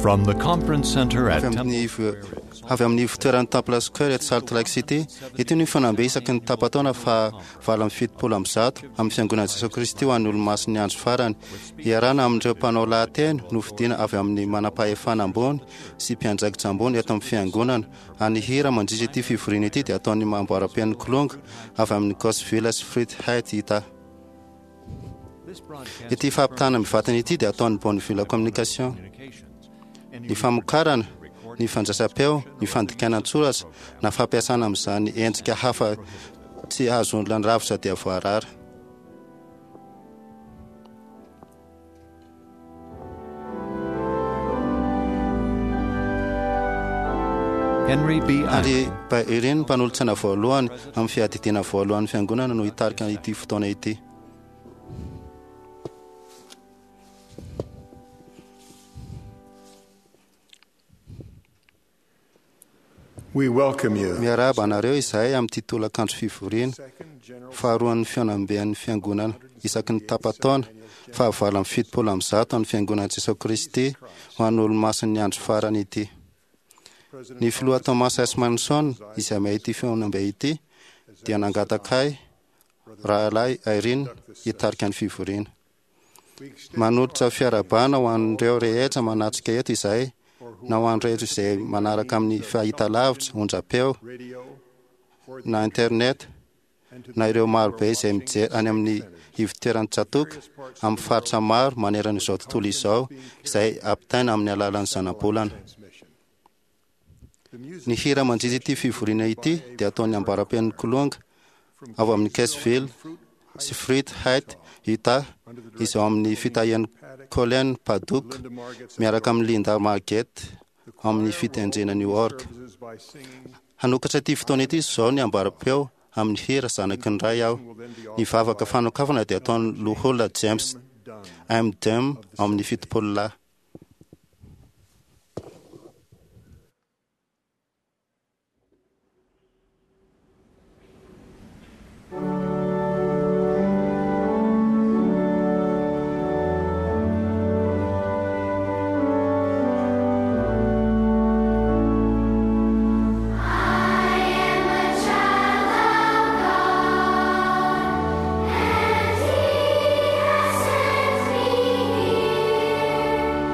From the conference center at Avy amin'ny avy amin'ny ivotoeran'ny Temple Square eto Salt Lake City, ity no fihaonambe isaky ny tapa-taona faha 178 amin'ny Fiangonan'i Jesoa Kristy ho an'ny Olomasin'ny Andro Farany. Iarahana amin'ireo mpanao lahateny nofidina avy amin'ny manam-pahefana ambony sy mpiandraikitra ambony eto amin'ny Fiangonana. A Ny hira mandritra ity fivoriana ity dia ataon'ny Mamboaram-pen'ny Kilonga avy amin'ny Gosville sy Fruit Height, Utah. Ity fampitana mivantana ity dia ataon'ny Bonneville Communication. Ny famokarana, ny fandraisam-peo, ny fandikana an-tsoratra na fampiasana amin'izany endrika hafa tsy ahazoan-dravitra dia voarara. Henry B. Ary Irene, mpanolotsaina voalohany amin'ny fiadidiana voalohan'ny Fiangonana no hitarika ity fotoana ity. We welcome you. Miarahaba anareo izahay amin'ity tolakandro fivoriana faharoan'ny fihaonamben'ny Fiangonana isaky ny tapa-taona faha 178 an'ny Fiangonan'i Jesoa Kristy ho an'ny Olomasin'ny Andro Farany ity. Ny Filoha Thomas S. Monson, izay mahay ity fihaonambe ity, dia nangataka ahy, Rahalahy Irene, hitarika ny fivoriana. Manolotra fiarahabana ho an'ireo rehetra manatrika eto izahay, na ho an'ny rehetra izay manaraka amin'ny fahitalavitra, onjam-peo, na internet, na ireo maro be izay mijery any amin'ny ivon-toeran'ny tsatòka amin'ny faritra maro manerana izao tontolo izao izay ampitaina amin'ny alalan'ny zanabolana. Ny hira mandritra ity fivoriana ity dia ataon'ny ambara-pen'ny Kilonga avy amin'ny Kessville sy Fruit Height, Utah, izay ao amin'ny fitahian'i Colleen Paddock miaraka amin'i Linda Margate ao amin'ny fitendrena New York. Hanokatra ity fotoana ity izao ny ambara-peo amin'ny hira Zanaky ny Ray aho. Ny vavaka fanokafana dia ataon'ny Loholona James M. Dum ao amin'ny Fitopololahy. I am a child of God, and He has sent me here.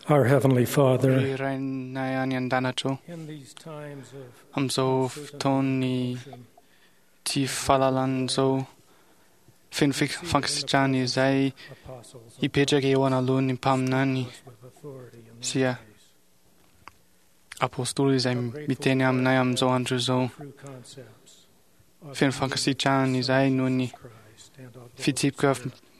Our Heavenly Father, Ry Rainay any an-danitra ô, in these times of amin'izao fotoan'ny tsy fahalalan'izao feno fankasitrahana izay apostles hipetraka eo anoloan'ny mpaminany with authority in sy apôstôly izay miteny aminay amin'izao andro izao. true concepts of Feno fankasitrahana izay noho ny Christ and of the fitsipika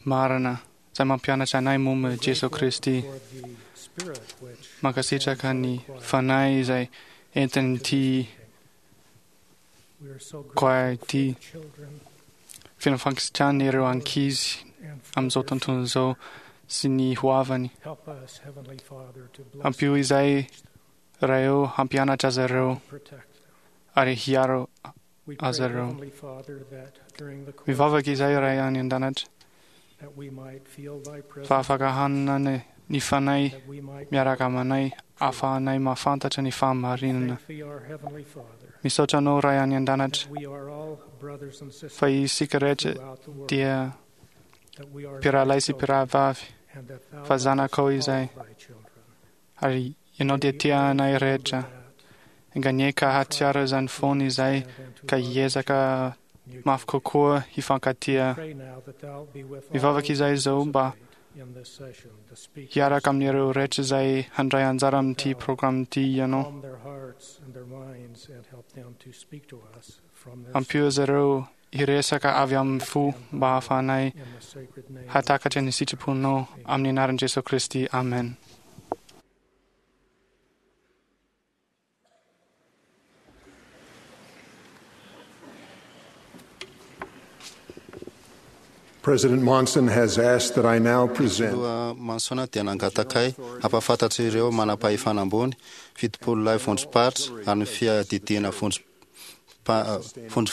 marina izay mampianatra anay momba Jesoa Kristy. for the Spirit which Mankasitraka ny fanahy izay entin'ity we are so koa grateful for ity. the children Feno fankasitrahana ireo ankizy and for amin'izao their tontolo izao sy ny hoavany. Help us, Heavenly Father, to bless Ampio izay Ray ô hampianatra azy ireo protect them. ary hiaro We pray, azy ireo. Heavenly Father, that during the course Mivavaka izay Ray any an-danitra that we might feel thy presence, fa afaka hanana ny fanahy that we might miaraka aminay ahafahanay mahafantatra ny fahamarinana. thank thee, our Heavenly Father, Misaotra anao Ray any an-danitra that we are all brothers and sisters fa isika rehetra throughout the world, dia that we are mpirahalahy sy thy children, mpirahavavy and that thou fa lovest zanakao all izay. thy children. Ary ianao dia May we tia always anay remember rehetra. that Enganie ka hahatsiaro izany foana izay and to ka love hiezaka mutually. mafy kokoa hifankatia. Pray now that thou be with all Mivavaka those izay izao mba participate in this session, the speakers, hiaraka amin'ireo rehetra izay handray anjara amin'ity programa ity ianao. calm their hearts and their minds and help them to speak to us from their Ampio azy ireo hiresaka avy amin'ny fo mba hahafahanay in the sacred name of hatakatra ny sitraponao amin'ny anaran'i Jesoa Kristy. Amen. President Monson has asked that I now present Filoha Mansona dia nangataka ahy hampahafantatra ireo manam-pahefana ambony 70 lahy vondrom-paritra ary ny fiadidiana vondro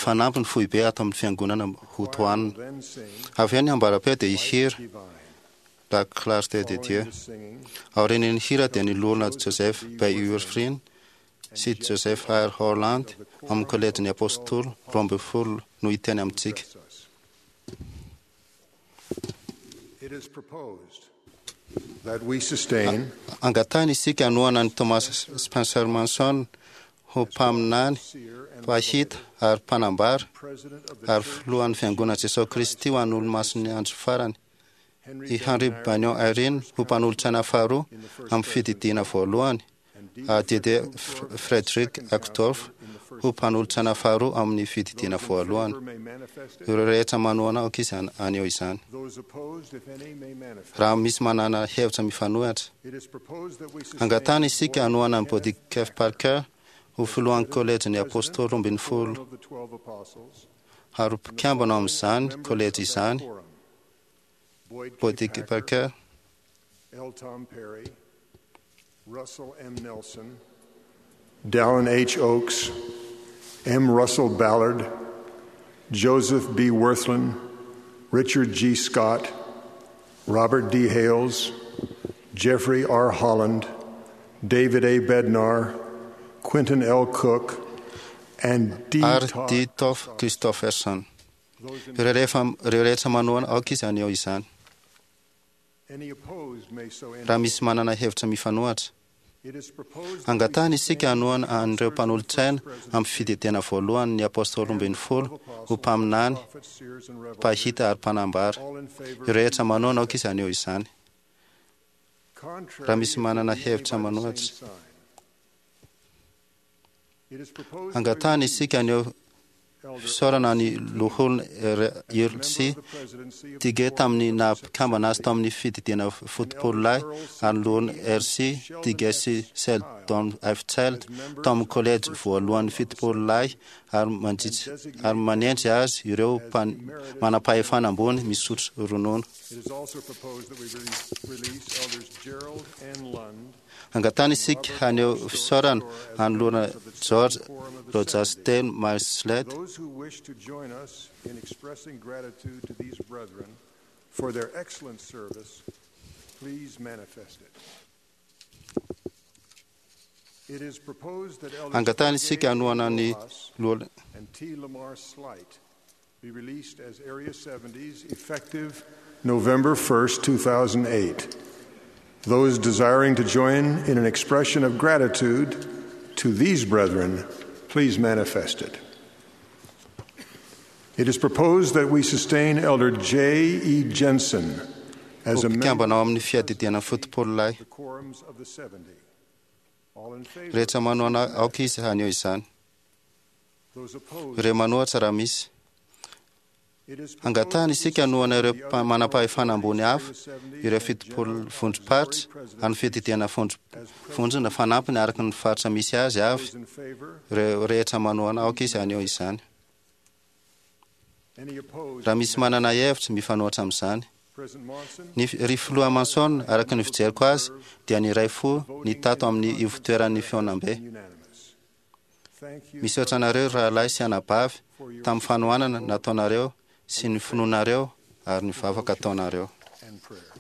fanampiny foibe ato amin'ny fiangonana hotohanina. then sing Avy eo ny ambara-peo dia hihira divine. La Clarté de Dieu. Following the singing, Aorian'ny hira dia ny loholona Joseph Bayurfrin sy Joseph R. Holland amin'ny kolejin'ny Apôstôly 12 no hiteny amintsika. address us. It is proposed that we sustain Angatahina isika hanohana an'i Thomas Spencer Manson ho mpaminany, seer and mpahita ary mpanambara president of the ary Church, filohan'ny fiangonana Jesoa Kristy ho an'ny olomasin'ny andro farany. Henry I Henry Bednar Banyon Irene ho mpanolotsaina faharoa in the first amin'ny fididiana voalohany and D. ary Didier Uchtdorf, Frederick second Uchtdorf counselor in the first ho mpanolotsaina faharoa amin'ny fididiana Those in voalohany. favor may manifest it. Ireo rehetra manohana aoka izy haneho izany. Those opposed, if any, may manifest. Raha misy manana hevitra mifanohitra, It is proposed that we sustain angatahina isika hanohana an'i Boyd Body Kenneth F. Parker ho filohan'ny kolejin'ny Apôstôly President 12 Quorum of the 12 Apostles, ary ho mpikambana ao amin'izany members kolejy of that izany quorum. Boyd K. Body K. Packer, Parker, L. Tom Perry, Russell M. Nelson, Dallin H. Oaks, M. Russell Ballard, Joseph B. Wirthlin, Richard G. Scott, Robert D. Hales, Jeffrey R. Holland, David A. Bednar, Quentin L. Cook, and D. ary Todd. D. Toff Christopherson. Those in- Ireo rehetra manohana aoka izy haneho izany. Any opposed may so Raha indicate. misy manana hevitra mifanohitra, It is proposed that we angatahina isika sustain hanohana an'ireo mpanolotsaina the first amin'ny fididiana voalohany ny Apôstôly 12 ho mpaminany, prophets, seers, and revelators. mpahita ary mpanambara. All in favor, Ireo rehetra manohana aoka izy haneho izany. Contrary, Raha misy if manana there be any hevitra by the manohitra. same sign. It is proposed that we Angatahina release isika haneho Elder fisaorana ny loholona as a member Irsi of the presidency of the Tige Quorum tamin'ny of the naha-mpikambana azy 70 tamin'ny fididiana fotopolo lahy ary ny loholona RC Tige sy Sheldon F. Child tamin'ny kolejy voalohan'ny 70 lahy ary ary manendry azy ireo manam-pahefana ambony misotro ronono. It is also proposed that we release Elders Gerald N. Lund Angatahina isika haneho fisaorana an'ny loholona George Rojasten Marslet Those who wish to join us in expressing gratitude to these brethren for their excellent service, please manifest it. It is proposed that Elders Angatahina isika Jorge hanohana ny Rojas loholona and T. Lamar Slight be released as Area 70s effective November 1st, 2008. Those desiring to join in an expression of gratitude to these brethren, please manifest it. It is proposed that we sustain Elder J. E. Jensen as Ho a member mpikambana ao amin'ny fiadidiana fotopolo lahy of the quorums of the 70. All in favor, rehetra manohana aoka izy haneho izany those opposed, ireo manohatra raha misy it is proposed Angatahana isika hanohana ireo the other manam-pahefana ambony hafa quorums of the 70 ireo and 70 General vondrom-paritra Auxiliary amin'ny fiadidiana vondrona fanampiny araka ny faritra misy azy avy Those in favor, ireo rehetra manohana aoka izy haneho izany any opposed, raha misy manana hevitra mifanohatra amin'izany President Monson, ny ry filoha Manson araka ny fijeriko azy dia ny iray fo ny tato amin'ny ivotoeran'ny fihaonambe unanimous. Thank you misaotra anareo rahalahy sy anabavy tamin'ny fanohanana nataonareo sy ny finoanareo ary ny vavaka ataonareo and prayers.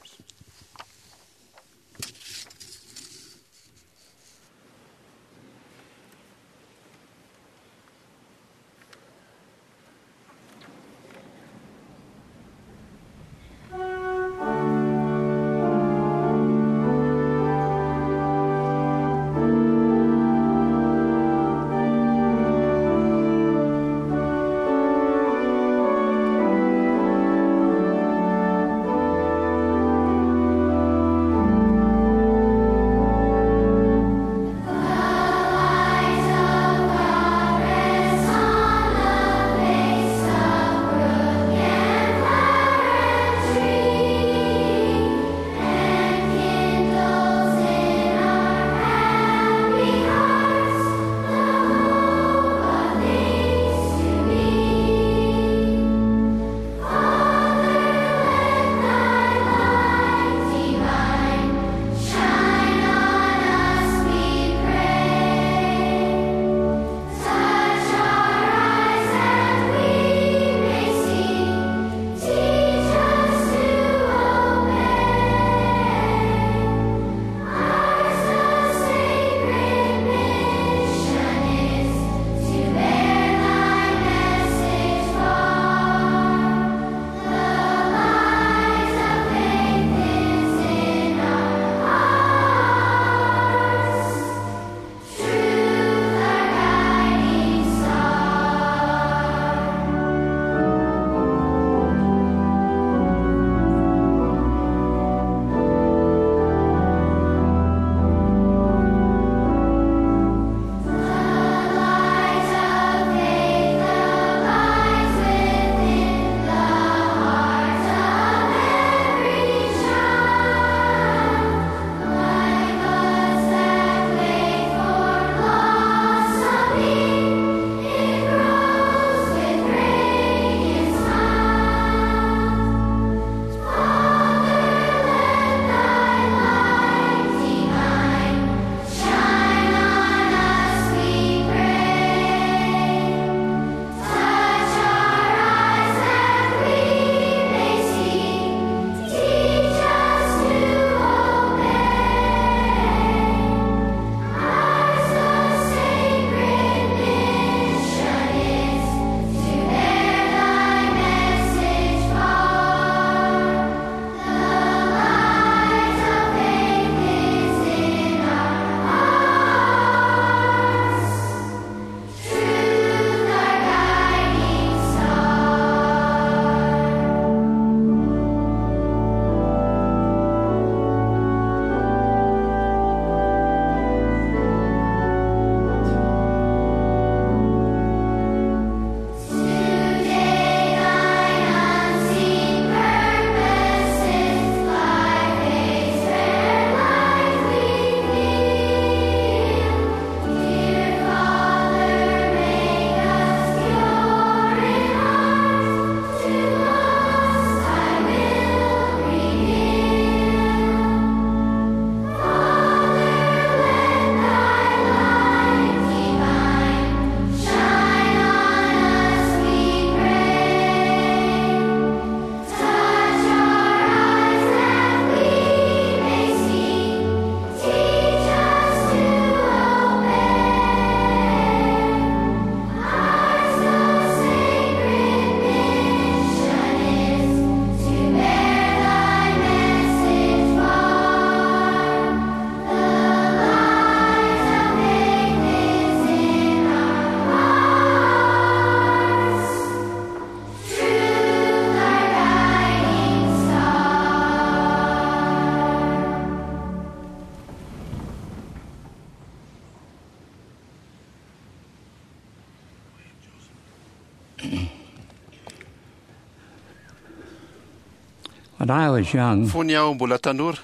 When I was young, Fony aho mbola tanora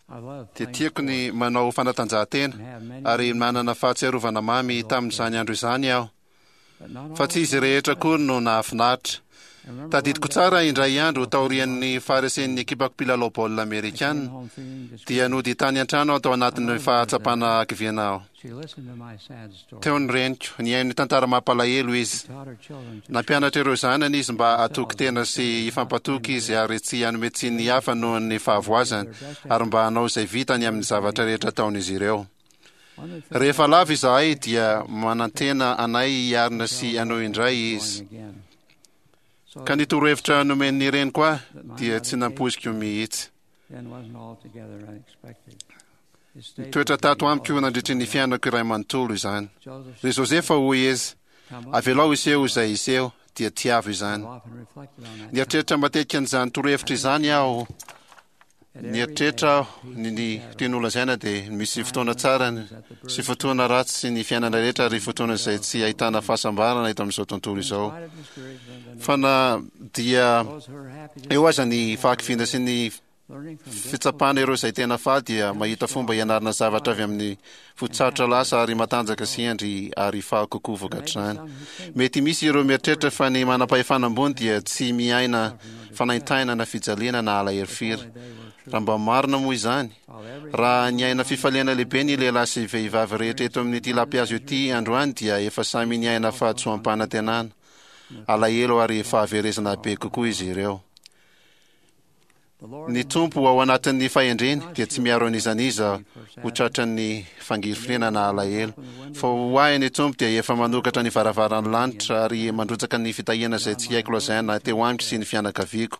I loved dia playing tiako ny manao fanatanjahantena and have many, ary manana fahatsiarovana mamy tamin'izany andro izany aho, but not fa all tsy izy rehetra akory no nahafinaritra. I remember Tadidiko one day tsara indray andro taorian'ny faharesen'ny ekipako mpilalao baolina I came amerikana home feeling discouraged. dia nody tany an-trano aho tao anatin'ny fahatsapana hakiviana aho. She listened to my sad story. Teo ny reniko, nihaino ny tantara mampalahelo izy. Taught her children to Nampianatra ireo zanany izy mba hatoky tena sy hifampatoky izy ary tsy hanome tsiny ny hafa noho ny fahavoazany ary mba hanao izay vitany amin'ny zavatra rehetra ataon'izy ireo. One of the things Rehefa lava izahay dia manantena anay hiarina sy hanao indray izy. going again. So Ka ny torohevitra nomen'ny reniko ahy dia tsy nampoiziko mihitsy. then wasn't altogether unexpected. It stayed Nitoetra with me tato all amiko nandritry ny fiainako iray manontolo izany. Joseph Ry Josefa hoy izy, come up. avelao iseho izay iseho dia tiavo izany. I've often reflected on that Nieritreritra matetika an'izany torohevitra izany aho. At every Nieritreritra day, aho ny tiany holazaina dia misy fotoana tsara sy fotoana ratsy sy ny fiainana rehetra ary fotoana izay tsy ahitana fahasambarana eto amin'izao tontolo in izao. spite of discouragement and Fa na dia those who are happy to eo aza ny fahakiviana sy ny learning from fitsapana ireo izay tena faly dia mahita fomba hianarana zavatra avy amin'ny fotsarotra lasa ary matanjaka sy hendry ary faly kokoa vokatr'izany. Mety misy ireo mieritreritra fa ny manam-pahefana ambony dia tsy miaina fanaintainana na fijaliana na alahelo firy. Raha mba marina moa izany, raha niaina fifaliana lehibe ny lehilahy sy vehivavy rehetra eto amin'ity lampihazo ity androany dia efa samy niaina fahadisoam-panantenana, alahelo ary fahaverezana be kokoa izy ireo. the Lord Ny Tompo ao anatin'ny fahendreny dia tsy miaro an'iza n'iza ho tratran'ny fangirifiriana na alahelo. Fa ho ahy ny Tompo dia efa manokatra ny varavaran'ny lanitra ary mandrotsaka ny fitahiana izay tsy haiko lazaina teo amiko sy ny fianakaviako.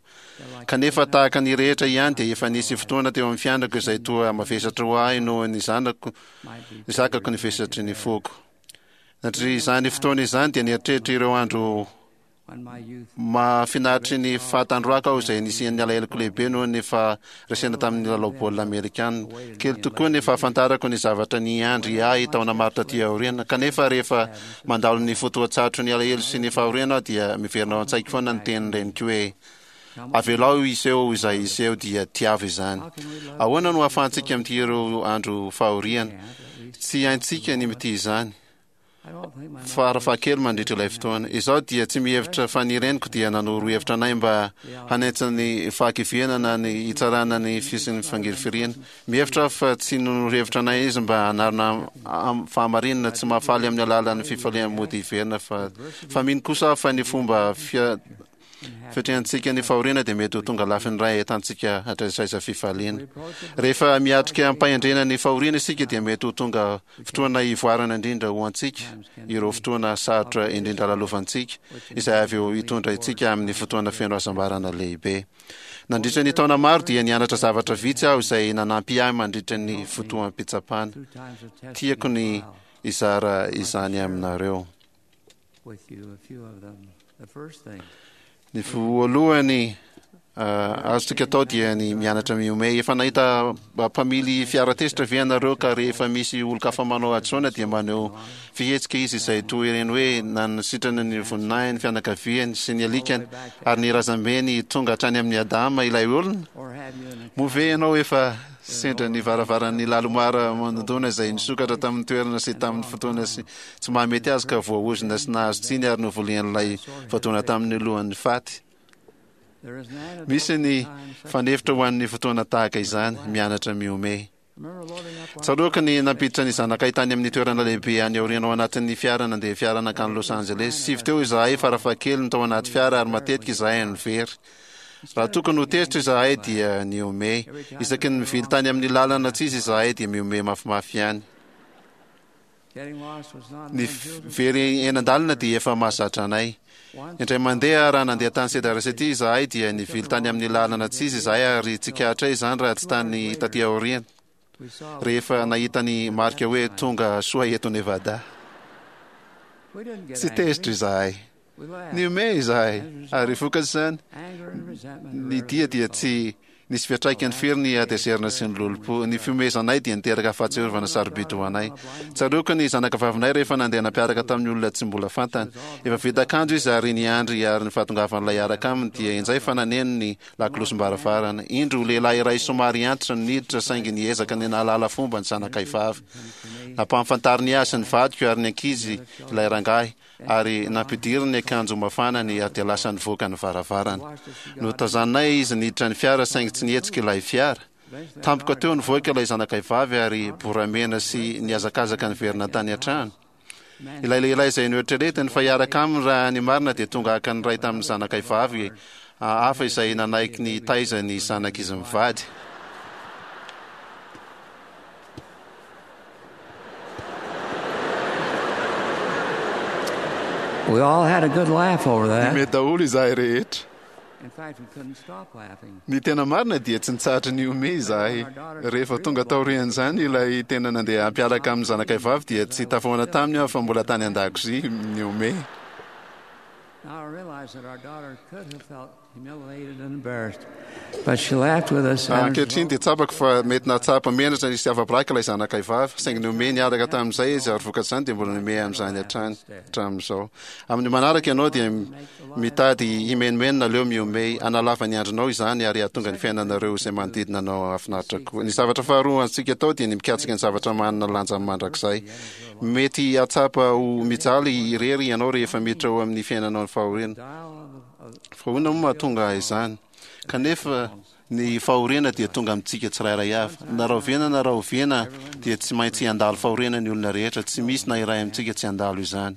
Kanefa tahaka ny rehetra ihany dia efa nisy fotoana teo amin'ny fiainako izay toa mavesatra ho ahy noho ny zanako might be zakako ny vesatry ny foko. Nandritra izany fotoana izany dia nieritreritra ireo andro when my youth mahafinaritry ny fahatandroaka aho izay nisian'ny alaheloko lehibe noho ny faharesena tamin'ny lalao baolina amerikana. Kely tokoa ny fahafantarako ny zavatra niandry ahy taona maro taty aoriana. Kanefa rehefa mandalo ny fotoan-tsarotry ny alahelo sy ny fahoriana aho dia miverina ao an-tsaiko foana ny tenin'ny reniko hoe avelao iseho izay iseho dia tiavo izany. Ahoana no ahafahantsika mitia ireo andro fahoriana? Tsy haintsika ny mitia izany. I don't think my Farafahakely mandritra ilay fotoana. Izaho dia tsy mihevitra fa ny reniko dia nanoro hevitra anay mba hanentsina ny fahakiviana na ny hitsarana ny fisin'ny fangirifiriana. Mihevitra aho fa tsy nanoro hevitra anay izy mba hanarina fahamarinana tsy mahafaly amin'ny alalan'ny fifaliana mody hiverina fa fa mino kosa aho fa ny fomba fia fiatrehantsika ny fahoriana dia mety ho tonga lafiny iray ahitantsika hatraizaiza fifaliana. Rehefa miatrika am-pahendrena ny fahoriana isika dia mety ho tonga fotoana ivoarana indrindra ho antsika ireo fotoana sarotra indrindra lalovantsika izay avy eo hitondra antsika amin'ny fotoana feno hasambarana lehibe. Nandritra ny taona maro dia nianatra zavatra vitsy aho izay nanampy ahy mandritra ny fotoam-pitsapana. through times of testing Tiako and ny trial hizara izany aminareo. with you a few of them. The first thing, Ny voalohany azontsika atao dia ny mianatra mihomehy. Efa nahita mpamily fiara tezitra ve ianareo ka rehefa misy olon-kafa manao hadisoana dia maneho fihetsika izy izay toy ireny hoe nanasitrana ny voninahiny, fianakaviany sy ny alikany ary ny razambeny tonga hatrany amin'ny Adama ilay olona? or have you an Moa ve ianao efa sendra ny varavaran'ny lalomara manodona izay nisokatra tamin'ny toerana sy tamin'ny fotoana sy tsy mahamety azy ka voaozona sy nahazo tsiny ary novolian'ilay voadona tamin'ny lohan'ny faty? there is an antidote Misy ny to times such fanefitra ho an'ny fotoana tahaka izany, mianatra mihomehy. Remember loading up our Tsaroako ny nampiditra ny zanakay tany amin'ny toerana lehibe any aoriana ao anatin'ny fiara nandeha fiara nankany Los Angeles. Sivy teo izahay farafahakeliny tao anaty fiara ary matetika izahay no very. Raha tokony ho tezitra izahay dia nihomehy. Isaky ny mivily tany amin'ny lalana tsy izy izahay dia mihomehy mafimafy ihany. getting lost was not Ny an unusual very eny an-dalana dia efa mahazatra anay. Once Indray mandeha raha nandeha tany Cedar City izahay dia nivily tany amin'ny lalana tsy izy izahay ary tsikaritray izany raha tsy tany taty aoriana. we saw Rehefa nahita ny marika hoe tonga soa eto Nevada. we didn't get Tsy angry. tezitra izahay. We laughed. Nihomehy izahay ary vokatra izany Anger and resentment ny rarely dia dia resolved. tsy Nisy fiantraikany firy ny hatezerana sy ny lolompo. Ny fihomehezanay dia niteraka fahatsiarovana sarobidy ho anay. Tsaroako ny zanakavavinay rehefa nandeha nampiaraka tamin'ny olona tsy mbola fantany. Efa vita akanjo izy ary niandry ary ny fahatongavan'ilay hiaraka aminy dia injay fa naneno ny lakolosim-baravarana. Indro lehilahy iray somary antitra no niditra saingy niezaka ny nahalala fomba ny zanakay vavy. Nampahafantariny ahy sy ny vadiko ary ny ankizy ilay rangahy. ary nampidiriny ny akanjo mafanany ary dia lasa nivoaka ny varavarana. Notazaninay izy niditra ny fiara saingy tsy nihetsika ilay fiara. Tampoka teo nivoaka ilay zanakay vavy ary boramena sy nihazakazaka niverina tany an-trano. Ilay lehilahy izay noeritreretiny fa hiaraka aminy raha ny marina dia tonga haka ny iray tamin'ny zanakay vavy hafa izay nanaiky ny hitaiza ny zanak'izy mivady. We all had a good laugh over that. Nihomehy daholo izahay rehetra. In fact, we couldn't stop laughing. Ny tena marina dia tsy nitsahatra nihomehy izahay. Rehefa tonga taorian'izany ilay tena nandeha hampiaraka amin'ny zanakay vavy dia tsy tafahoana taminy aho fa mbola tany an-dakozia nihomehy. Now I realize that our daughter could have felt humiliated and embarrassed, but she laughed with us. and Ankehitriny dia tsapako fa mety nahatsapa menatra sy afa-baraka ilay zanakay vavy, saingy nihomehy niaraka tamin'izay izy ary vokatr'izany dia mbola nihomehy amin'izany hatrany hatramin'izao. Amin'ny manaraka ianao dia mitady himenomenona aleo mihomehy, hanalava ny andronao izany ary hahatonga ny fiainanareo izay manodidina anao hahafinaritra koa. Ny zavatra faharoa azontsika atao dia ny mikatsaka ny zavatra manana lanja mandrakizay. Mety hahatsapa ho mijaly irery ianao rehefa miditra ao amin'ny fiainanao ny fahoriana. Fa ahoana moa mahatonga izany? Kanefa ny fahoriana dia tonga amintsika tsirairay avy. Na rahoviana na rahoviana dia tsy maintsy handalo fahoriana ny olona rehetra, tsy misy na iray amintsika tsy handalo izany.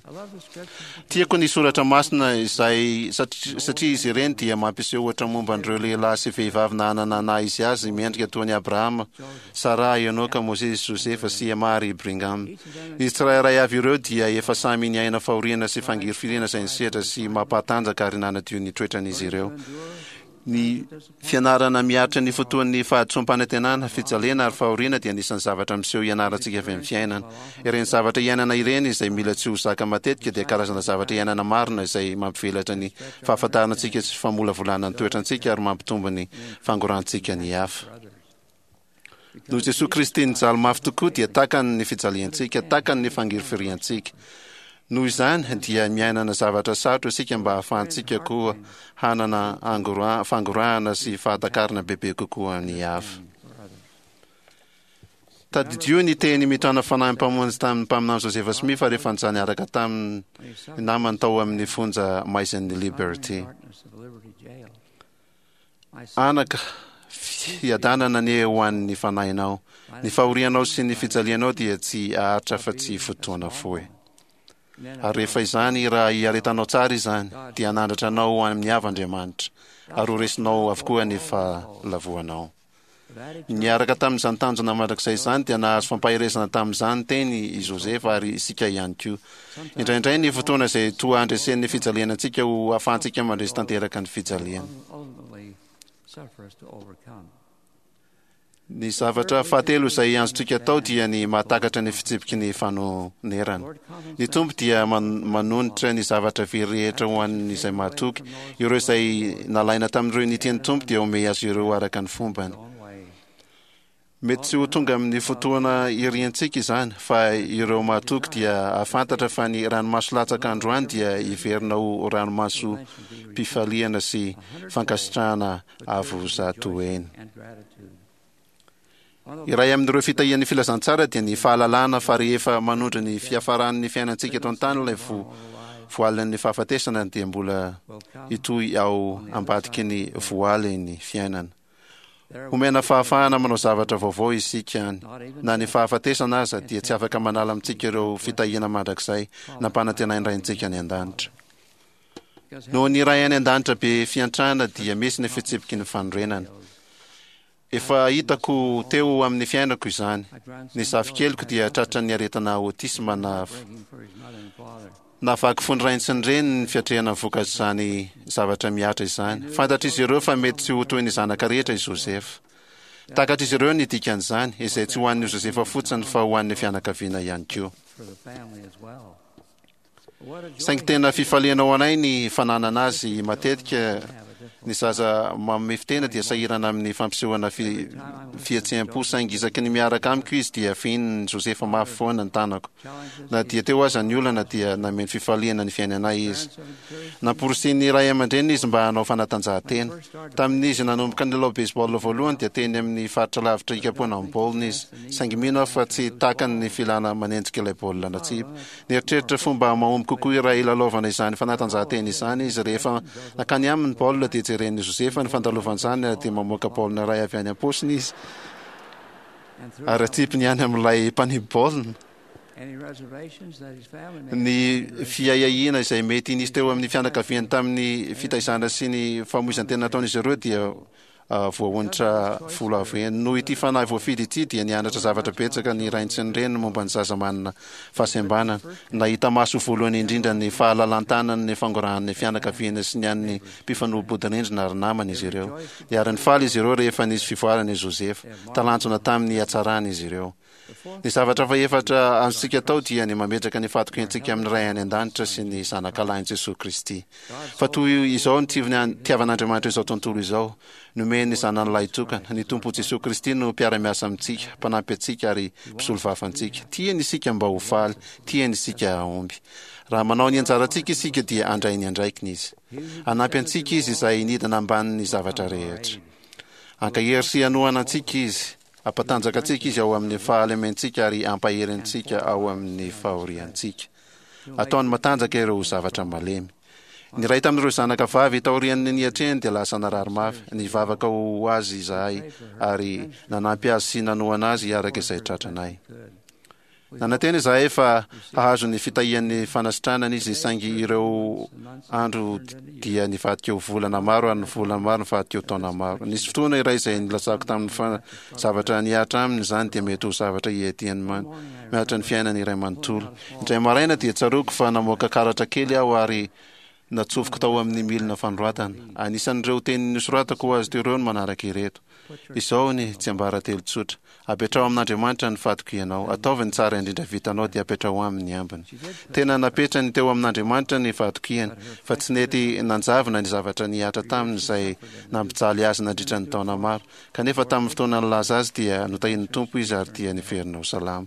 Tiako ny soratra masina izay satria izy ireny dia mampiseho ohatra momba an'ireo lehilahy sy vehivavy nanana naha izy azy mendrika toa an'i Abrahama, Saraha, Enoka, Mosesy, Josefa, sy Emma ary Brigham. Izy tsirairay avy ireo dia efa samy niaina fahoriana sy fangirifiriana izay nisedra sy mampahatanjaka ary nanadio ny toetran'izy ireo. Ny fianarana miaritra ny fotoan'ny fahadisoam-panantenana, fijaliana ary fahoriana dia anisan'ny zavatra miseho ianarantsika avy amin'ny fiainana. Ireny zavatra iainana ireny izay mila tsy ho zaka matetika dia karazana zavatra iainana marina izay mampivelatra ny fahafantarana antsika sy famolavolana ny toetrantsika ary mampitombo ny fangorantsika ny hafa. Noho Jesoa Kristy nijaly mafy tokoa dia takany ny fijaliantsika, takany ny fangirifiriantsika. Noho izany dia miainana zavatra sarotra isika mba hahafahantsika koa hanana fangorahana sy fahatakarana bebe kokoa ny hafa. Tadidio ny teny mitrana fanahy Mpamonjy tamin'ny mpaminany Joseph Smith rehefa nijaly niaraka tamin'ny namany tao amin'ny fonja maizin'ny Liberty. Anaka, fiadanana anie ho an'ny fanahinao. Ny fahorianao sy ny fijalianao dia tsy haharitra afa-tsy fotoana fohy. Ary rehefa izany, raha iaretanao tsara izany, dia hanandratra anao ho amin'ny avo Andriamanitra, ary ho resinao avokoa ny fahalavoanao. Niaraka tamin'izany tanjona mandrakizay izany dia nahazo fampaherezana tamin'izany teny i Josefa ary isika ihany koa. Indraindray ny fotoana izay toa handresen'ny fijaliana antsika ho ahafahantsika mandresy tanteraka ny fijaliana. Ny zavatra fahatelo izay azontsika atao dia ny mahatakatra ny fitsipiky ny fanonerana. Ny Tompo dia manonitra ny zavatra very rehetra ho an'izay mahatoky. Ireo izay nalaina tamin'ireo nitia ny Tompo dia omey azy ireo araka ny fombany. Mety tsy ho tonga amin'ny fotoana iriantsika izany, fa ireo mahatoky dia hahafantatra fa ny ranomaso latsaka androany dia hiverina ho ranomasom-pifaliana sy fankasitrahana avo 100 heny. Iray amin'ireo fitahian'ny filazantsara dia ny fahalalana fa rehefa manondro ny fiafaran'ny fiainantsika eto an-tany ilay voalin'ny fahafatesana dia mbola hitohy ao ambadiky ny voaly ny fiainana. Homena fahafahana manao zavatra vaovao isika any. Na ny fahafatesana aza dia tsy afaka manala amintsika ireo fitahiana mandrakizay nampanantenain'ny Raintsika any an-danitra. Noho ny Ray any an-danitra be fiantrana dia misy ny fitsipiky ny fanorenana. Efa hitako teo amin'ny fiainako izany. Ny zafikeliko dia tratran'ny aretina autisme na navaky fo ny rainy sy ny reniny ny fiatrehana ny vokatr'izany zavatra mihatra izany. Fantatr'izy ireo fa mety tsy ho toy ny zanaka rehetra i Joseph. Takatr'izy ireo ny dikan'izany, izay tsy ho an'i Josefa fotsiny fa ho an'ny fianakaviana ihany koa. Saingy tena fifaliana ho anay ny fananana azy matetika Ny zaza mamefy tena dia sahirana amin'ny fampisehoana fihetseham-po, saingy isaky ny miaraka amiko izy dia fihinin'i Josefa mafy foana ny tanako. Na dia teo aza ny olana dia nameno fifaliana ny fiainanay izy. Namporisihin'ny ray aman-dreniny izy mba hanao fanatanjahantena. Tamin'izy nanomboka nilalao baseball voalohany dia teny amin'ny faritra lavitra hikapohana ny baolina izy, saingy mino aho fa tsy takany ny filana manenjika ilay baolina natsipy. Nieritreritra fomba mahomby kokoa iray hilalaovana izany fanatanjahantena izany izy. Rehefa nankany aminy ny baolina dia jeren'i Josefa ny fandalovan'izany ary dia mamoaka baolina iray avy any am-paosiny izy ary atsipiny any amin'ilay mpanipy baolina. Ny fiahiahiana izay mety nisy teo amin'ny fianakaviany tamin'ny fitaizana sy ny famoizan-tena nataon'izy ireo dia voaonitra folo avo heny. Noho ity fanahy voafidy ity dia nianatra zavatra betsaka ny rainy sy ny reniny momba ny zaza manana fahasembanana. Nahita maso voalohany indrindra ny fahalalan-tanan'ny fangorahan'ny fianakaviana sy ny an'ny mpifanolo-bodirindrina ary namana izy ireo. Niara-nifaly izy ireo rehefa nisy fivoarana i Josefa. Talanjona tamin'ny hatsarany izy ireo. Ny zavatra fahefatra azontsika atao dia ny mametraka ny fahatokiantsika amin'ny Ray any An-danitra sy ny Zanakalahin'i Jesoa Kristy. Fa toy izao ny tiavan'Andriamanitra izao tontolo izao, nomeny ny Zanany Lahitokana. Ny Tompo Jesoa Kristy no mpiara-miasa amintsika, mpanampy antsika ary mpisolovava antsika. Tiany isika mba ho faly, tiany isika hahomby. Raha manao ny anjarantsika isika dia handray ny andraikiny Izy. Hanampy antsika Izy izay nidina ambanin'ny zavatra rehetra. Hankahery sy hanohana antsika Izy. Hampatanjaka antsika Izy ao amin'ny fahalementsika ary hampahery antsika ao amin'ny fahoriantsika. Ataony matanjaka ireo zavatra malemy. Ny iray tamin'ireo zanaka vavy taorian'ny niatrehany dia lasa narary mafy. Nivavaka ho azy izahay ary nanampy azy sy nanohana azy araka izay tratranay. Nanantena izahay fa hahazo ny fitahian'ny fanasitranana izy, saingy ireo andro dia nivadika ho volana maro ary ny volana maro nivadika ho taona maro. Nisy fotoana iray izay nilazako taminy fa zavatra nihatra aminy izany dia mety ho zavatra hiadiany mihoatra ny fiainany iray manontolo. Indray maraina dia tsaroako fa namoaka karatra kely aho ary Natsofoko tao amin'ny milina fanoratana. Anisan'ireo teny nosoratako ho azy teo ireo ny manaraka ireto. Izao ny tsiambaratelo tsotra. Apetraho amin'Andriamanitra ny fatokianao. Ataovy ny tsara indrindra vitanao dia apetraho aminy ny ambiny. Tena napetrany teo amin'Andriamanitra ny fahatokiany, fa tsy nety nanjavona ny zavatra nihatra taminy izay nampijaly azy nandritra ny taona maro. Kanefa tamin'ny fotoana nilaza azy dia notahian'ny Tompo izy ary dia niverina ho salama.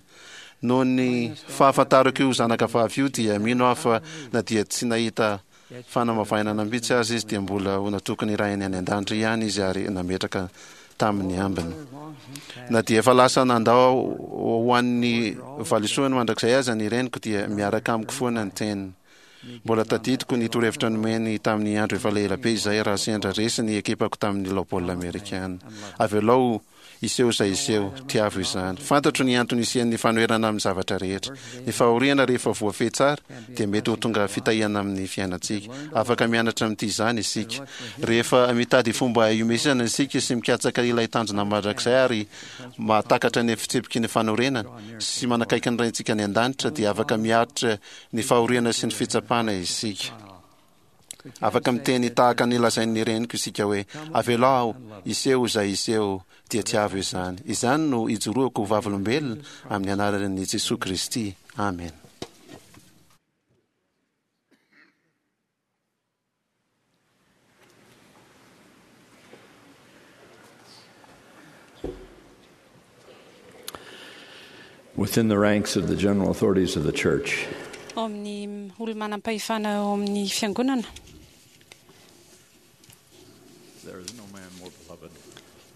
Noho ny fahafantarako io zanaka vavy io dia mino aho fa na dia tsy nahita fanamavainana mihitsy aza izy dia mbola ho natoky ny Rainy any An-danitra ihany izy ary nametraka taminy ambiny. Na dia efa lasa nandao ho an'ny valisoany mandrakizay aza ny reniko dia miaraka amiko foana ny teniny. Mbola tadidiko ny torohevitra nomeny tamin'ny andro efa elabe izay raha sendra resy ny ekipako tamin'ny lalao baolina amerikana. Avelao Hiseho izay hiseho, tiavo izany. Fantatro ny antony hisian'ny fanoherana amin'ny zavatra rehetra. Ny fahoriana rehefa voafehy tsara dia mety ho tonga fitahiana amin'ny fiainantsika. Afaka mianatra mitia izany isika. Rehefa mitady fomba hiomezana isika sy mikatsaka ilay tanjona mandrakizay ary mahatakatra ny fitsipiky ny fanorenana sy manakaiky ny Raintsika any An-danitra dia afaka miaritra ny fahoriana sy ny fitsapana isika. Afaka miteny tahaka ny lazain'ny reniko isika hoe, Avelao aho hiseho izay hiseho, dia tiavo izany. Izany no ijoroako ho vavolombelona amin'ny anaran'i Jesoa Kristy. Amena. Within the ranks of the general authorities of the church. Ao amin'ny olo-manam-pahefana ao amin'ny fiangonana.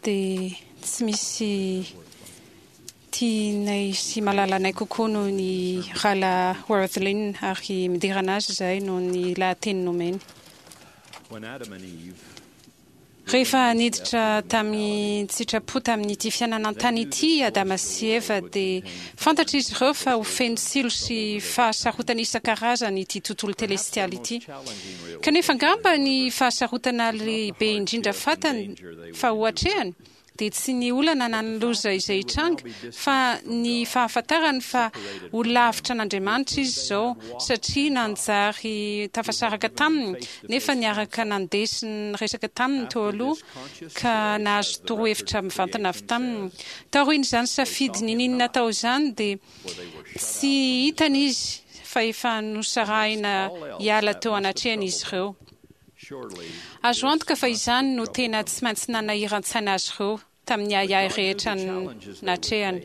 Dia tsy misy tianay sy malalanay kokoa noho ny Rahalahy Wirthlin ary miderana azy izahay noho ny lahateny nomeny. Rehefa niditra tamin-tsitrapo tamin'ity fiainana an-tany ity i Adama sy Eva, dia fantatr'izy ireo fa ho feno tsilo sy fahasarotana isan-karazany ity tontolo telestialy ity. Kanefa angamba ny fahasarotana lehibe indrindra fantany fa ho atrehany dia tsy ny olana na ny loza izay hitranga, fa ny fahafantarany fa ho lavitra an'Andriamanitra izy izao, satria nanjary tafasaraka taminy, nefa niaraka nandeha sy niresaka taminy teo aloha, ka nahazo torohevitra mivantana avy taminy. Taorian'izany safidy niniany natao izany, dia tsy hitany izy fa efa nosarahina hiala teo anatrehany izy ireo. Azo antoka fa izany no tena tsy maintsy nanahiran-tsaina azy ireo tamin'ny ahiahy rehetra natrehany.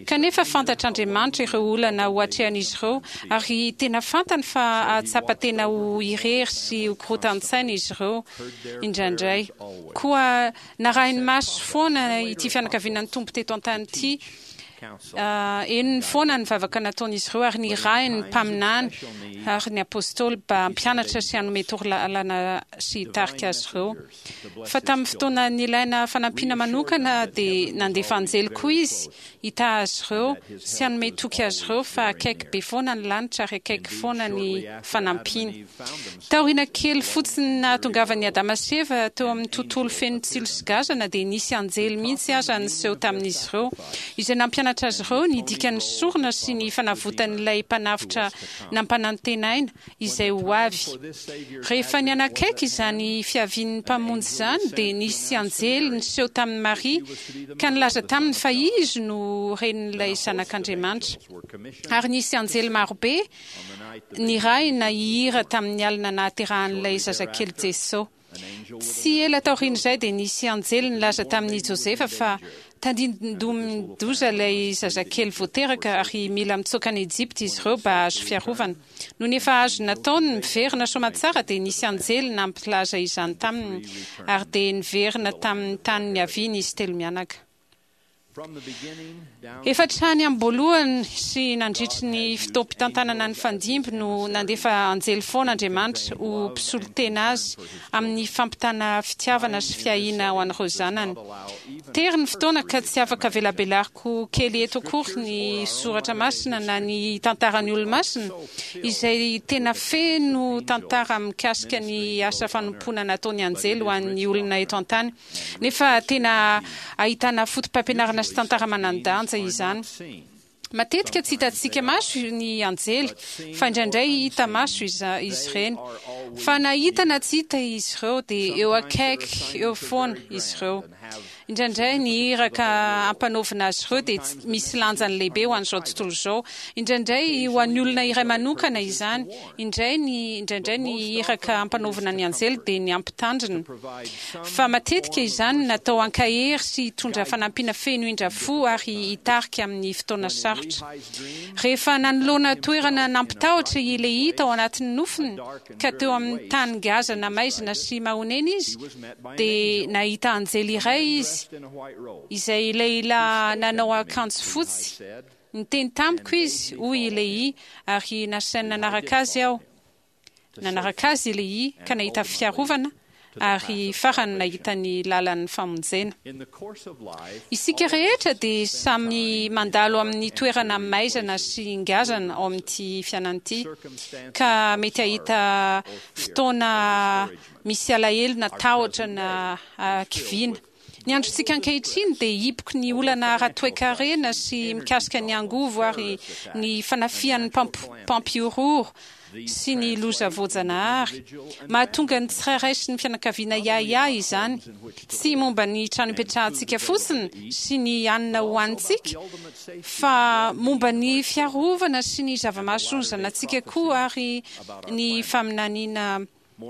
Kanefa fantatr'Andriamanitra ireo olana ho atrehan'izy ireo, ary tena fantany fa hahatsapa tena ho irery sy ho korotan-tsaina izy ireo indraindray. Koa narahiny maso foana ity fianakaviana ny Tompo teto an-tany ity. Henony foana ny vavaka nataon'izy ireo ary nirahiny ny mpaminany ary ny apostoly mba hampianatra sy hanome torolalana sy hitarika azy ireo. Fa tamin'ny fotoana nilaina fanampiana manokana dia nandefa anjely koa izy hitaha azy ireo sy hanome toky azy ireo fa akaiky be foana ny lanitra ary akaiky foana ny fanampiany. Taoriana kely fotsiny nahatongavan'i Adama sy Eva teo amin'ny tontolo feno tsilo sy gazana dia nisy anjely mihitsy aza niseho tamin'izy ireo, izay nampianatra azy ireo ny dikan'ny sorona sy ny fanavotan'ilay Mpanavotra nampanantenaina izay ho avy. Rehefa nianakaiky izany fiavian'ny Mpamonjy izany dia nisy anjely niseho tamin'i Maria ka nilaza taminy fa izy no renin'ilay Zanak'Andriamanitra. Ary nisy anjely marobe Nirahina hihira tamin'ny alina nahaterahan'ilay zazakely Jeso. Tsy ela taorian'izay dia nisy anjely nilaza tamin'i Josefa fa tandindomin-doza ilay zazakely vao teraka ary mila mitsoaka any Ejipta izy ireo mba hahazo fiarovana. Nony efa azo natao ny miverina soamantsara dia nisy anjely nampilaza izany taminy ary dia niverina tamin'ny tany niaviany izy telomianaka. Efa hatrany am-boalohany sy nandritry ny fotoam-pitantanana nifandimby no nandefa anjely foana Andriamanitra ho mpisolo tena azy amin'ny fampitana fitiavana sy fiahiana ho an'ireo zanany. Tery ny fotoana ka tsy afaka velabelariko kely eto akory ny soratra masina na ny tantaran'ny olomasina izay tena feno tantara mikasika ny asa fanompoana nataon'ny anjely ho an'ny olona eto an-tany. Nefa tena ahitana fotopampianarana sy tantara manan-danja izany. Matetika tsy hitantsika maso ny anjely, fa indraindray hita maso izy ireny. Fa na hita na tsy hita izy ireo, dia eo akaiky eo foana izy ireo. Indraindray ny iraka ampanaovina azy ireo dia misy lanjany lehibe ho an'izao tontolo izao. Indraindray ho an'ny olona iray manokana izany. Indray ny indraindray ny iraka ampanaovina ny anjely dia ny hampitandrina. Fa matetika izany natao hankahery sy hitondra fanampiana feno indra fo ary hitarika amin'ny fotoana sarotra. Rehefa nanoloana toerana nampitahotra i Lehia tao anatin'ny nofiny, ka teo amin'ny tany ngazana maizina sy mahonena izy, dia nahita anjely iray izy, izay lehilahy nanao akanjo fotsy. Niteny tamiko izy, hoy i Lehia, ary nasainy nanaraka azy aho. Nanaraka azy i Lehia ka nahita fiarovana ary farany nahita ny lalan'ny famonjena. Isika rehetra dia samy mandalo amin'ny toerana maizana sy ngazana ao amin'ity fiainana ity, ka mety hahita fotoana misy alahelo na tahotra na hakiviana. Ny androntsika ankehitriny dia hipoky ny olana ara-toekarena sy mikasika ny angovo ary ny fanafihan'ny mpampihorohoro sy ny loza voajanahary. Mahatonga ny tsirairay sy ny fianakaviana hiahiahy izany, tsy momba ny trano ipetrahantsika fotsiny sy ny hanina hohanintsika, fa momba ny fiarovana sy ny zava-mahasoa ny zanatsika koa ary ny faminaniana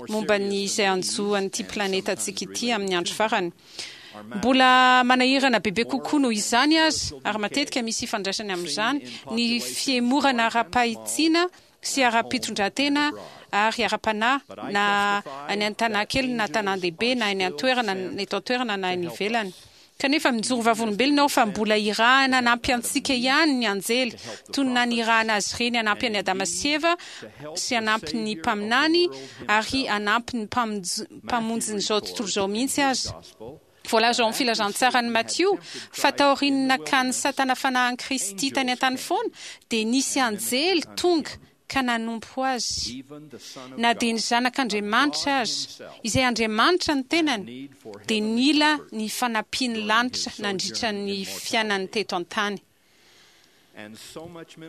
momba ny izay hanjo an'ity planetantsika ity amin'ny andro farany. Mbola manahirana bebe kokoa noho izany aza, ary matetika misy ifandraisany amin'izany, ny fihemorana ara-pahitsiana sy ara-pitondrantena ary ara-panahy, na any an-tanàn-kely na tanàn-dehibe, na any an-toerana, eto an-toerana na any ivelany. Kanefa mijoro vavolombelona aho fa mbola irahana hanampy antsika ihany ny anjely, toy ny nanirahana azy ireny hanampy an'i Adama sy Eva, sy hanampy ny mpaminany, ary hanampy ny Mpamonjin'izao tontolo izao mihitsy aza. Voalaza ao amin'ny Filazantsaran'i Matio fa taorian'ny nakan'i Satana fanahy an'i Kristy tany an-tany foana, dia nisy anjely tonga ka nanompo azy. Na dia ny Zanak'Andriamanitra aza, izay Andriamanitra ny tenany, dia nila ny fanampian'ny lanitra nandritra ny fiainany teto an-tany.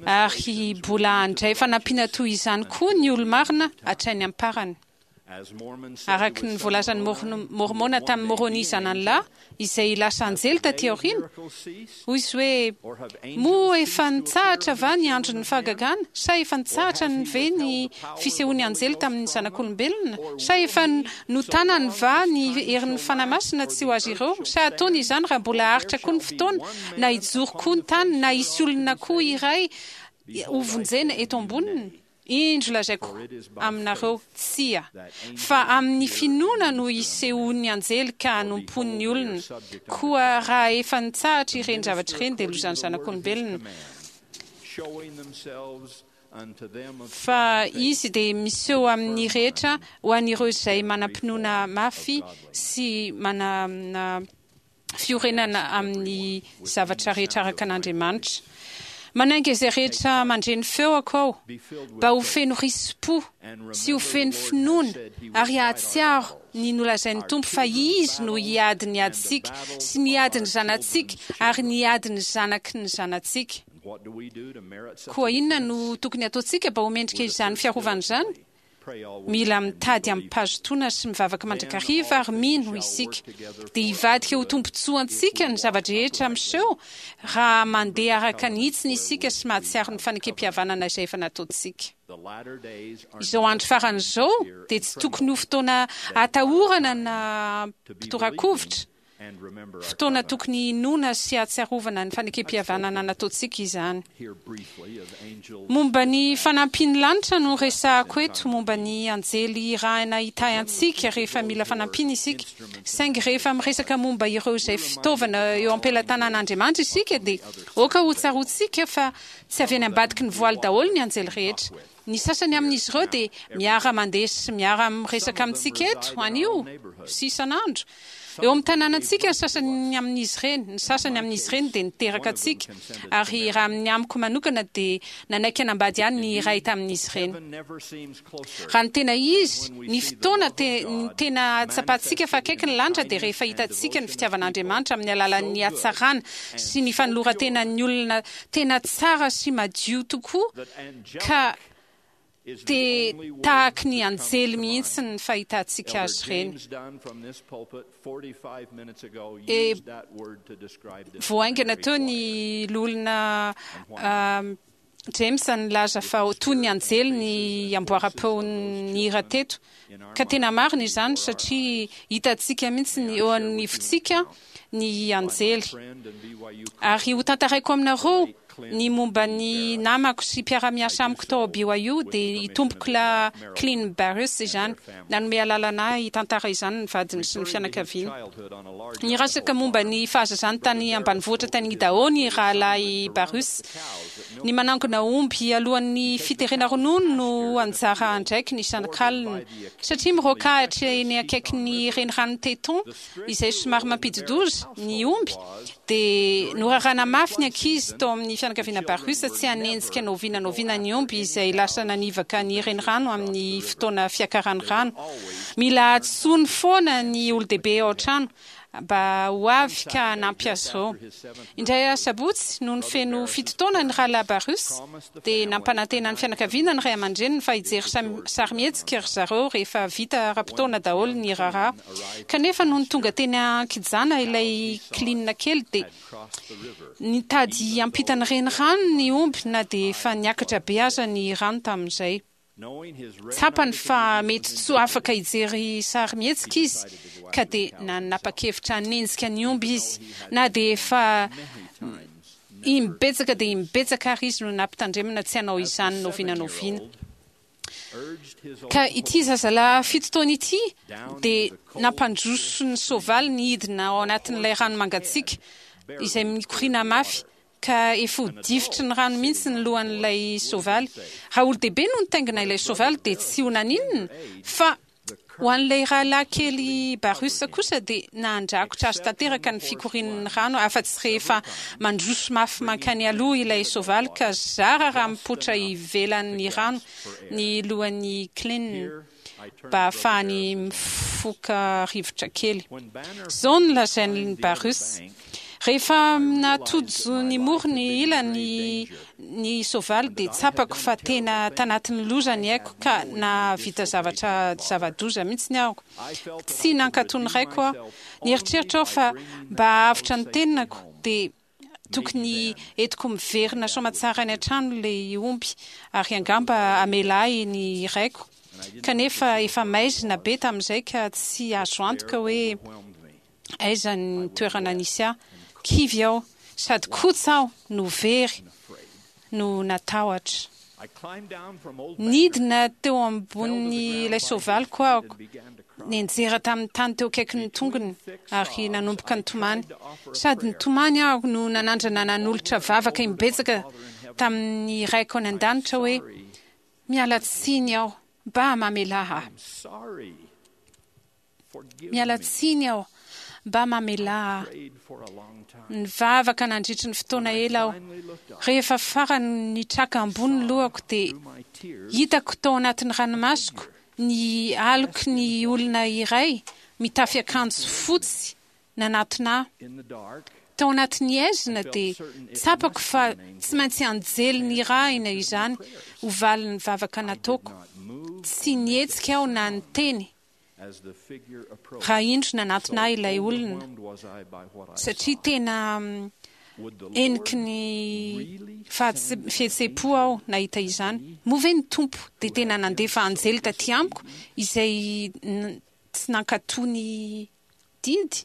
Ary mbola handray fanampiana toy izany koa ny olo-marina hatrany am-parany. Araka ny voalazan'ny Môrmôna tamin'i Môrônia zanany lahy, izay lasa anjely taty aoriana, hoy izy hoe, Moa efa nitsahatra va ny andron'ny fahagagana? Sa efa nitsahatra ny ve ny fisehoan'ny anjely tamin'ny zanak'olombelona? Sa efa notanany va ny herin'ny Fanahy Masina tsy ho azy ireo? Sa hataony izany raha mbola haharitra koa ny fotoana, na hijoro koa ny tany, na hisy olona koa iray hovonjena eto amboniny? Indro lazaiko aminareo, Tsia, fa amin'ny finoana no hisehoan'ny anjely ka hanompoany ny olona. Koa raha efa nitsahatra ireny zavatra ireny, dia lozan'ny zanak'olombelona. Fa izy dia miseho amin'ny rehetra ho an'ireo izay manam-pinoana mafy sy manana fiorenana amin'ny zavatra rehetra araka an'Andriamanitra. Manainga izay rehetra mandre ny feoko aho mba ho feno risi-po sy ho feno finoana ary hahatsiaro ny nolazain'ny Tompo fa Izy no hiady ny adintsika sy ny adin'ny zanatsika ary ny adin'ny zanaky ny zanatsika. Koa inona no tokony hataontsika mba ho mendrika izany fiarovana izany? Mila mitady amim-pahazotoana sy mivavaka mandrakariva ary mino isika. Dia hivadika ho tombontsoantsika ny zava-drehetra miseho raha mandeha araka ny hitsiny isika sy mahatsiaro ny fanekempihavanana izay efa nataontsika. Izao andro farany izao dia tsy tokony ho fotoana atahorana na hampitorakovitra. Fotoana tokony hinoana sy hahatsiarovana ny fanekempihavanana nataontsika izany. Momba ny fanampian'ny lanitra no resahako eto, momba ny anjely irahina hitahy antsika rehefa mila fanampiana isika. Saingy rehefa miresaka momba ireo izay fitaovana eo am-pelatanan'Andriamanitra isika dia aoka hotsaroantsika fa tsy avy any ambadiky ny voaly daholo ny anjely rehetra. Ny sasany amin'izy ireo dia miara-mandeha sy miara-miresaka amintsika eto anio sy isan'andro. Eo amin'ny tanànantsika ny sasany amin'izy ireny. Ny sasany amin'izy ireny dia niteraka antsika. Ary raha amin'ny amiko manokana dia nanaiky hanambady ahy ny iray tamin'izy ireny. Raha ny tena izy, ny fotoana ny tena ahatsapantsika fa akaiky ny lanitra dia rehefa hitantsika ny fitiavan'Andriamanitra amin'ny alalan'ny hatsarana sy ny fanoloran-tenan'ny olona tena tsara sy madio tokoa ka dia tahaky ny anjely mihitsy ny fahitantsika azy ireny. E, vao haingana teo ny loholona James nilaza fa toy ny anjely ny amboaram-peon'ny hira teto. Ka tena marina izany satria hitantsika mihitsy ny eo anivontsika ny anjely. Ary hotantaraiko aminareo ny momba ny namako sy mpiara-miasa amiko tao BYU, dia i Tompokolahy Clint Barrus izany. Nanome alalana ahy hitantara izany ny vadiny sy ny fianakaviany. Niresaka momba ny fahazazany tany ambanivohitra tany Idaho ny Rahalahy Barrus. Ny manangona omby alohan'ny fiterena ronono no anjara andraikiny isan'kalina. Satria miroaka ahitra eny akaikin'ny reniranon'i Teton, izay somary mampidi-doza, ny omby, dia norarana mafy ny ankizy tao amin'ny fianakaviana Barus tsy hanenjika na oviana na oviana ny omby izay lasa nanivaka ny renirano amin'ny fotoana fiakaran'ny rano. Mila antsoiny foana ny olon-dehibe ao an-trano mba ho avy ka hanampy azy ireo. Indray asabotsy, nony feno fito taona ny rahalahy Barus, dia nampanantena ny fianakaviana ny ray aman-dreniny fa hijery sarimihetsika ry zareo rehefa vita ara-potoana daholo ny raharaha. Kanefa nony tonga teny an-kijana ilay kilinina kely dia nitady hiampita ny renirano ny omby na dia efa niakatra be aza ny rano tamin'izay. Tsapany fa mety tsy ho afaka hijery sarimihetsika izy ka dia nanapa-kevitra hanenjika ny omby izy na dia efa imbetsaka dia imbetsaka ary izy no nampitandremana tsy hanao izany n'oviana n'oviana. Ka ity zazalahy fito taona ity dia nampandroso ny soavaliny hidina ao anatin'ilay rano mangatsiaka izay mikoriana mafy ka efa ho difotry ny rano mihitsy ny lohan'ilay soavaly. Raha olon-dehibe no nitaingina ilay soavaly dia tsy ho naninona, fa ho an'ilay rahalahy kely Barus kosa dia nandrakotra azy tanteraka ny fikorian'ny rano afa-tsy rehefa mandroso mafy mankany aloha ilay soavaly ka zara raha mipoitra ivelan'ny rano ny lohan'i Clin mba hahafahany mifoka rivotra kely. Izao no lazain'i Barus. Rehefa natojo ny morony ila ny ny soavaly dia tsapako fa tena tanatin'ny loza ny aiko ka nahavita zavatra zava-doza mihitsy aho. Tsy nankatò ny raiko aho. Nieritreritra aho fa mba hahavotra ny tenako dia tokony entiko miverina soamatsara any an-trano ilay omby ary angamba hamela ahy ny raiko. Kanefa efa maizina be tamin'izay ka tsy azo antoka hoe aiza ny toerana nisy ahy. Kivy aho, sady kotsa aho no very no natahotra. Nidina teo ambonin'ilay soavaliko aho, nianjera tamin'ny tany teo akaikin'ny tongony ary nanomboka nitomany. Sady nitomany aho no nanandrana nanolotra vavaka imbetsaka tamin'ny Raiko any An-danitra hoe, Miala tsiny aho, mba mamelà ahy. Miala tsiny aho, mba mamelà ahy. Nivavaka nandritry ny fotoana ela aho. Rehefa farany nitraka ambony ny lohako dia hitako tao anatin'ny ranomasoko ny aloky ny olona iray mitafy akanjo fotsy nanatona ahy. Tao anatin'ny haizina dia tsapako fa tsy maintsy anjely nirahina izany ho valin'ny vavaka nataoko. Tsy nihetsika aho na niteny raha indro nanatona ahy ilay olona, satria tena heniky ny fihetseham-po aho nahita izany. Moa ve ny Tompo dia tena nandefa anjely taty amiko izay tsy nankatò ny didy?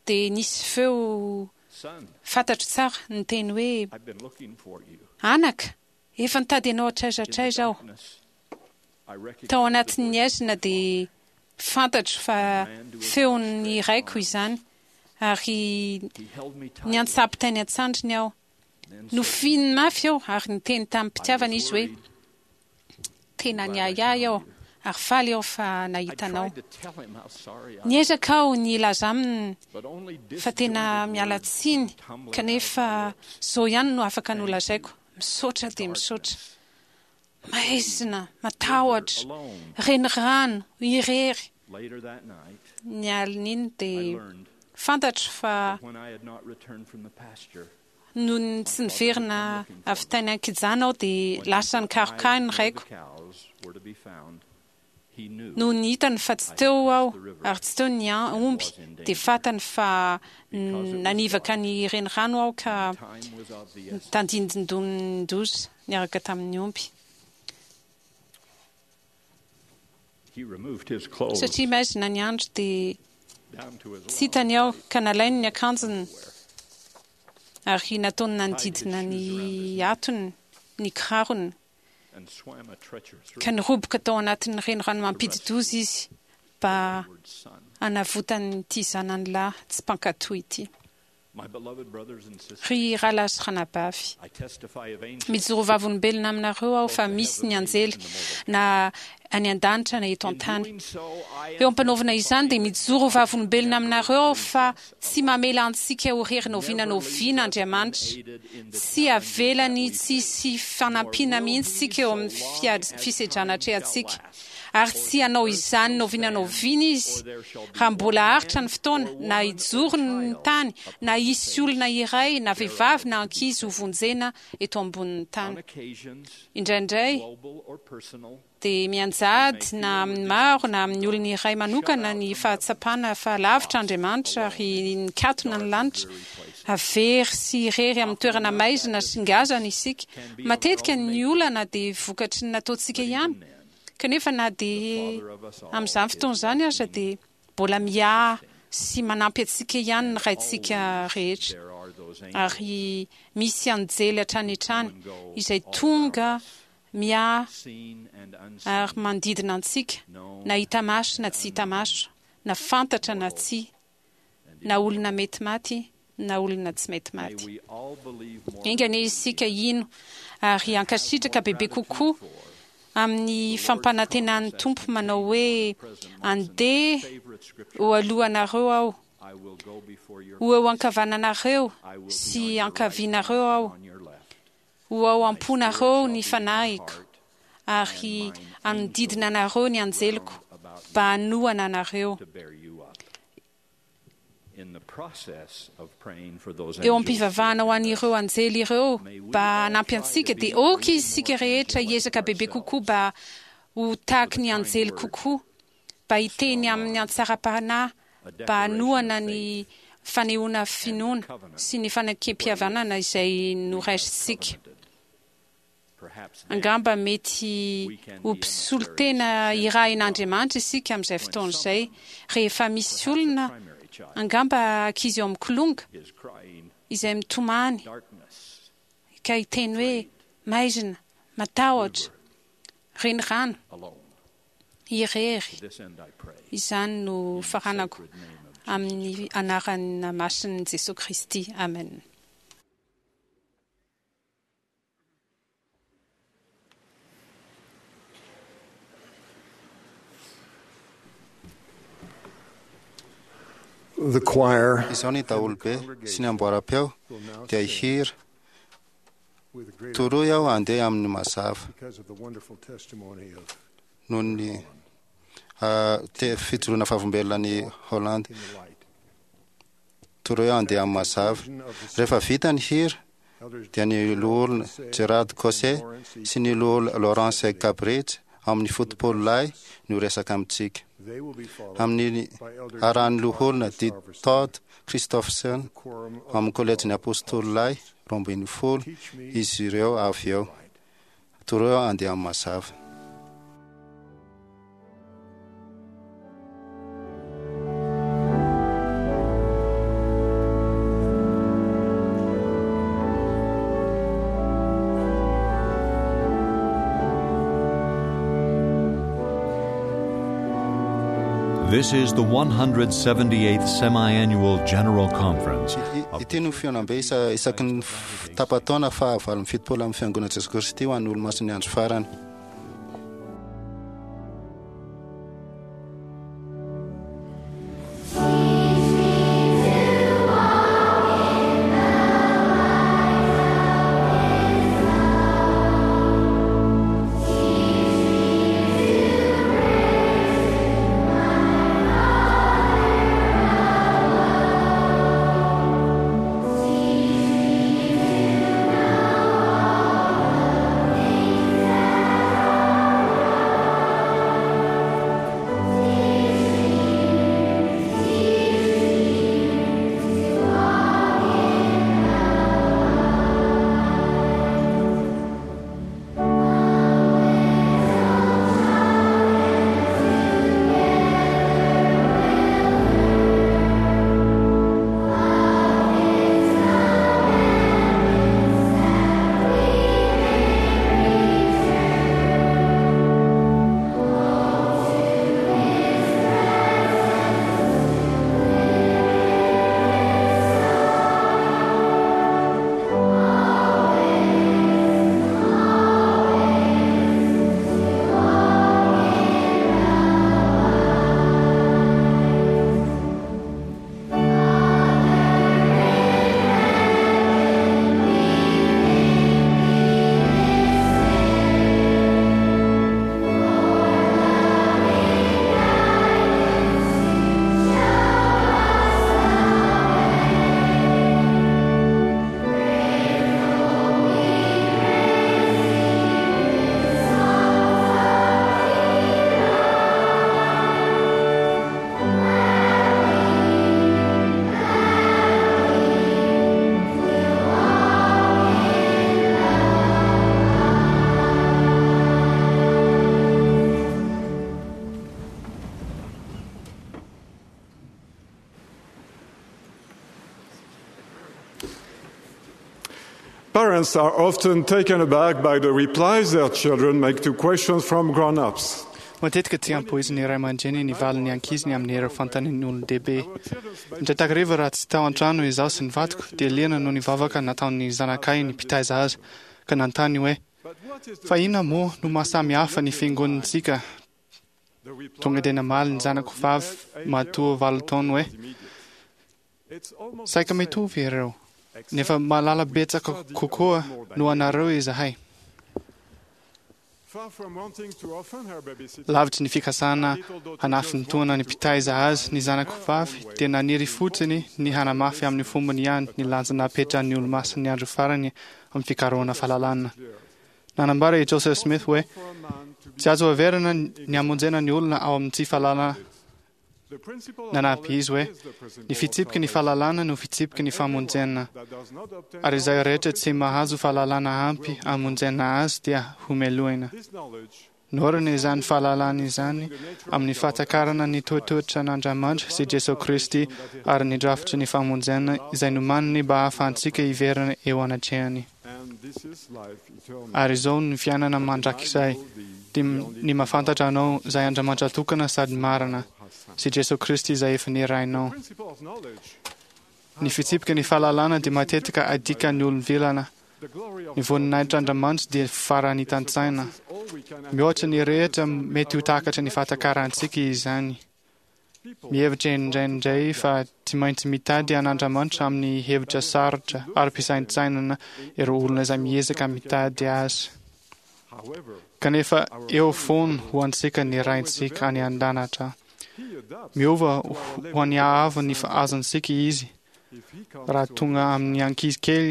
Dia nisy feo fantatro tsara niteny hoe, Anaka, efa nitady anao hatraiza hatraiza aho. Tao anatin'ny haizina dia fantatro fa feon'ny raiko izany, ary niantsapy tany an-tsandriny aho. Nofihininy mafy aho ary niteny tamim-pitiavana izy hoe, Tena niahiahy aho ary faly aho fa nahita anao. Niezaka aho ny hilaza aminy fa tena miala tsiny kanefa izao ihany no afaka nolazaiko, Misaotra dia misaotra. Maizina, matahotra, renirano, irery. Ny alin'iny dia fantatro fa nony tsy niverina avy tany an-kijana aho dia lasa nikaroka ahy ny raiko. Nony hitany fa tsy teo aho ary tsy teo ny omby dia fantany fa nanivaka ny renirano aho ka nitandindondoza niaraka tamin'ny omby. Satria maizina ny andro dia tsy hitany aho ka nalainy ny akanjony ary nataony nanodidina ny hatony ny kirarony. ka niroboka tao anatin'ny renirano mampidi-doza izy mba hanavotany ity zanany lahy tsy mpankatò ity. Ry rahalahy sy ranabavy, mijoro vavolombelona aminareo aho fa misy ny anjely na any an-danitra na eto an-tany. Eo am-panaovana izany dia mijoro vavolombelona aminareo aho fa Tsy mamela antsika ho rery n'oviana n'oviana Andriamanitra. Tsy avelany tsy hisy fanampiana mihitsy isika eo amin'ny fisedrana atrehantsika. Ary tsy hanao izany n'oviana n'oviana Izy raha mbola haharitra ny fotoana, na hijoro ny tany, na hisy olona iray, na vehivavy na ankizy hovonjena eto ambonin'ny tany. Indraindray, dia mianjady na amin'ny maro na amin'ny olona iray manokana ny fahatsapana fa lavitra Andriamanitra ary nikatona ny lanitra. Very sy irery amin'ny toerana maizina sy ngazana isika. Matetika ny olana dia vokatry ny nataontsika ihany, kanefa na dia amin'izany fotoana izany aza dia mbola miahy sy manampy antsika ihany ny Raintsika rehetra. Ary misy anjely hatrany hatrany izay tonga miahy ary manodidina antsika, na hita maso na tsy hita maso, na fantatra na tsia, na olona mety maty na olona tsy mety maty. Enga anie isika hino ary hankasitraka bebe kokoa amin'ny fampanantenan'ny Tompo manao hoe, Andeha ho alohanareo Aho, ho eo ankavananareo sy ankavianareo Aho, Ho ao am-ponareo ny Fanahiko, ary hanodidina anareo ny anjeliko mba hanohana anareo. Eo am-pivavahana ho an'ireo anjely ireo mba hanampy antsika, dia aoka isika rehetra hiezaka bebe kokoa mba ho tahaky ny anjely kokoa, mba hiteny amin'ny hatsaram-panahy, mba hanohana ny fanehoana finoana sy ny fanekem-pihavanana izay noraisintsika. Angamba mety ho mpisolo tena irahin'Andriamanitra isika amin'izay fotoana izay, rehefa misy olona, angamba ankizy eo amin'ny kilonga, izay mitomany ka hiteny hoe, Maizina, matahotra, renirano, irery. Izany no faranako amin'ny anarana masin'i Jesoa Kristy, amena. The choir Izao ny daholobe sy ny amboaram-peo dia hihira, Toroy aho handeha amin'ny mazava. because of the wonderful testimony of Noho ny fijoroana vavolombelona an'i Holland. Toroy aho handeha amin'ny mazava. Rehefa vita ny hira, dia ny Loholona Gerard Caussé sy ny Loholona Lawrence Cabridge ao amin'ny Fotopolo Lahy no hiresaka amintsika. Amin'ny arahan'ny Loholona D. Todd Christofferson ao amin'ny Kolejin'ny Apostoly Lahy 12 izy ireo avy eo. Toroy aho handeha amin'ny mazava. This is the 178th Semi-Annual General Conference. Ity no fihaonambe isaky ny tapa-taona faha 78 amin'ny Fiangonan'i Jesoa Kristy ho an'ny Olomasin'ny Andro Farany. Parents are often taken aback by the replies their children make to questions from grown-ups. Matetika tsy ampoizin'ny ray aman-dreny ny valin'ny ankiziny amin'ireo fanontanian'ny olon-dehibe. Indray takariva raha tsy tao an-trano izaho sy ny vadiko, dia liana noho ny vavaka nataon'ny zanakay ny mpitaiza azy, ka nanontany hoe, Fa inona moa no maha samy hafa ny fiangonantsika? Tonga dia namaly ny zanako vavy matoa valo taona hoe, Saika mitovy ireo, nefa mahalala betsaka kokoa noho anareo izahay. Lavitry ny fikasana hanafintohina ny mpitaiza azy ny zanako vavy dia naniry fotsiny ny hanamafy amin'ny fombany ihany ny lanja napetran'ny Olomasin'ny Andro Farany amin'ny fikarohana fahalalana. Nanambara i Joseph Smith hoe, Tsy azo heverina ny hamonjena ny olona ao amin'ny tsy fahalalana. Nanampy izy hoe, Ny fitsipiky ny fahalalana no fitsipiky ny famonjena, ary izay rehetra tsy mahazo fahalalana ampy hamonjena azy dia homelohina. Naorina izany fahalalana izany amin'ny fahatakarana ny toetoetran'Andriamanitra sy Jesoa Kristy ary ny drafitry ny famonjena izay nomaniny mba hahafahantsika hiverina eo anatrehany. Ary izao ny fiainana mandrakizay, dia ny mahafantatra Anao, izay Andriamanitra tokana sady marina, sy Jesoa Kristy izay efa nirahinao. Ny fitsipiky ny fahalalana dia matetika adikan'ny olom-vilana. Ny voninahitr'Andriamanitra dia faranitan-tsaina. Mihoatra ny rehetra mety ho takatry ny fahatakarantsika izany. Mihevitra indraindray fa tsy maintsy mitady an'Andriamanitra amin'ny hevitra sarotra ara-pisaintsainana ireo olona izay miezaka mitady Azy. Kanefa eo foana ho antsika ny Raintsika any an-danitra. Miova ho an'ny haavo ny azontsika Izy. Raha tonga amin'ny ankizy kely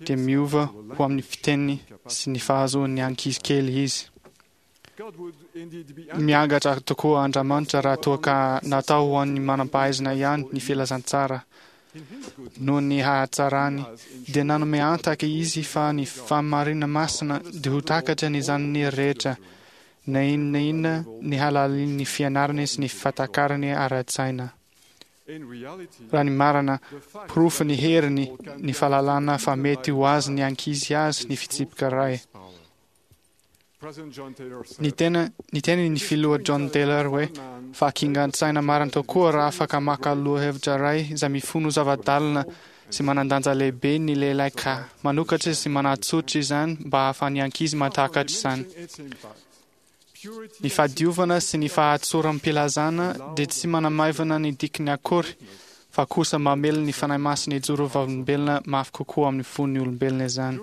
dia miova ho amin'ny fiteniny sy ny fahazoan'ny ankizy kely Izy. Miangatra tokoa Andriamanitra raha toa ka natao ho an'ny manam-pahaizana ihany ny filazantsara. Noho ny hahatsarany, dia nanome antaka Izy fa ny fahamarina masina dia ho takatra ny zanany rehetra, na inona na inona ny halalin'ny fianarany sy ny fahatakarany ara-tsaina. Raha ny marina, porofon'ny heriny ny fahalalana fa mety ho azon'ny ankizy azy ny fitsipika iray. Niteny niteny ny filoha John Taylor hoe, Fahakingan-tsaina marina tokoa raha afaka maka lohahevitra iray izay mifono zava-dalina sy manan-danja lehibe ny lehilahy ka manokatra sy manatsotra izany mba hahafahan'ny ankizy mahatakatra izany. Ny fahadiovana sy ny fahatsoram-pilazana dia tsy manamaivana ny dikiny akory fa kosa mamely ny Fanahy Masina hijoro ho vavolombelona mafy kokoa amin'ny fon'ny olombelona izany.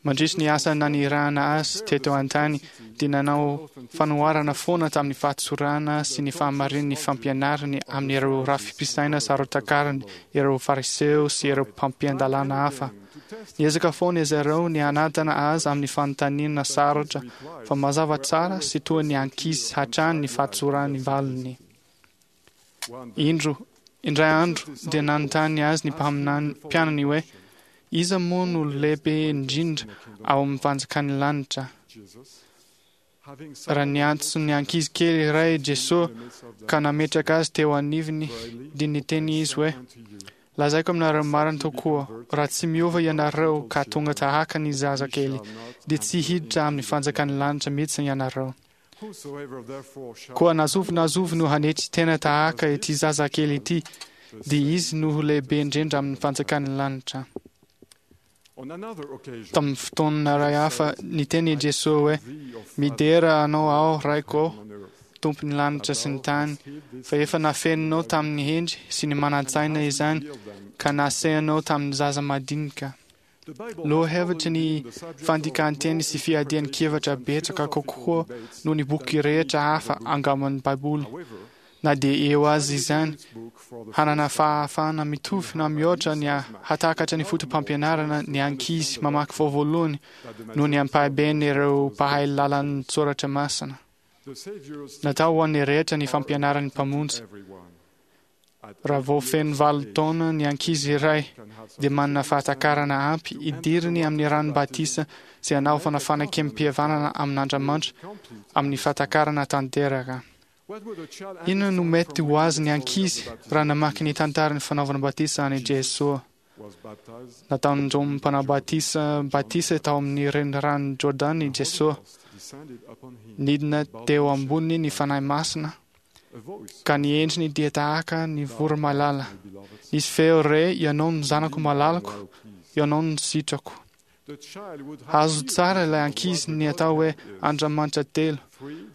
Mandritry ny asa nanirahana azy teto an-tany, dia nanao fanoharana foana tamin'ny fahatsorana sy ny fahamarinan'ny fampianarany amin'ireo rafi-pisaina saro-takariny ireo Fariseo sy ireo mpampian-dalàna hafa. Niezaka foana izy ireo ny hanantana azy amin'ny fanontaniana sarotra, fa mazava tsara sy toa ny ankizy hatrany ny fahatsoran'ny valiny. Indro, indray andro dia nanontany azy ny mpaminany mpianany hoe, Iza moa no lehibe indrindra ao amin'ny fanjakan'ny lanitra? Raha niantso ny ankizy kely iray Jesoa ka nametraka azy teo anivony, dia niteny izy hoe, Lazaiko aminareo marina tokoa, raha tsy miova ianareo ka tonga tahaka ny zaza kely, dia tsy hiditra amin'ny fanjakan'ny lanitra mihitsy ianareo. Koa na zovy na zovy no hanetry tena tahaka ity zazakely ity, dia izy no ho lehibe indrindra amin'ny fanjakan'ny lanitra. Tamin'ny fotoana iray hafa, niteny i Jesoa hoe, Midera Anao aho, Raiko ô, Tompon'ny lanitra sy ny tany, fa efa nafeninao tamin'ny hendry sy ny manan-tsaina izany, ka nasehanao tamin'ny zaza madinika. Lohahevitry ny fandikan-teny sy fiadian-kevitra betsaka kokoa noho ny boky rehetra hafa angamba ny Baiboly. Na dia eo aza izany, hanana fahafahana mitovy na mihoatra ny hahatakatra ny fotopampianarana ny ankizy mamaky vao voalohany noho ny ampahiben'ireo mpahay lalan-tsoratra masina. Natao ho an'ny rehetra ny fampianaran'ny Mpamonjy. Raha vao feno valo taona ny ankizy iray dia manana fahatakarana ampy hidiriny amin'ny rano batisa sy hanaovana fanekem-pihavanana amin'Andriamanitra amin'ny fahatakarana tanteraka. Inona no mety ho azon'ny ankizy raha namaky ny tantaran'ny fanaovana batisa an'i Jesoa? Nataon'i Jaona Mpanao Batisa batisa tao amin'ny Reniranon'i Jordana i Jesoa. Nidina teo amboniny ny Fanahy Masina, ka ny endriny dia tahaka ny voromailala. Nisy feo re, Ianao no Zanako malalako, Ianao no sitrako. Azo tsara ilay ankizy ny atao hoe Andriamanitra telo,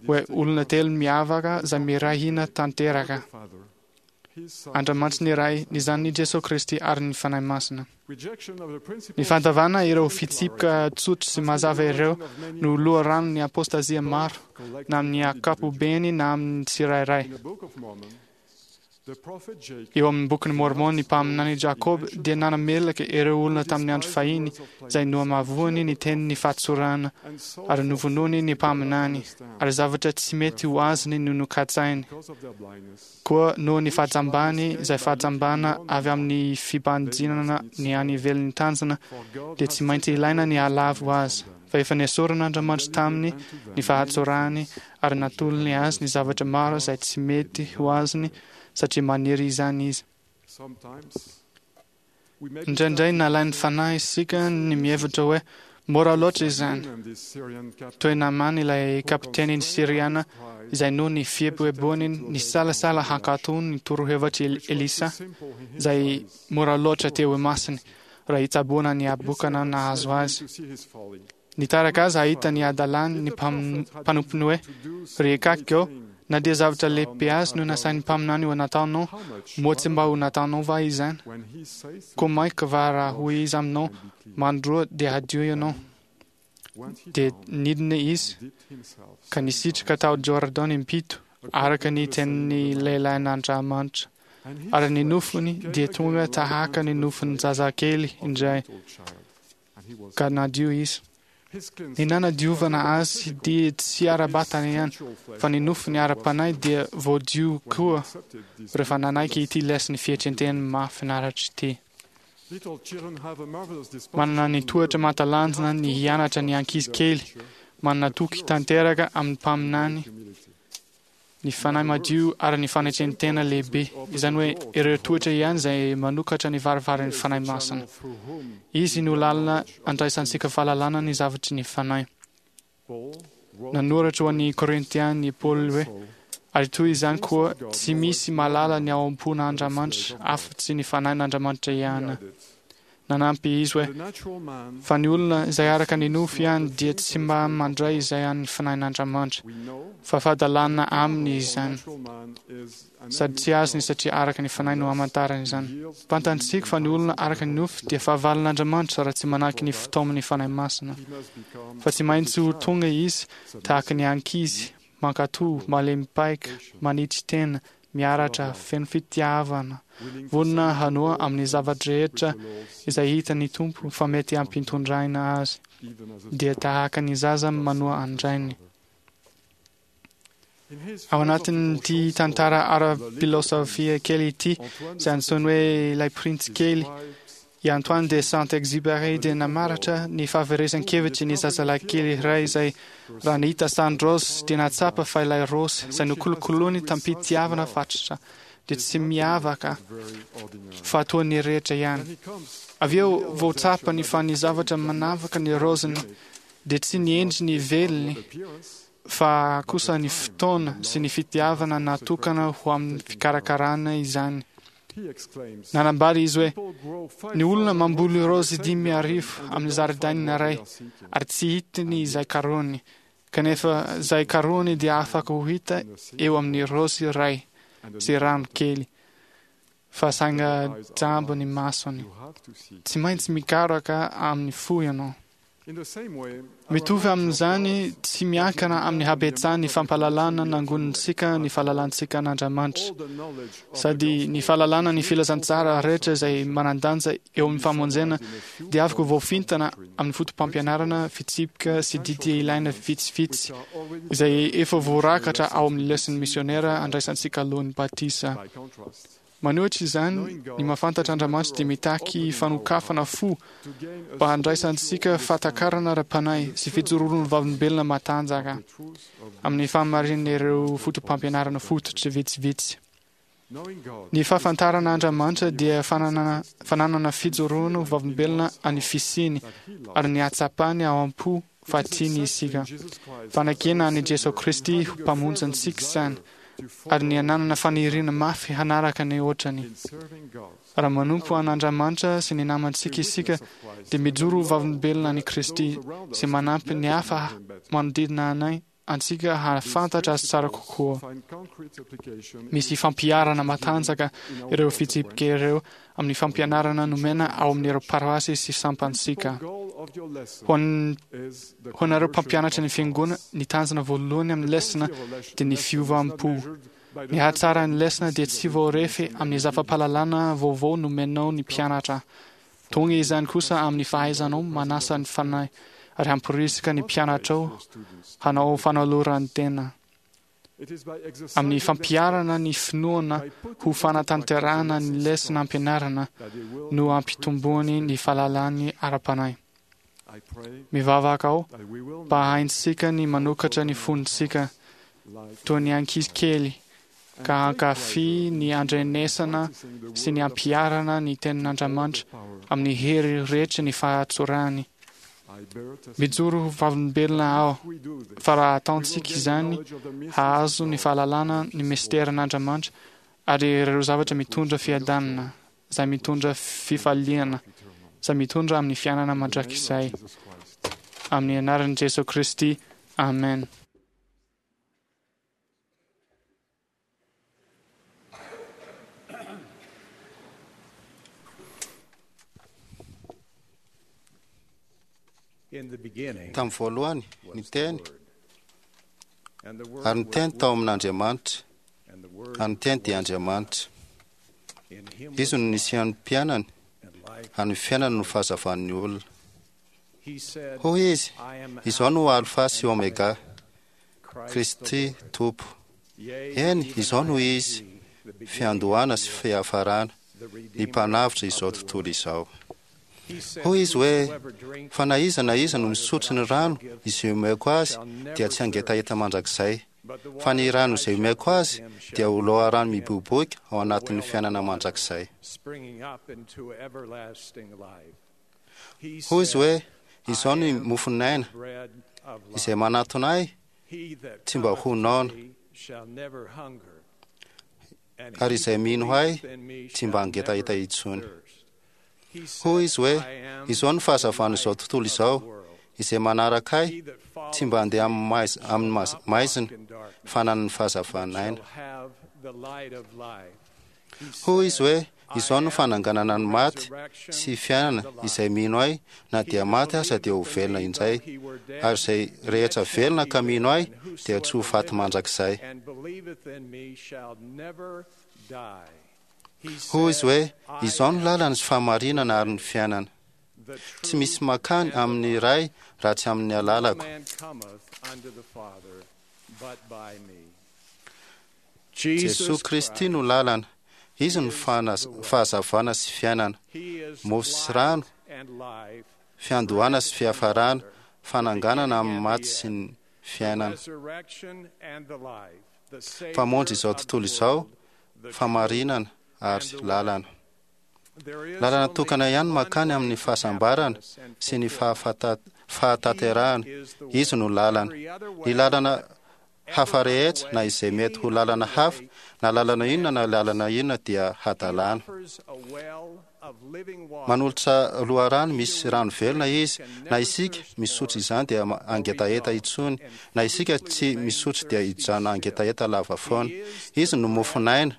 hoe olona telo miavaka izay miray hina tanteraka. Andriamanitry ny Ray, ny Zanany Jesoa Kristy ary ny Fanahy Masina. Ny fandavana ireo fitsipika tsotra sy mazava ireo no loharanon'ny apôstazia maro, na amin'ny ankapobeny na amin'ny tsirairay. Eo amin'ny Bokin'i Môrmôna, ny mpaminany Jakoba dia nanamelaka ireo olona tamin'ny andro fahiny izay nohamavoany ny tenin'ny fahatsorana ary novonoiny ny mpaminany, ary zavatra tsy mety ho azony no nokatsainy. Koa noho ny fahajambany, izay fahajambana avy amin'ny fibanjinana ny any ivelan'ny tanjona, dia tsy maintsy ilaina ny hahalavo azy, fa efa nesorin'Andriamanitra taminy ny fahatsorany ary natolony azy ny zavatra maro izay tsy mety ho azony satria maniry izany izy. Indraindray nalain'ny fanahy isika ny mihevitra hoe mora loatra izany. Toy Namany ilay kapitenin'ny Syriana izay noho ny fieboeboany nisalasala hankatò ny torohevitr'i Elisa izay mora loatra teo imasony raha hitsaboana ny habokana nahazo azy. Nitarika azy hahita ny hadalany ny mpanompony hoe, Ry Ekaky ô, na dia zavatra lehibe azy no nasain'ny mpaminany ho nataonao, moa tsy mba ho nataonao va izany? Koa mainka va raha hoy izy aminao, Mandroa dia hadio ianao? Dia nidina izy ka nisitrika tao Jordana impito, araka ny tenin'ny lehilahin'Andriamanitra. Ary ny nofony dia tonga tahaka ny nofon-jazakely indray. ka nadio izy. Ny nanadiovana azy dia tsy ara-batana ihany, fa ny nofony ara-panahy dia voadio koa rehefa nanaiky ity lesin'ny fietren-tena mahafinaritra ity. Manana ny toetra mahatalanjona ny hianatra ny ankizy kely, manana toky tanteraka amin'ny mpaminany, ny fanahy madio ary ny fanetren-tena lehibe, izany hoe ireo toetra ihany izay manokatra ny varavaran'ny Fanahy Masina. Izy no lalana andraisantsika fahalalana ny zavatry ny Fanahy. Nanoratra ho an'ny Korintiana i Paoly hoe, Ary toy izany koa, tsy misy mahalala ny ao am-pon'Andriamanitra afa-tsy ny Fanahin'Andriamanitra ihany. Nanampy izy hoe, Fa ny olona izay araka ny nofo ihany dia tsy mba mandray izay an'ny Fanahin'Andriamanitra, fa fahadalana aminy izany, sady tsy azony satria araka ny Fanahy no amantarany izany. Fantantsika fa ny olona araka ny nofo dia fahavalon'Andriamanitra raha tsy manaky ny fitaoman'ny Fanahy Masina, fa tsy maintsy ho tonga izy tahaka ny ankizy, mankatò, malemy paika, manitsy tena, miaratra, feno fitiavana, vonona hanoa amin'ny zava-drehetra izay hitan'ny Tompo fa mety hampintondraina azy, dia tahaka ny zaza manoa an-drainy. Ao anatin'ity tantara ara-pilôsôfia kely ity, izay antsoiny hoe Ilay Printsy Kely, I Antoine de Saint-Exupéry dia namaratra ny fahaverezan-kevitry ny zazalahy kely iray izay, raha nahita sarin-draozy, dia nahatsapa fa ilay raozy izay nokolokoloiny tamim-pitiavana fatratra dia tsy miavaka fa toa ny rehetra ihany. Avy eo vao tsapany fa ny zavatra manavaka ny raoziny dia tsy ny endriny ivelany fa kosa ny fotoana sy ny fitiavana natokana ho amin'ny fikarakarana izany. Nanambara izy hoe, Ny olona mamboly raozy 5000 amin'ny zaridaina iray, ary tsy hitany izay karohiny, kanefa izay karohiny dia afaka ho hita eo amin'ny raozy iray sy rano kely, fa sainga jamba ny masony. Tsy maintsy mikaroka amin'ny fo ianao. Mitovy amin'izany, tsy miankina amin'ny habetsahan'ny fampahalalana nangonintsika ny fahalalantsika an'Andriamanitra, sady ny fahalalana ny filazantsara rehetra izay manan-danja eo amin'ny famonjena dia afaka voafintana amin'ny fotopampianarana, fitsipika sy didy ilaina vitsivitsy izay efa voarakatra ao amin'ny leson'ny misiônera andraisantsika alohan'ny batisa. Manohitra izany, ny mahafantatra Andriamanitra dia mitaky fanokafana fo mba handraisantsika fahatakarana ara-panahy sy fijoroan'ny vavolombelona matanjaka amin'ny fahamarinan'ireo fotopampianarana fototra vitsivitsy. Ny fahafantarana Andriamanitra dia fananana fananana fijoroana ho vavolombelona an'ny fisiany ary ny hahatsapany ao am-po fa tiany isika. Fanekena an'i Jesoa Kristy ho Mpamonjy antsika izany, ary ny hananana faniriana mafy hanaraka ny ohatrany. Raha manompo an'Andriamanitra sy ny namantsika isika, dia mijoro ho vavolombelona an'i Kristy sy manampy ny hafa manodidina anay. antsika hahafantatra Azy tsara kokoa. Misy fampiharana matanjaka ireo fitsipika ireo amin'ny fampianarana nomena ao amin'ireo paroasy sy sampantsika. Ho an- ho anareo mpampianatra ny Fiangonana, ny tanjona voalohany amin'ny lesona dia ny fiovam-po. Ny hatsaran'ny lesona dia tsy voarefy amin'ny zava-pahalalana vaovao nomenao ny mpianatra. Tonga izany kosa amin'ny fahaizanao manasa ny Fanahy ary hamporisika ny mpianatrao hanao fanoloran-tena. Amin'ny fampiharana ny finoana ho fanatanterahana ny lesona ampianarina no ampitomboany ny fahalalany ara-panahy. Mivavaka aho mba haintsika ny manokatra ny fontsika toy ny ankizy kely ka hankafy ny handrenesana sy ny hampiharana ny Tenin'Andriamanitra amin'ny hery rehetra ny fahatsorany. Mijoro ho vavolombelona aho fa raha ataontsika izany, hahazo ny fahalalana ny misterin'Andriamanitra ary ireo zavatra mitondra fiadanana, izay mitondra fifaliana, izay mitondra amin'ny fiainana mandrakizay. Amin'ny anaran'i Jesoa Kristy, amen. Tamin'ny voalohany, ny Teny, ary ny Teny tao amin'Andriamanitra, ary ny Teny dia Andriamanitra. Izy no nisian'ny mpianany, ary ny fiainany no fahazavan'ny olona. Hoy Izy, Izaho no Alfa sy Omega, Kristy Tompo. Eny, izao no izy, fiandohana sy fiafarana, ny Mpanavotra izao tontolo izao. Hoy Izy hoe, Fa na iza na iza no misotro ny rano izay omeko azy dia tsy hangetaheta mandrakizay, fa ny rano izay omeko azy dia ho loharano miboiboika ao anatin'ny fiainana mandrakizay. Hoy Izy hoe, Izao ny mofon'aina, izay manatona Ahy tsy mba ho noana, ary izay mino Ahy tsy mba hangetaheta intsony. Hoy Izy hoe, Izao no fahazavan'izao tontolo izao, izay manaraka Ahy tsy mba handeha amin'ny maizina, fa hanana ny fahazavan'aina. Hoy Izy hoe, Izao no fananganana ny maty sy fiainana, izay mino Ahy, na dia maty aza dia ho velona indray, ary izay rehetra velona ka mino Ahy dia tsy ho faty mandrakizay. Hoy Izy hoe, Izao no lalana sy fahamarinana ary ny fiainana. Tsy misy mankany amin'ny Ray raha tsy amin'ny alalako. Jesoa Kristy no lalana, Izy no fahazavana sy fiainana, mofo sy rano, fiandohana sy fiafarana, fananganana amin'ny maty sy ny fiainana. Mpamonjy izao tontolo izao, famarinana ary lalana. Lalana tokana ihany mankany amin'ny fahasambarana sy ny fahatanterahana, Izy no lalana. Ny lalana hafa rehetra na izay mety ho lalana hafa, na lalana inona na lalana inona dia hadalana. Manolotra loharano misy rano velona Izy, na isika misotro izany dia hangetaheta intsony, na isika tsy misotro dia hijanona hangetaheta lava foana. Izy no mofon'aina,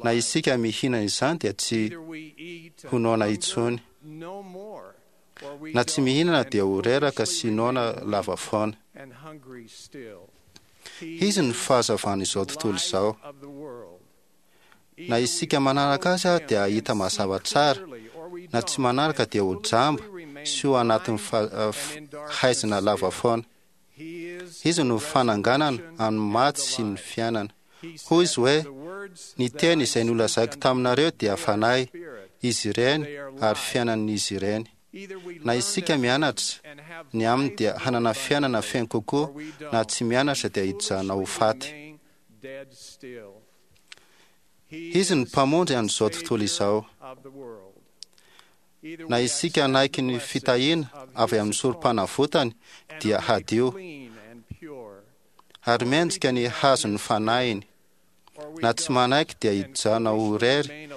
na isika mihinana izany dia tsy ho noana intsony. Na tsy mihinana dia ho reraka sy noana lava foana. Izy no fahazavan'izao tontolo izao. Na isika manaraka azy dia hahita mazava tsara, na tsy manaraka dia ho jamba sy ho anatin'ny haizina lava foana. Izy no fananganana amin'ny maty sy ny fiainana. Hoy izy hoe, Ny teny izay nolazaiko taminareo dia fanahy, izy ireny, ary fiainan'izy ireny. Na isika mianatra ny aminy dia hanana fiainana feno kokoa, na tsy mianatra dia hijanona ho faty. Izy no Mpamonjy an'izao tontolo izao. Na isika hanaiky ny fitahiana avy amin'ny sorom-panavotany dia hadio, ary mendrika ny hazon'ny fanahiny. Na tsy manaiky dia hijanona ho irery,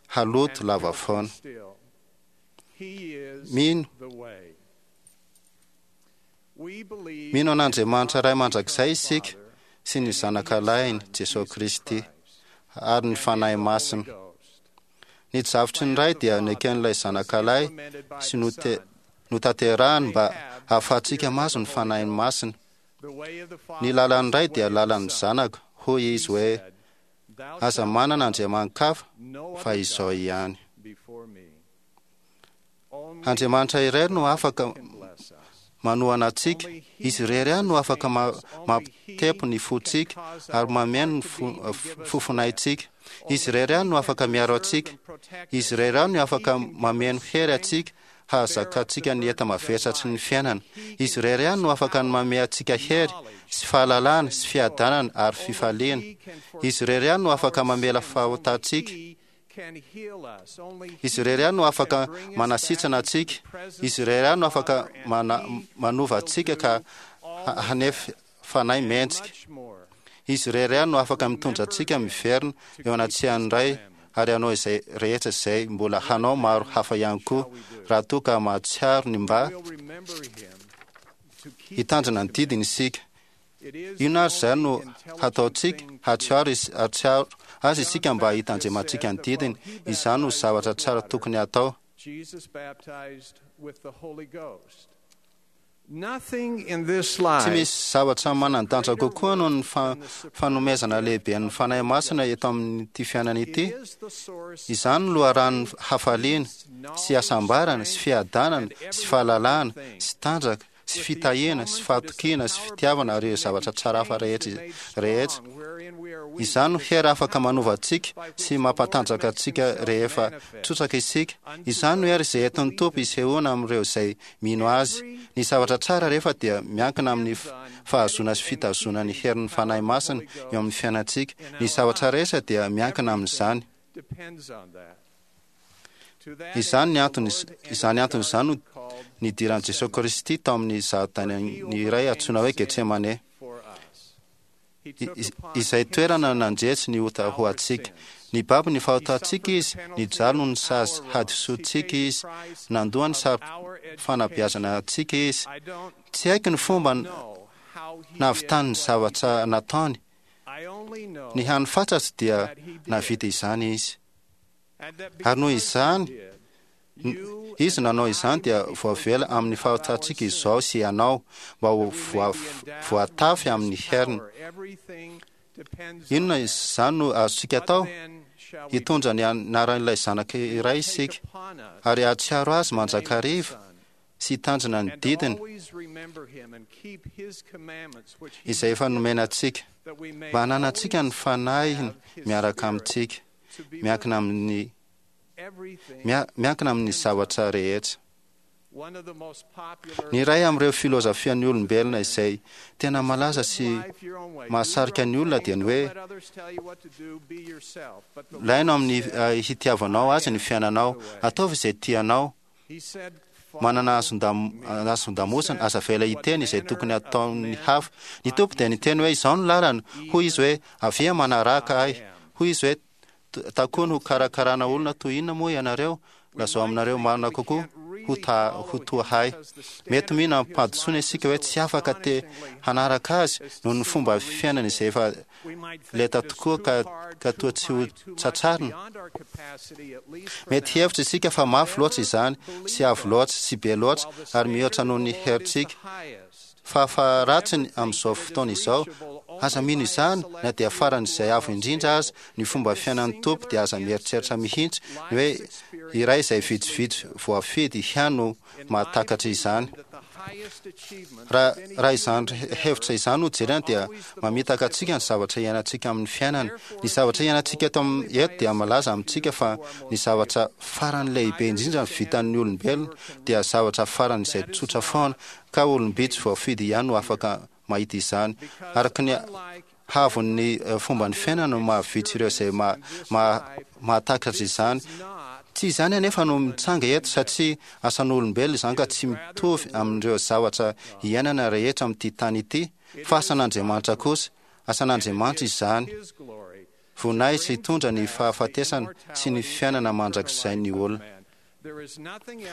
haloto lava foana. Mino. Mino an'Andriamanitra Ray mandrakizay isika sy ny Zanakalahiny, Jesoa Kristy, ary ny Fanahy Masina. Ny drafitry ny Ray dia neken'ilay Zanakalahy sy notanterahiny mba hahafahantsika mahazo ny Fanahiny Masina. Ny lalan'ny Ray dia lalan'ny Zanaka, hoy Izy hoe, Aza manana andriamani-kafa fa Izaho ihany. Andriamanitra irery no afaka manohana antsika. Izy irery ihany no afaka mampitepo ny fontsika ary mameno ny fofonaintsika. Izy irery ihany no afaka miaro antsika. Izy irery ihany no afaka mameno hery antsika hahazakantsika ny enta-mavesatry ny fiainana. Izy irery ihany no afaka ny manome antsika hery sy fahalalana sy fiadanana ary fifaliana. Izy irery ihany no afaka mamela fahotantsika. Izy irery ihany no afaka manasitrana antsika. Izy irery ihany no afaka manova antsika ka hanefy fanahy mendrika. Izy irery ihany no afaka mitondra antsika miverina eo anatrehan'ny Ray ary hanao izay rehetra izay mbola hanao maro hafa ihany koa raha toa ka mahatsiaro ny mba hitandrina ny didiny isika. Inona ary izany no hataontsika? Hahatsiaro hahatsiaro Azy isika mba hitandremantsika ny didiny. Izany no zavatra tsara tokony hatao. Tsy misy zavatra manan-danja kokoa noho ny fanomezana lehiben'ny Fanahy Masina eto amin'ity fiainana ity. Izany no loharanon'ny hafaliana, sy hasambarana, sy fiadanana, sy fahalalahana, sy tanjaka, sy fitahiana, sy fahatokiana, sy fitiavana ary ireo zavatra tsara hafa rehetra rehetra. Izany no hery afaka manova antsika sy mampatanjaka antsika rehefa tsotsaka isika. Izany no hery izay entin'ny Tompo hisehoana amin'ireo izay mino Azy. Ny zavatra tsara rehefa dia miankina amin'ny fahazoana sy fitazonana ny herin'ny Fanahy Masina eo amin'ny fiainantsika. Ny zavatra rehetra dia miankina amin'izany. Izany ny antony, izany antony izany no nidiran'i Jesoa Kristy tao amin'ny zaridainan'ny iray antsoina hoe Getsemane, izay toerana nandresy ny ota ho antsika. Nibaby ny fahotantsika Izy, nijaly noho ny sazy hadisoantsika Izy, nandoa ny sary fanabeazana antsika Izy. Tsy haiko ny fomba nahavitany ny zavatra nataony. Ny hany fantatro dia nahavita izany Izy. Ary noho izany, Izy nanao izany dia voavela amin'ny fahotantsika izao sy ianao, mba ho voatafy amin'ny heriny. Inona izany no azontsika atao? Hitondra ny anaran'ilay Zanaka iray isika, ary hahatsiaro Azy mandrakariva sy hitandrina ny didiny izay efa nomena antsika, mba hananantsika ny Fanahiny miaraka amintsika. miankina amin'ny miankina amin'ny zavatra rehetra. Ny iray amin'ireo filozafian'ny olombelona izay tena malaza sy mahasarika ny olona dia ny hoe laino amin'ny eh, hitiavanao azy ny fiainanao, ataovy izay tianao, manana hazon-damosina, aza avela hiteny izay tokony hataon'ny hafa. Ny Tompo dia niteny hoe, Izao no lalana. Hoy Izy hoe, Avia manaraka Ahy. Hoy Izy hoe, Takony ho karakarana olona toy inona moa ianareo? Lazao aminareo marina kokoa ho ta ho toa ahy. Mety mino amim-pahadisoana isika hoe tsy afaka te hanaraka Azy noho ny fomba fiainany izay efa lenta tokoa ka ka toa tsy ho tsatsarina. Mety hihevitra isika fa mafy loatra izany, sy avo loatra, sy be loatra, ary mihoatra noho ny herintsika. Fahafaharatsiny amin'izao fotoana izao, aza mino izany na dia faran'izay avo indrindra aza ny fomba fiainan'ny Tompo dia aza mieritreritra mihitsy ny hoe iray izay vitsivitsy voafidy ihany no mahatakatra izany. Raha, raha izany hevitra izany no jerena dia mamitaka antsika ny zavatra iainantsika amin'ny fiainana. Ny zavatra iainantsika eto am, eto dia milaza amintsika fa ny zavatra farany lehibe indrindra vitan'ny olombelona dia zavatra farany izay tsotra foana ka olom-bitsy voafidy ihany no afaka mahita izany. Araka ny haavon'ny fomban'ny fiainana no mahavitsy ireo izay mahatakatra izany. Tsy izany anefa no mitranga eto satria asan'olombelona izany ka tsy mitovy amin'ireo zavatra iainana rehetra amin'ity tany ity fa asan'Andriamanitra kosa. Asan'Andriamanitra izany. Voninahitra hitondra ny fahafatesana sy ny fiainana mandrakizain'ny olona.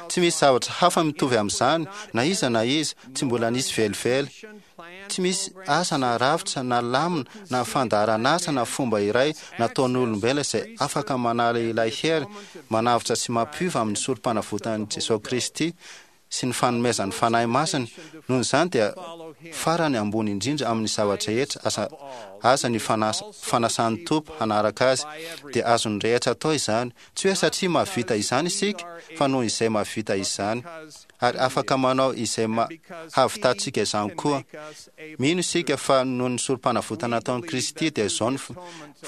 Tsy misy zavatra hafa mitovy amin'izany na iza na iza, tsy mbola nisy velively. Tsy misy asa na rafitra na lamina na fandaharan'asa na fomba iray nataon'olombelona izay afaka manala ilay hery manavotra sy mampiova amin'ny sorom-panavotan'i Jesoa Kristy sy ny fanomezan'ny Fanahy Masina. Noho izany dia farany ambony indrindra amin'ny zava-drehetra aza aza ny fanasan'ny Tompo hanaraka Azy, dia azon'ny rehetra atao izany. Tsy hoe satria mahavita izany isika, fa noho izay mahavita izany. Ary afaka manao izay hahavitantsika izany koa. Mino isika fa noho ny sorom-panavotana nataon'i Kristy dia izao no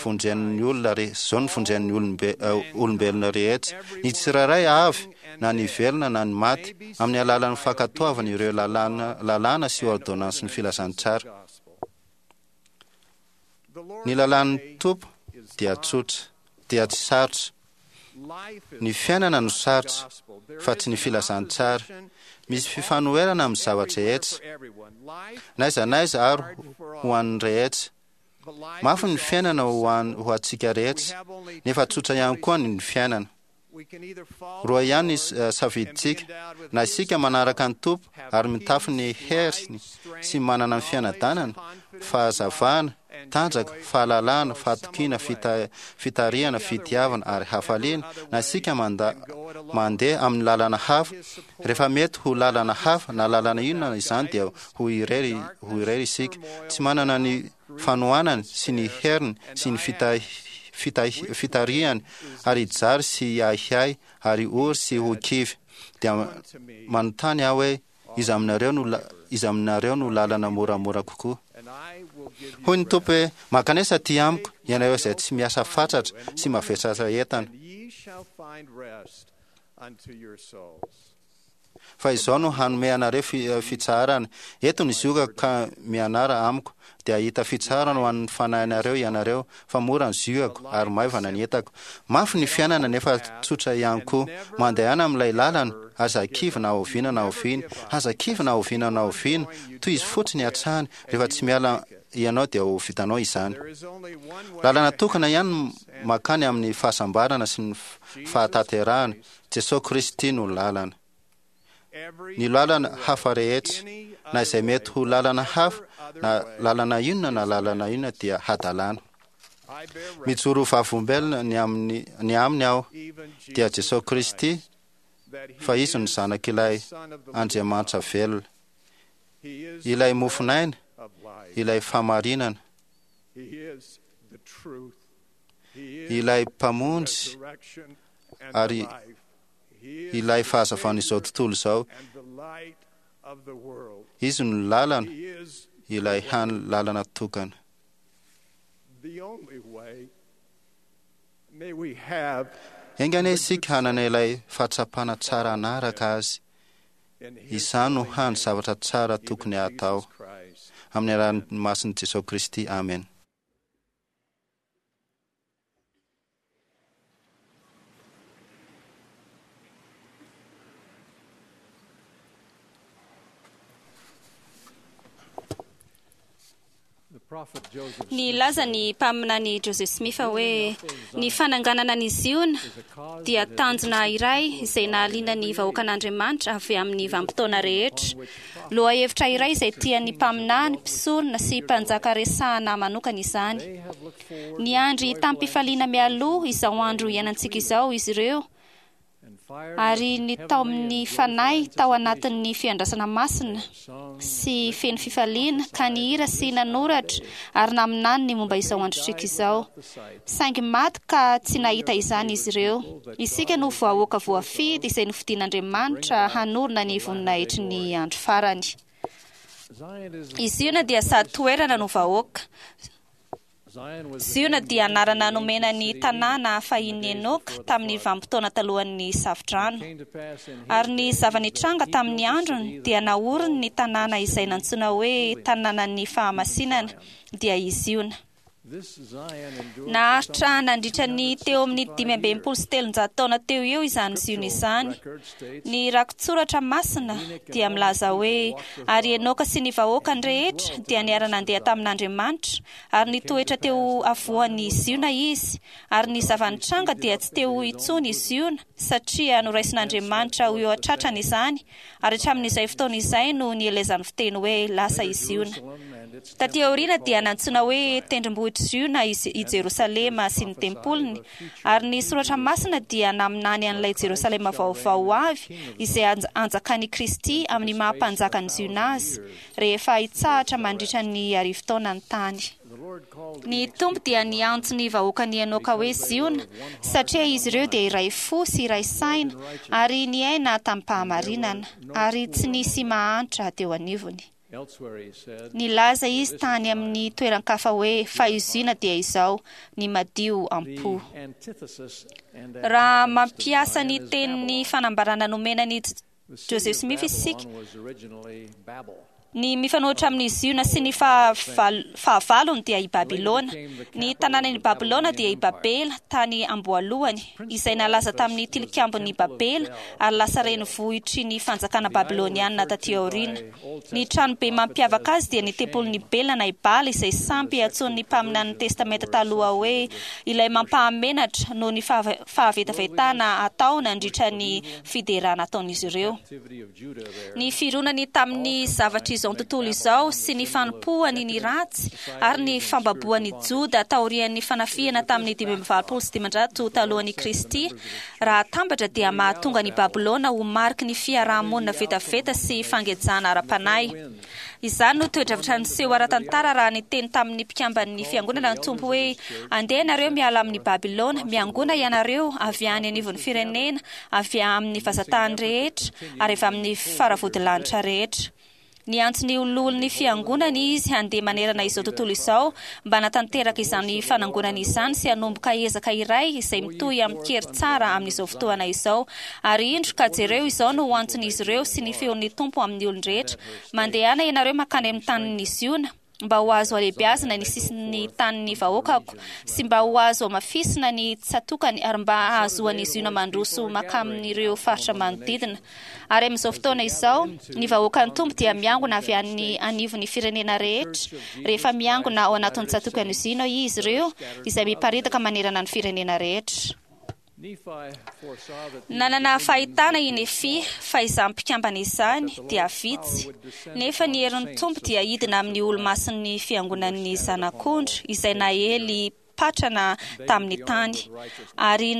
vonjen'ny olona izao no vonjen'ny olombelona rehetra, ny tsirairay avy, na ny velona na ny maty, amin'ny alalan'ny fankatoavana ireo lalàna lalàna sy ôrdônansin'ny filazantsara. Ny lalàn'ny Tompo dia tsotra, dia tsy sarotra. Ny fiainana no sarotra, fa tsy ny filazantsara. Misy fifanoherana amin'ny zava-drehetra, n'aiza n'aiza ary ho an'ny rehetra. Mafy ny fiainana ho an ho antsika rehetra, nefa tsotra ihany koa ny fiainana. Roa ihany ny safidintsika, na isika manaraka ny Tompo ary mitafy ny heriny sy manana ny fianadanana, fahazavana, tanjaka, fahalalana, fahatokiana, fitarihana, fitiavana ary hafaliana, na isika manda mandeha amin'ny lalana hafa. Rehefa mety ho lalana hafa na lalana inona izany dia ho irery ho irery isika, tsy manana ny fanohanany sy ny heriny sy ny fitarihany ary hijaly sy hiahiahy ary ory sy ho kivy. Dia manontany aho hoe, iza aminareo no iza aminareo no lalana moramora kokoa? Hoy ny Tompo hoe, Mankanesa aty amiko, ianareo izay tsy miasa fatratra sy mavesatra entana. Fa izao no hanome anareo fitsaharana, Eto ny ziogako ka mianara amiko, dia hahita fitsaharana ho an'ny fanahinareo ianareo, fa mora ny ziogako ary maivana ny entako. Mafy ny fiainana nefa tsotra ihany koa. Mandehana amin'ilay lalana, aza kivy na oviana na oviana. Aza kivy na oviana na oviana, tohizo fotsiny hatrany, rehefa tsy miala ianao dia ho vitanao izany. Lalana tokana ihany mankany amin'ny fahasambarana sy ny fahatanterahana, Jesoa Kristy no lalana. Ny lalana hafa rehetra, na izay mety ho lalana hafa, na lalana inona na lalana inona dia hadalana. Mijoro ho vavolombelona ny amin'ny ny aminy aho, dia Jesoa Kristy, fa Izy no Zanak'ilay Andriamanitra velona, ilay mofon'aina, ilay fahamarinana, ilay Mpamonjy ary ilay fahazavan'izao tontolo izao. Izy no lalana, ilay hany lalana tokana. Enga anie isika hanana ilay fahatsapana tsara hanaraka Azy. Izany no hany zavatra tsara tokony hatao. Amin'ny anaran'ny masin'i Jesoa Kristy, amena. Nilaza ny mpaminany Joseph Smith hoe ny fananganana an'i Ziona dia tanjona iray izay nahaliana ny vahoakan'Andriamanitra avy amin'ny vanim-potoana rehetra. Lohahevitra iray izay tian'ny mpaminany, mpisorona sy mpanjaka resahana manokana izany. Niandry tamim-pifaliana mialoha izao andro iainantsika izao izy ireo ary nitaomin'ny Fanahy tao anatin'ny fiandrasana masina sy feno fifaliana ka nihira sy nanoratra ary naminany ny momba izao androntsika izao. Saingy maty ka tsy nahita izany izy ireo. Isika no vahoaka voafidy izay nofidin'Andriamanitra hanorina ny voninahitry ny andro farany. I Ziona dia sady toerana no vahoaka. Ziona dia anarana nomena ny tanàna fahin'i Enoka tamin'ny vanim-potoana talohan'ny Safodrano. Ary ny zava-nitranga tamin'ny androny dia naoriny ny tanàna izay nantsoina hoe Tanànan'ny Fahamasinana, dia i Ziona. Naharitra nandritra ny teo amin'ny 365 taona teo eo izany Ziona izany. Ny rakitsoratra masina dia milaza hoe ary Enoka sy ny vahoakany rehetra dia niara-nandeha tamin'Andriamanitra ary nitoetra teo afovoan'i Ziona izy, ary ny zava-nitranga dia tsy teo intsony i Ziona satria noraisin'Andriamanitra ho eo an-tratrany izany, ary hatramin'izay fotoana izay no nielezan'ny fiteny hoe lasa i Ziona. Taty aoriana dia nantsoina hoe tendrombohitr'i Ziona i Jerosalema sy ny tempoliny, ary ny Soratra Masina dia naminany an'ilay Jerosalema vaovao ho avy izay hanjakan'i Kristy amin'ny maha Mpanjakan'i Ziona azy, rehefa hitsahatra mandritra ny arivotaona ny tany. Ny Tompo dia niantso ny vahoakan'i Enoka hoe Ziona, satria izy ireo dia iray fo sy iray saina ary niaina tamim-pahamarinana, ary tsy nisy mahantra teo anivony. Nilaza izy tany amin'ny toeran-kafa hoe, Fa i Ziona dia izao, ny madio am-po. Raha mampiasa ny tenin'ny fanambarana nomena an'i Joseph Smith isika, Ny mifanohitra amin'i Ziona sy ny fahavalony dia i Babylona. Ny tanànan'i Babylona dia i Babela tany am-boalohany, izay nalaza tamin'ny tilikambon'i Babela ary lasa renivohitry ny fanjakana babylonianina tatỳ aoriana. Ny tranobe mampiavaka azy dia ny tempolin'i Bela na i Bala izay sampy antsoin'ny mpaminanin'ny Testamenta Taloha hoe ilay mampahamenatra noho ny fahavetavetana atao nandritra ny fiderana ataon'izy ireo. Ny fironany tamin'ny zavatr'izao tontolo izao sy ny fanompoany ny ratsy ary ny fambaboan'i Joda taorian'ny fanafihana tamin'ny 585 talohan'i Kristy, raha atambatra dia mahatonga an'i Babylona ho mariky ny fiaraha-monina vetaveta sy fangejana ara-panahy. Izany no toe-javatra niseho ara-tantara raha niteny tamin'ny mpikamban'ny fiangonana ny Tompo hoe, Andeha ianareo miala amin'i Babylona, miangona ianareo avy any anivon'ny firenena, avy amin'ny vazan-tany rehetra, ary avy amin'ny faravodilanitra rehetra. Niantso ny loholon'ny fiangonany Izy handeha manerana izao tontolo izao mba hanatanteraka izany fanangonana izany sy hanomboka ezaka iray izay mitohy amin-kery tsara amin'izao fotoana izao. Ary indro, ka jereo, izao no ho antson'izy ireo sy ny feon'ny Tompo amin'ny olon-drehetra, Mandehana ianareo mankany amin'ny tanin'i Ziona, mba ho azo alehibeazina ny sisin'ny tanin'ny vahoakako, sy mba ho azo hamafisina ny tsatokany, ary mba hahazoan'i Ziona mandroso mankamin'ireo faritra manodidina. Ary amin'izao fotoana izao, ny vahoakan'ny Tompo dia miangona avy any anivon'ny firenena rehetra, rehefa miangona ao anatin'ny tsatokan'i Ziona izy ireo, izay miparitaka manerana ny firenena rehetra. Nanana fahitana i Nefia fa izany mpikambana izany dia vitsy, nefa ny herin'ny Tompo dia hidina amin'ny olomasin'ny Fiangonan'ny Zanak'ondry izay naely patrana tamin'ny tany, ary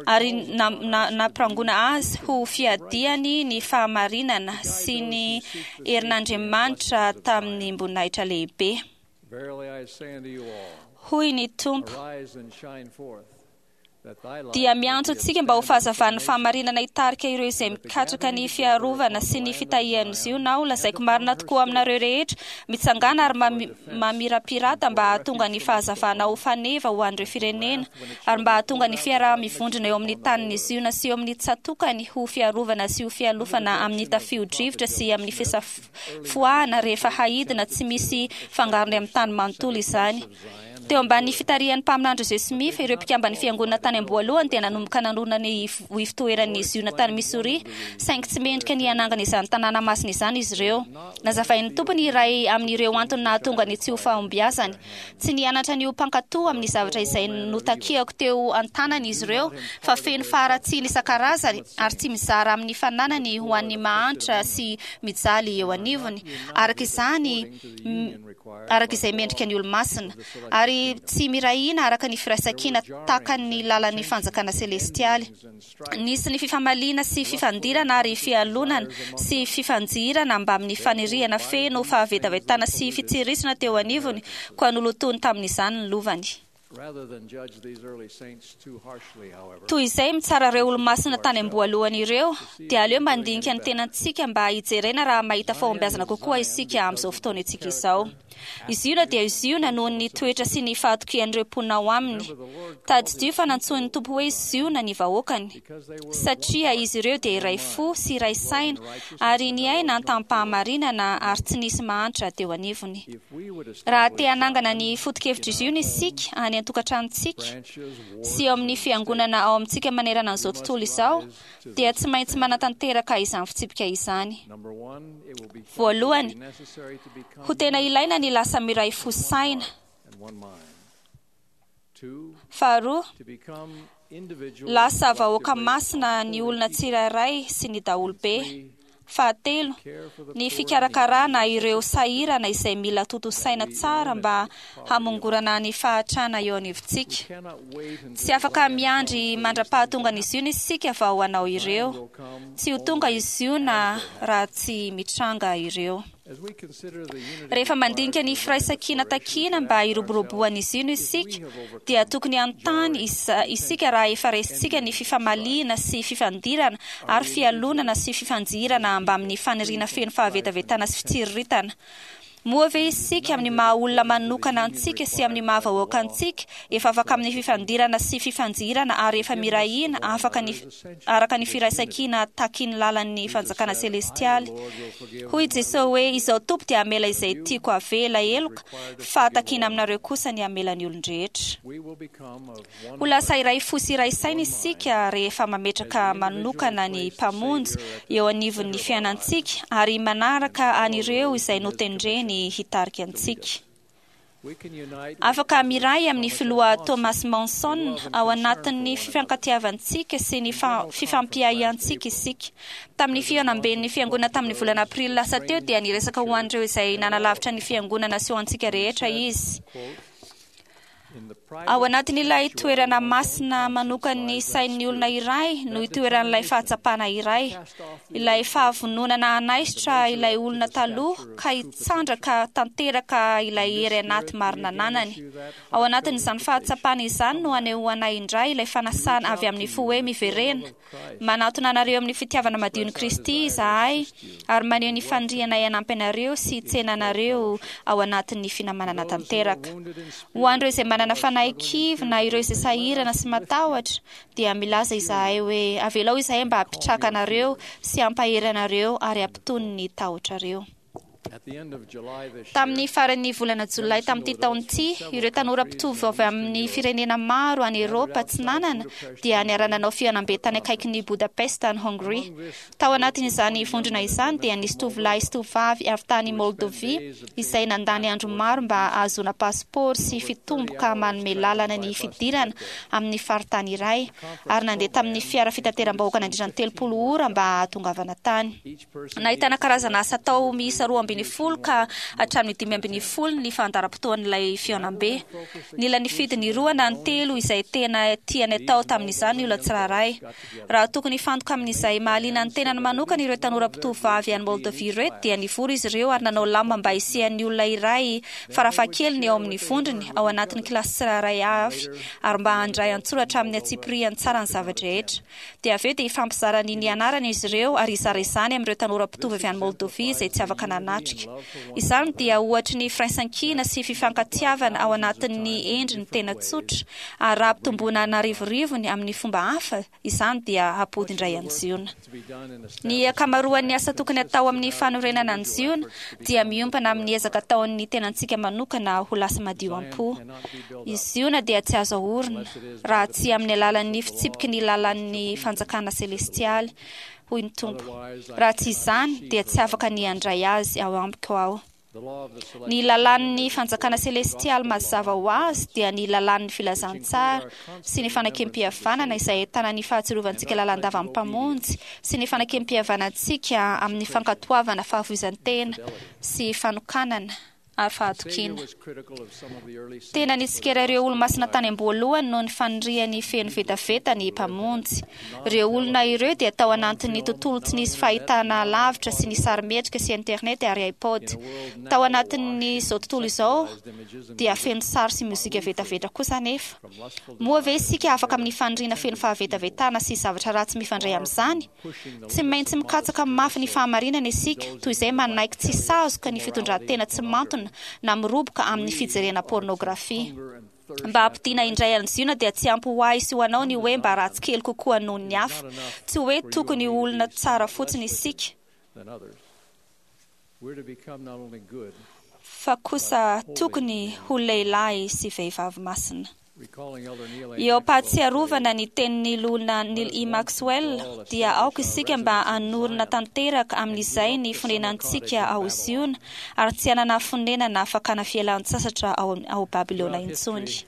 ary nampirangona azy ho fiadiany ny fahamarinana sy ny herin'Andriamanitra tamim-boninahitra lehibe. Hoy ny Tompo, dia miantso antsika mba ho fahazavan'ny fahamarinana hitarika ireo izay mikatsaka ny fiarovana sy ny fitahian'i Ziona aho. Lazaiko marina tokoa aminareo rehetra, mitsangàna ary mamirapirata mba hahatonga ny fahazavana ho faneva ho an'ireo firenena, ary mba hahatonga ny fiaraha-mivondrona eo amin'ny tanin'i Ziona sy eo amin'ny tsatòkany ho fiarovana sy ho fialofana amin'ny tafio-drivotra sy amin'ny fisafoahana rehefa haidina tsy misy fangarony amin'ny tany manontolo izany. Teo ambanin'ny fitarihan'ny mpaminany Joseph Smith, ireo mpikamban'ny Fiangonana tany am-boalohany dia nanomboka nanorina ny Ivotoeran'i Ziona tany Missouri, saingy tsy mendrika ny hanangana izany tanàna masina izany izy ireo. Nazavain'ny Tompo ny iray amin'ireo antony nahatonga ny tsy ho fahombiazany. Tsy nianatra ny ho mpankatò amin'ny zavatra izay notakiako teo an-tanany izy ireo, fa feno faharatsiana isan-karazany ary tsy mizara amin'ny fananany ho an'ny mahantra sy mijaly eo anivony. Araka izany, araka izay mendrika ny olomasina, ary tsy miray hina araka ny firaisankina takan'ny lalan'ny fanjakana selestialy. Nisy ny fifamaliana sy fifandirana ary fialonana sy fifanjihirana mbamin'ny faniriana feno fahavetavetana sy fitsirisana teo anivony, koa nolotoiny tamin'izany ny lovany. Toy izay mitsara ireo olomasina tany am-boalohany ireo, dia aleo mandinika ny tenantsika mba hijerena raha mahita fahombiazana kokoa isika amin'izao fotoana antsika izao. I Ziona dia i Ziona noho ny toetra sy ny fahatokian'ireo mponina ao aminy. Tadidio fa nantsoin'ny Tompo hoe Ziona ny vahoakany, satria izy ireo dia iray fo sy iray saina ary niaina tamim-pahamarinana ary tsy nisy mahantra teo anivony. Raha te hanangana ny foto-kevitr'i Ziona isika any an-tokantranontsika sy eo amin'ny fiangonana ao amintsika manerana an'izao tontolo izao, dia tsy maintsy manatanteraka izany fitsipika izany. Voalohany, ho tena ilaina ny lasa miray fo saina. Faharoa, lasa vahoaka masina ny olona tsirairay sy ny daholobe. Fahatelo, ny fikarakarana ireo sahirana izay mila tontosaina tsara mba hamongorana ny fahantrana eo anivontsika. Tsy afaka miandry mandra-pahatongan'i Ziona isika vao hanao ireo. Tsy ho tonga i Ziona raha tsy mitranga ireo. Rehefa mandinika ny firaisankina takiana mba hiroboroboan'i Ziona isika, dia tokony hanontany isika raha efa resintsika ny fifamaliana sy fifandirana ary fialonana sy fifanjihirana mbamin'ny faniriana feno fahavetavetana sy fitsiriritana. Moa ve isika, amin'ny maha-olona manokana antsika sy amin'ny maha-vahoaka antsika, efa afaka amin'ny fifandirana sy fifanjihirana ary efa miray hina afaka ny araka ny firaisankina takin'ny lalan'ny fanjakana selestialy? Hoy i Jesoa hoe, Izaho Tompo dia hamela izay tiako havela heloka, fa takiana aminareo kosa ny hamela ny olon-drehetra. Ho lasa iray fo sy iray saina isika rehefa mametraka manokana ny Mpamonjy eo anivon'ny fiainantsika ary manaraka an'ireo izay notendreny hitarika antsika. Afaka miray amin'ny Filoha Thomas Monson ao anatin'ny fifankatiavantsika sy ny fifampiahiantsika isika. Tamin'ny fihaonamben'ny Fiangonana tamin'ny volana Aprily lasa teo dia niresaka ho an'ireo izay nanalavitra ny Fiangonana sy ho antsika rehetra izy. Ao anatin'ilay toerana masina manokan'ny sain'ny olona iray no itoeran'ilay fahatsapana iray, ilay fahavononana hanaisotra ilay olona taloha ka hitsandraka tanteraka ilay hery anaty marina ananany. Ao anatin'izany fahatsapana izany no anehoanay indray ilay fanasana avy amin'ny fo hoe miverena. Manatona anareo amin'ny fitiavana madion'i Kristy izahay ary maneho ny fanirianay hanampy anareo sy hitsena anareo ao anatin'ny finamanana tanteraka. Ho an'ireo izay manana fanahy kivy na ireo izay sahirana sy matahotra, dia milaza izahay hoe avelao izahay mba hampitraka anareo sy hampahery anareo ary hampitony ny tahotrareo. Tamin'ny faran'ny volana Jolay tamin'ity taona ity, ireo tanora mpitovo avy amin'ny firenena maro any Eoropa Atsinanana dia niara-nanao fihaonambe tany akaikin'i Budapest any Hongria. Tao anatin'izany vondrona izany dia nisy tovolahy sy tovovavy avy tany Moldovia izay nandany andro maro mba hahazoana pasipaoro sy fitomboka manome lalana ny fidirana amin'ny faritany iray, ary nandeha tamin'ny fiara fitateram-bahoaka nandritra ny 30 ora mba hahatongavana tany. Nahitana karazana asa atao miisa 12 ka hatramin'ny 15 ny fandaharam-potoan'ilay fihaonambe. Nila nifidy ny roa na ny telo izay tena tiany atao tamin'izany ny olona tsirairay. Raha tokony hifantoka amin'izay mahaliana ny tenany manokana ireo tanora mpitovovavy any Moldavia ireo dia nivory izy ireo ary nanao lamina mba hisian'ny olona iray farafahakeliny ao amin'ny vondrony ao anatin'ny kilasy tsirairay avy ary mba handray an-tsoratra amin'ny antsipiriany tsara ny zava-drehetra. Dia avy eo dia hifampizara ny nianarany izy ireo ary hizara izany amin'ireo tanora mpitovo avy any Moldovia izay tsy afaka nanatrika. Izany dia ohatry ny firaisankina sy fifankatiavana ao anatin'ny endriny tena tsotra, ary raha ampitomboina an'arivorivony amin'ny fomba hafa izany dia hampody indray an'i Ziona. Ny ankamaroan'ny asa tokony hatao amin'ny fanorenana an'i Ziona dia miompana amin'ny ezaka ataon'ny tenantsika manokana ho lasa madio am-po. I Ziona dia tsy azo aorina raha tsy amin'ny alalan'ny fitsipiky ny lalàn'ny fanjakana selestialy, hoy ny Tompo. Raha tsy izany, dia tsy afaka ny handray azy ao amiko Aho. Ny lalàn'ny fanjakana selestialy mazava ho azy dia ny lalàn'ny filazantsara sy ny fanekempihavanana izay ahitana ny fahatsiarovantsika lalandava ny Mpamonjy sy ny fanekempihavanantsika amin'ny fankatoavana fahafoizan-tena sy fanokanana. ary fahatokiana. Tena nitsikera ireo olo-masina tany am-boalohany noho ny faniriany feno vetaveta ny Mpamonjy. Ireo olona ireo dia tao anatin'ny tontolo tsy nisy fahitana lavitra sy ny sarimihetsika sy internet ary iPod. Tao anatin'izao tontolo izao dia feno sary sy mozika vetaveta kosa anefa. Moa ve isika afaka amin'ny faniriana feno fahavetavetana sy zavatra ratsy mifandray amin'izany? Tsy maintsy mikatsaka mafy ny fahamarinana isika, toy izay manaiky tsy sazoka ny fitondran-tena tsy mantona na miroboka amin'ny fijerena pôrnôgrafia. Mba hampodiana indray an'i Ziona dia tsy ampy ho ahy sy ho anao ny hoe mba ratsy kely kokoa noho ny hafa. Tsy hoe tokony ho olona tsara fotsiny isika, fa kosa tokony ho lehilahy sy vehivavy masina. Eo am-pahatsiarovana ny tenin'ny Loholona Neal E. Maxwell, dia aoka isika mba hanorina tanteraka amin'izay ny fonenantsika ao Ziona ary tsy hanana fonenana fakana fialan-tsasatra ao Babylona intsony.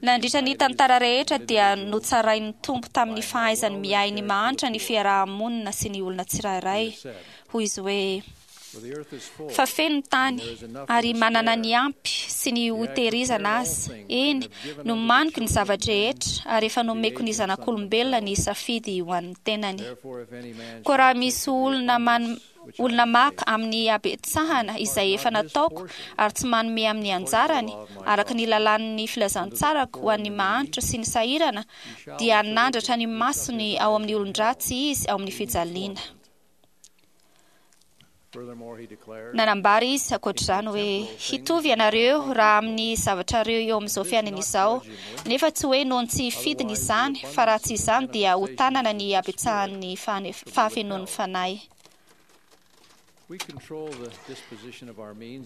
Nandritra ny tantara rehetra dia notsarain'ny Tompo tamin'ny fahaizany miahy ny mahantra ny fiaraha-monina sy ny olona tsirairay. Hoy Izy hoe. Fa feno ny tany, ary manana ny ampy sy ny hotehirizana aza, eny, nomaniko ny zava-drehetra, ary efa nomeko ny zanak'olombelona ny safidy ho an'ny tenany. Koa raha misy olona man, olona maka amin'ny habetsahana izay efa nataoko ary tsy manome amin'ny anjarany, araka ny lalàn'ny filazantsarako ho an'ny mahantra sy ny sahirana, dia hanandratra ny masony ao amin'ny olon-dratsy izy ao amin'ny fijaliana. Nanambara izy, ankoatr'izany, hoe, Hitovy ianareo raha amin'ny zavatrareo eo amin'izao fiainana izao, nefa tsy hoe noho ny tsy fidiny izany, fa raha tsy izany dia ho tanana ny habetsahan'ny fahafenoan'ny Fanahy.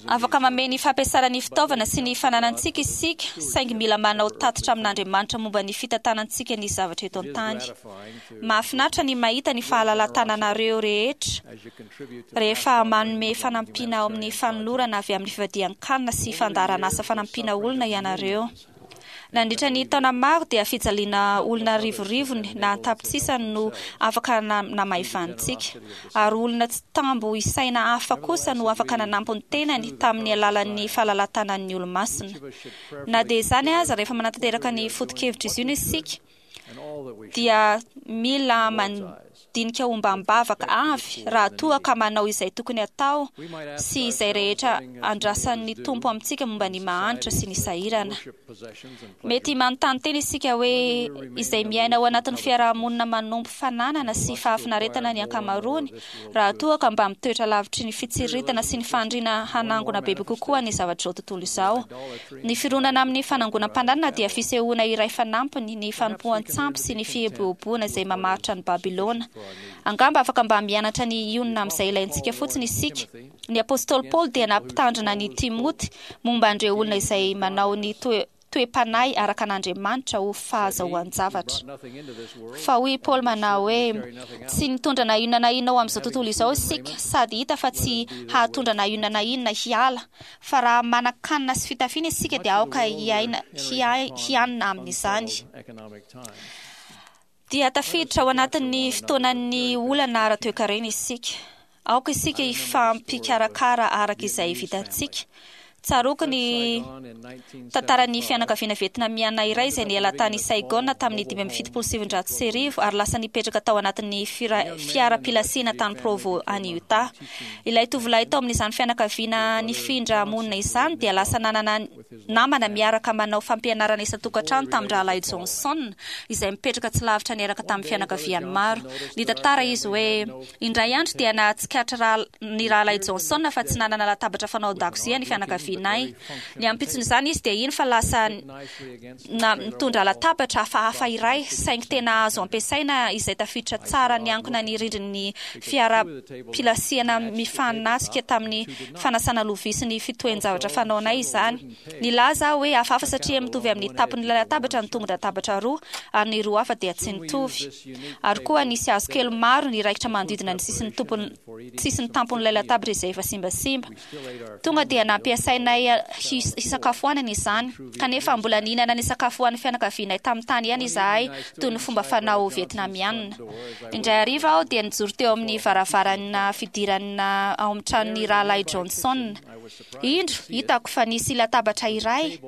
Afaka mamehy ny fampiasana ny fitaovana sy ny fananantsika isika, saingy mila manao tatitra amin'Andriamanitra momba ny fitantanantsika ny zavatra eto an-tany. Mahafinaritra ny mahita ny fahalalahan-tananareo rehetra rehefa manome fanampiana ao amin'ny fanolorana avy amin'ny fivadihan-kanina sy fandaharanasa fanampiana olona ianareo. Nandritra ny taona maro dia fijaliana olona arivorivony na an-tapitrisany no afaka namaivanintsika, ary olona tsy tambo isaina hafa kosa no afaka nanampy ny tenany tamin'ny alalan'ny fahalalahan-tanan'ny Olomasina. Na dia izany aza, rehefa manatanteraka ny foto-kevitr'izy io isika, dia mila mandinika ombam-bavaka avy raha toa ka manao izay tokony hatao sy izay rehetra andrasan'ny Tompo amintsika momba ny mahantra sy ny sahirana. Mety manontany tena isika hoe izay miaina ao anatin'ny fiaraha-monina manompo fananana sy fahafinaretana ny ankamaroany raha toa ka mba mitoetra lavitry ny fitsiriritana sy ny faniriana hanangona bebe kokoa ny zavatr'izao tontolo izao. Ny fironana amin'ny fanangonam-pananana dia fisehoana iray fanampiny ny fanompoan-tsampy sy ny fieboeboana izay mamaritra an'i Babylona. Angamba afaka mba mianatra ny hionona amin'izay ilaintsika fotsiny isika. Ny apostoly Paoly dia nampitandrina an'i Timoty momba an'ireo olona izay manao ny toe-panahy araka an'Andriamanitra ho fahazahoan-javatra. Fa hoy i Paoly manao hoe, Tsy nitondra na inona na inona ho amin'izao tontolo izao isika, sady hita fa tsy hahatondra na inona na inona hiala. Fa raha manan-kanina sy fitafiana isika dia aoka hiaina, hianina amin'izany. Dia tafiditra ao anatin'ny fotoanan'ny olana ara-toekarena isika. Aoka isika hifampikarakara araka izay vitantsika. Tsaroako ny tantaran'ny fianakaviana vietnamiana iray izay niala tany Saigon tamin'ny 1975 ary lasa nipetraka tao anatin'ny fiara-pilasiana tany Provo any Utah. Ilay tovolahy tao amin'izany fianakaviana nifindra monina izany dia lasa nanana namana miaraka manao fampianarana isan-tokantrano tamin-drahalahy Johnson, izay mipetraka tsy lavitra niaraka tamin'ny fianakaviany maro. Nitantara izy hoe, Indray andro dia nahatsikaritra ny rahalahy Johnson fa tsy nanana latabatra fanao an-dakozia ny fianakavianay. Ny ampitson'izany izy dia hino fa lasa nitondra latabatra hafahafa iray, saingy tena azo ampiasaina izay tafiditra tsara niankina ny rindrin'ny fiara-pilasiana mifanatrika tamin'ny fanasana lovia sy ny fitohen-javatra fanaonay izany. Nilaza aho hoe hafahafa satria mitovy amin'ny tampon'ilay latabatra ny tongon-databatra roa, ary ny roa hafa dia tsy nitovy. Ary koa nisy hazo kely maro niraikitra manodidina ny sisin'ny tampon'ilay latabatra izay efa simbasimba. Tonga dia nampiasaina. nasainay hisakafoanana izany, kanefa mbola nihinana ny sakafo ho an'ny fianakavianay tamin'ny tany ihany izahay toy ny fomba fanao Vietnamiana. Indray hariva aho dia nijoro teo amin'ny varavarana fidirana ao amin'ny tranon'ny Rahalahy Johnson. Indro, hitako fa nisy latabatra iray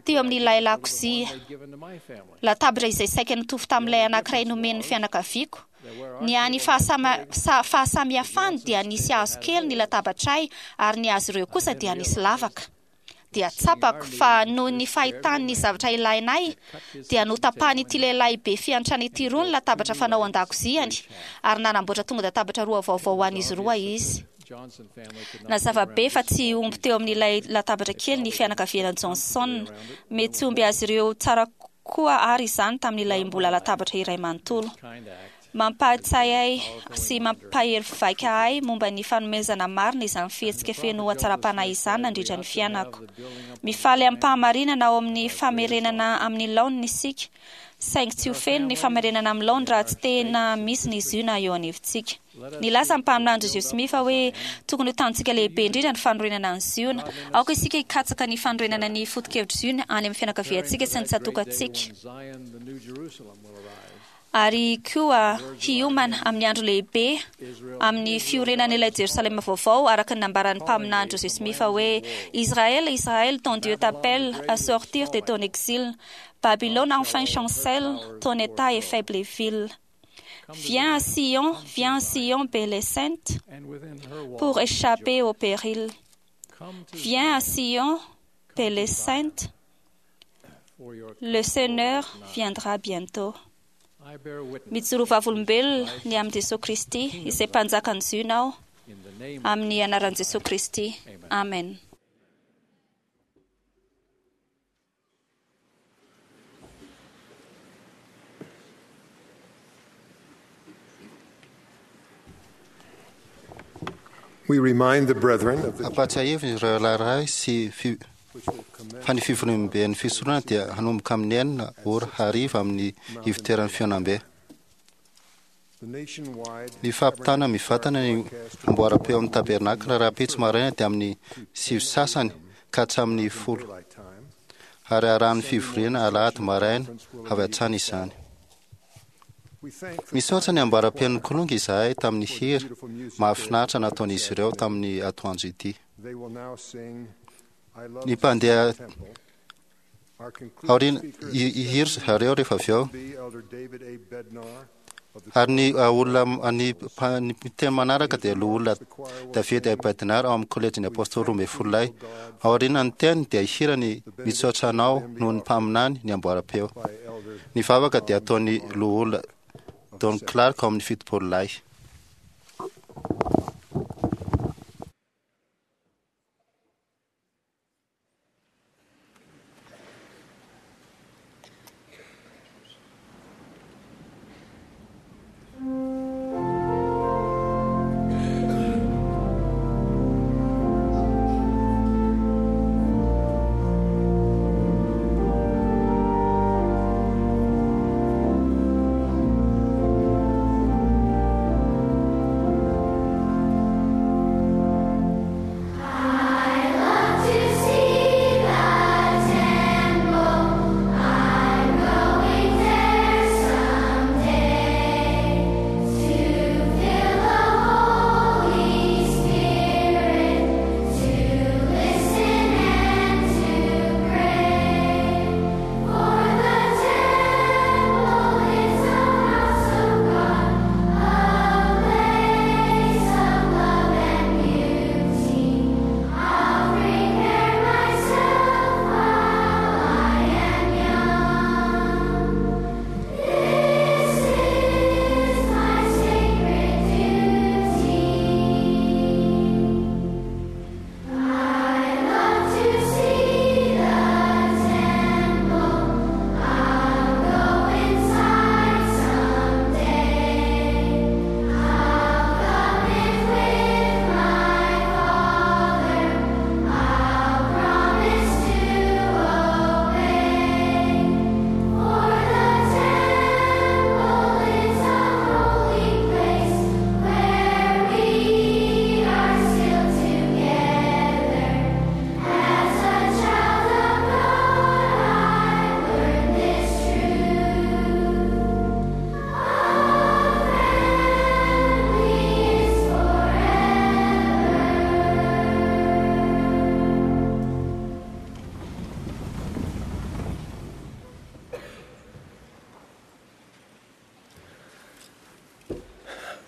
teo amin'ilay lakozia, latabatra izay saika nitovy tamin'ilay anankiray nomen'ny fianakaviako. Ny hany fahasamihafany dia nisy hazo kely ny latabatray ary ny azy ireo kosa dia nisy lavaka. Dia tsapako fa noho ny fahitany ny zavatra ilainay dia notapahan'ity lehilahy be fiantrana ity roa ny latabatra fanao an-dakoziany ary nanamboatra tonga-databatra roa vaovao ho an'izy roa izy. Nazava be fa tsy omby teo amin'ilay latabatra kely ny fianakaviana Johnson. Mety tsy omby azy ireo tsara koa àry izany tamin'ilay mbola latabatra iray manontolo. Mampahatsiahy ahy sy mampahery vaika ahy momba ny fanomezana marina izany fihetsika feno hatsaram-panahy izany nandritra ny fiainako. Mifaly amim-pahamarinana ao amin'ny famerenana amin'ny laoniny isika, saingy tsy ho feno ny famerenana amin'ny laoniny raha tsy tena misy ny Ziona eo anivontsika. Nilaza ny mpaminany Joseph Smith hoe tokony ho tanjontsika lehibe indrindra ny fanorenana an'i Ziona. Aoka isika hikatsaka ny fanorenana ny foto-kevitr'i Ziona any amin'ny fianakaviantsika sy ny tsatòkantsika, ary koa hiomana amin'ny andro lehibe amin'ny fiorenan'ilay Jerosalema vaovao, araka ny nambaran'ny mpaminany Joseph Smith hoe, Israël, Israël, ton Dieu t'appelle à sortir de ton exil. Babylone enfin chancelle, ton état est faible et vil. Viens à Sion, viens à Sion, belle et sainte, pour échapper au péril. Viens à Sion, belle et sainte, le Seigneur viendra bientôt. Mijoro vavolombelona ny amin'i Jesoa Kristy, izay Mpanjakan'i Ziona aho, amin'ny anaran'i Jesoa Kristy. Amen. We remind the brethren of the Ampahatsiahivina ireo rahalahy sy fi, fa ny fivoriamben'ny fisoronana dia hanomboka amin'ny enina ora hariva amin'ny ivoteran'ny fihaonambe. Ny fampitana mivantana ny amboaram-peo amin'ny tabernakla rahampitso maraina dia amin'ny sivy sasany ka hatramin'ny folo, ary arahan'ny fivoriana alahady maraina avy hatrany izany. Misaotra ny amboaram-peon'ny Kilonga izahay tamin'ny hira mahafinaritra nataon'izy ireo tamin'ny atoandro ity. Ny mpandeha aoriana hihira zareo rehefa avy eo. Ary ny olona ny ny teny manaraka dia loholona David A. Bednar ao amin'ny kolejin'ny Apôstôly 12 lahy. Aorianan'ny teny dia hihira ny Misaotra Anao noho ny mpaminany ny amboaram-peo. Ny vavaka dia ataon'ny loholona Don Clark ao amin'ny 70 lahy.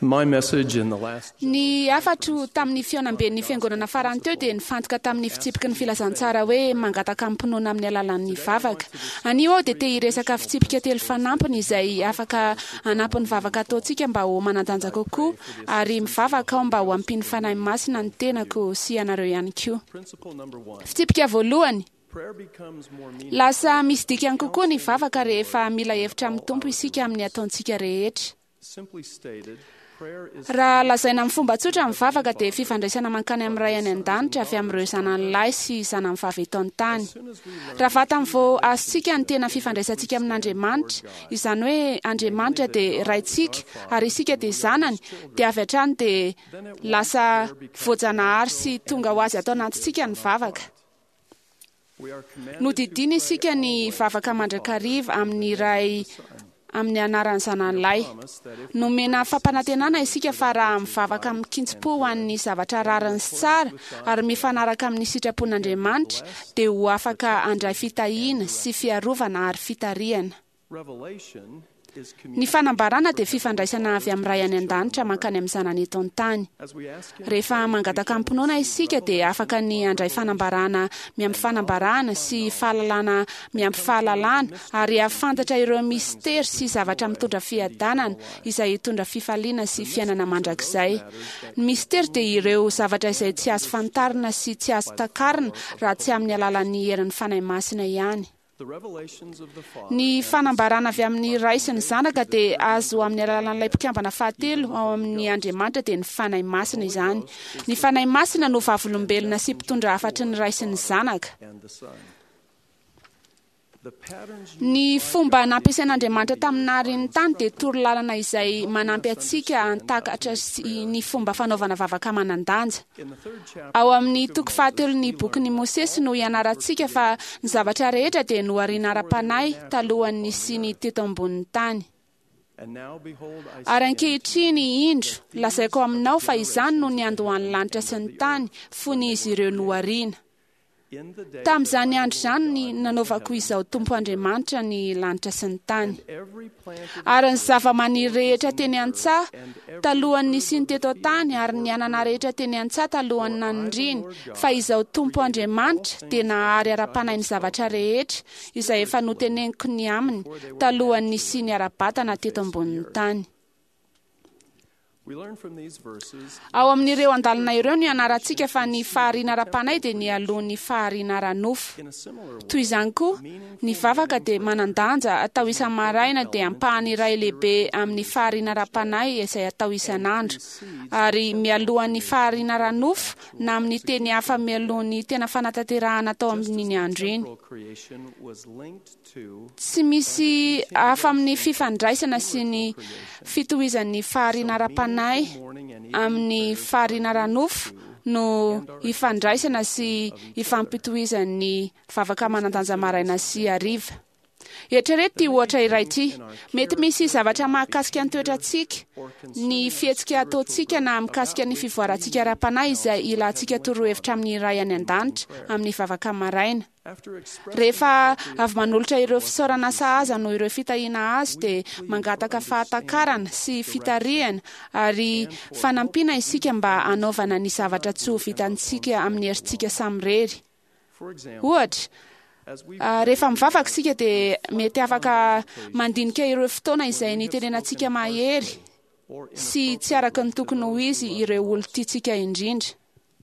My message in the last Ny hafatro tamin'ny fihaonamben'ny fiangonana farany teo dia nifantoka tamin'ny fitsipiky ny filazantsara hoe mangataka amim-pinoana amin'ny alalan'ny vavaka. Anio aho dia te hiresaka fitsipika telo fanampiny izay afaka hanampy ny vavaka ataontsika mba ho manan-danja kokoa, ary mivavaka aho mba ho ampian'ny Fanahy Masina ny tenako sy ianareo ihany koa. principle number 1. Fitsipika voalohany, Prayer becomes more meaningful lasa misy dikany kokoa ny vavaka rehefa mila hevitra amin'ny Tompo isika amin'ny ataontsika rehetra. simply stated prayer is Raha lazaina amin'ny fomba tsotra ny vavaka dia fifandraisana mankany amin'ny Ray any an-danitra avy amin'ireo zanany lahy sy zanany vavy eto an-tany. Raha vatany vao azontsika ny tena fifandraisantsika amin'Andriamanitra, izany hoe Andriamanitra dia Raintsika ary isika dia zanany, dia avy hatrany dia lasa voajanahary sy tonga ho azy ato anatintsika ny vavaka. we are commanded Nodidiana isika ny vavaka mandrakariva amin'ny Ray amin'ny anaran'ny zanany lahy. Nomena fampanantenana isika fa raha mivavaka amin-kitsim-po ho an'ny zavatra rariny sy tsara ary mifanaraka amin'ny sitrapon'Andriamanitra dia ho afaka handray fitahiana sy fiarovana ary fitarihana. revelation is Ny fanambarana dia fifandraisana avy amin'ny Ray any an-danitra mankany amin'ny zanany eto an-tany. as we ask him Rehefa mangataka amim-pinoana isika dia afaka ny handray fanambarana miampy fanambarana sy fahalalana miampy fahalalana ary hahafantatra ireo mistery sy zavatra mitondra fiadanana izay hitondra fifaliana sy fiainana mandrakizay. Ny mistery dia ireo zavatra izay tsy azo fantarina sy tsy azo takarina raha tsy amin'ny alalan'ny herin'ny Fanahy Masina ihany. the revelations of the Father Ny fanambarana avy amin'ny Ray sy ny Zanaka dia azo amin'ny alalan'ilay mpikambana fahatelo ao amin'ny Andriamanitra dia ny Fanahy Masina izany. Ny Fanahy Masina no vavolombelona sy mpitondra hafatry ny Ray sy ny Zanaka. and the Son. The patterns Ny fomba nampiasain'Andriamanitra tamin'ny naharin'ny tany dia torolalana izay manampy antsika hantakatra sy ny fomba fanaovana vavaka manan-danja. in the third chapter Ao amin'ny toko fahatelon'ny bokin'i Mosesy no ianarantsika fa ny zavatra rehetra dia nohariana ara-panahy talohan'ny nisiany teto ambonin'ny tany. and now behold I Ary say unto you, ankehitriny indro, lazaiko aminao fa izany no niandohan'ny lanitra sy ny tany fony izy ireo nohariana. in the day Tamin'izany andro izany ny nanaovako izao Tompo Andriamanitra ny lanitra sy ny tany. every plant of Ary ny zava-maniry rehetra teny an-tsaha talohan'ny nisiany teto an-tany ary ny anana rehetra teny an-tsaha talohan'ny nanindriny, fa izao Tompo Andriamanitra dia nahary ara-panahy ny zavatra rehetra izay efa noteneniko ny aminy talohan'ny nisiany ara-batana teto ambonin'ny tany. we learn from these verses Ao amin'ireo andalana ireo no ianarantsika fa ny fahariana ara-panahy dia nialoha ny fahariana ara-nofo. in a similar way Toy izany koa, ny vavaka dia manan-danja atao isa-maraina dia ampahany iray lehibe amin'ny fahariana ara-panahy izay atao isan'andro. Ary mialohan'ny fahariana ara-nofo na amin'ny teny hafa mialohan'ny tena fanatanterahana atao amin'iny andro iny. temporal creation was linked to Tsy misy hafa amin'ny fifandraisana sy ny fitohizan'ny fahariana ara-panahy morning and amin'ny fahariana ara-nofo no ifandraisana sy ifampitohizan'ny vavaka manan-danja maraina sy hariva. Eritrereto ity ohatra iray ity. Mety misy zavatra mahakasika ny toetrantsika, ny fihetsika ataontsika na mikasika ny fivoarantsika ara-panahy izay ilantsika torohevitra amin'ny Ray any an-danitra amin'ny vavaka maraina. after expressing Rehefa avy manolotra ireo fisaorana sahaza noho ireo fitahiana azo dia mangataka fahatakarana sy fitarihana ary fanampiana isika mba hanaovana ny zavatra tsy ho vitantsika amin'ny herintsika samirery. for example Ohatra, as we rehefa mivavaka isika dia mety afaka mandinika ireo fotoana izay nitenenantsika mahery or sy tsy araka ny tokony ho izy ireo olon-tiantsika indrindra.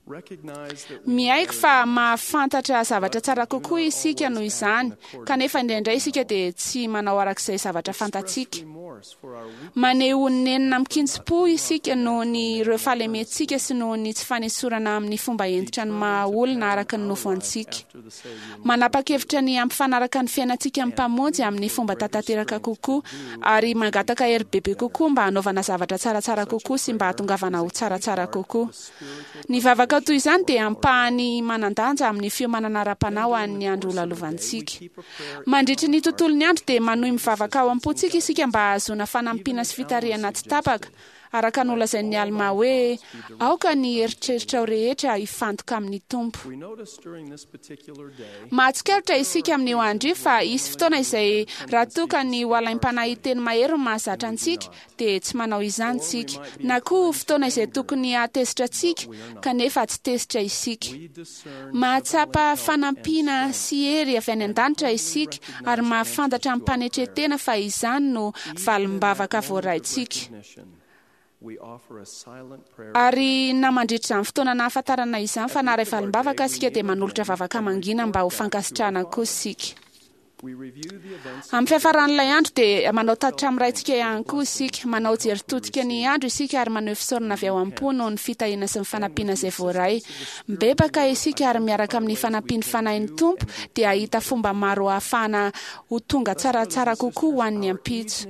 recognize that we Miaiky fa mahafantatra zavatra tsara kokoa isika noho izany, kanefa indraindray isika dia tsy manao arak'izay zavatra fantatsika. remorse for our weakness Maneho nenina amin-kitsim-po isika noho ny ireo fahalementsika sy noho ny tsy fanesorana amin'ny fomba hentitra ny maha olona araka ny nofo antsika. after the Savior Manapa-kevitra ny hampifanaraka ny fiainantsika amin'ny Mpamonjy amin'ny fomba tanteraka kokoa ary mangataka hery bebe kokoa mba hanaovana zavatra tsaratsara kokoa sy mba hahatongavana ho tsaratsara kokoa. Ny vavaka toy izany dia ampahany manan-danja amin'ny fiomanana ara-panahy ho an'ny andro holalovantsika. Mandritry ny tontolon'ny andro dia manohy mivavaka ao am-pontsika isika mba hahazoana fanampiana sy fitarihana tsy tapaka. Araka nolazain'ny Almà hoe, Aoka ny eritreritrao rehetra hifantoka amin'ny Tompo. Mahatsikaritra isika amin'io andro io fa hisy fotoana izay raha toa ka ny ho alaim-panahy hiteny mahery no mahazatra antsika, dia tsy manao izany isika. Na koa fotoana izay tokony hahatezitra antsika, kanefa tsy tezitra isika. Mahatsapa fanampiana sy hery avy any an-danitra isika ary mahafantatra amim-panetren-tena fa izany no valim-bavaka voaraintsika. Ary na mandritra izany fotoana nahafantarana izany fa naharay valim-bavaka isika dia manolotra vavaka mangina mba ho fankasitrahana koa isika. Amin'ny fiafaran'ilay andro dia manao tatitra amin'ny Raintsika ihany koa isika. Manao jery todika ny andro isika ary maneho fisaorana avy ao am-po noho ny fitahiana sy ny fanampiana izay voaray. Mibebaka isika ary miaraka amin'ny fanampian'ny Fanahin'ny Tompo dia hahita fomba maro hahafahana ho tonga tsaratsara kokoa ho an'ny ampitso.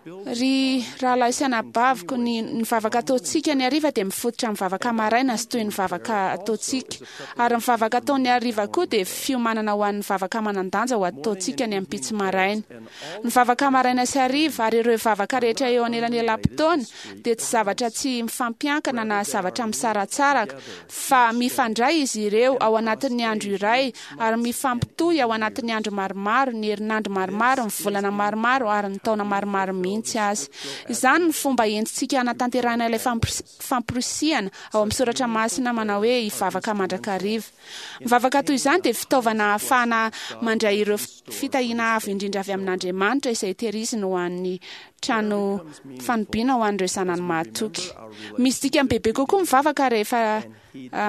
Ry rahalahy sy anabaviko, ny ny vavaka ataontsika ny hariva dia mifototra amin'ny vavaka maraina sy toy ny vavaka ataontsika. Ary ny vavaka atao ny hariva koa dia fiomanana ho an'ny vavaka manan-danja ho ataontsika ny ampitso maraina. Ny vavaka maraina sy hariva ary ireo vavaka rehetra eo anelanelam-potoana dia tsy zavatra tsy mifampiankina na zavatra misaratsaraka, fa mifandray izy ireo ao anatin'ny andro iray ary mifampitohy ao anatin'ny andro maromaro, ny herinandro maromaro, ny volana maromaro ary ny taona maromaro mihitsy aza. Izany no fomba entintsika hanatanterahina ilay famporisihana ao amin'ny soratra masina manao hoe hivavaka mandrakariva. Ny vavaka toy izany dia fitaovana ahafahana mandray ireo fitahiana avo indrindra avy amin'Andriamanitra izay tehiriziny ho an'ny trano fanobiana ho an'ireo zanany mahatoky. Misy dikany bebe kokoa ny vavaka rehefa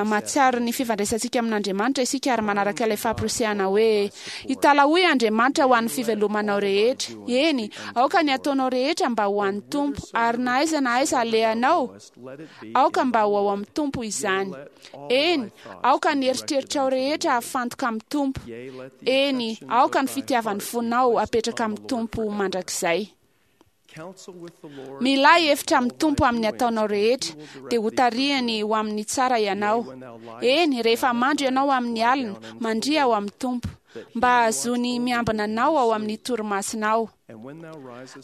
mahatsiaro ny fifandraisantsika amin'Andriamanitra isika ary manaraka ilay famporisihana hoe, Italahoy Andriamanitra ho an'ny fivelomanao rehetra. Eny, aoka ny ataonao rehetra mba ho an'ny Tompo, ary na aiza na aiza alehanao, aoka mba ho ao amin'ny Tompo izany. Eny, aoka ny eritreritrao rehetra hafantoka amin'ny Tompo. Eny, aoka ny fitiavan'ny fonao hapetraka amin'ny Tompo mandrakizay. Milà hevitra amin'ny Tompo amin'ny ataonao rehetra, dia hotarihany ho amin'ny tsara ianao. Eny, rehefa mandry ianao amin'ny alina, mandria ao amin'ny Tompo, mba hahazoany miambina anao ao amin'ny torimasonao.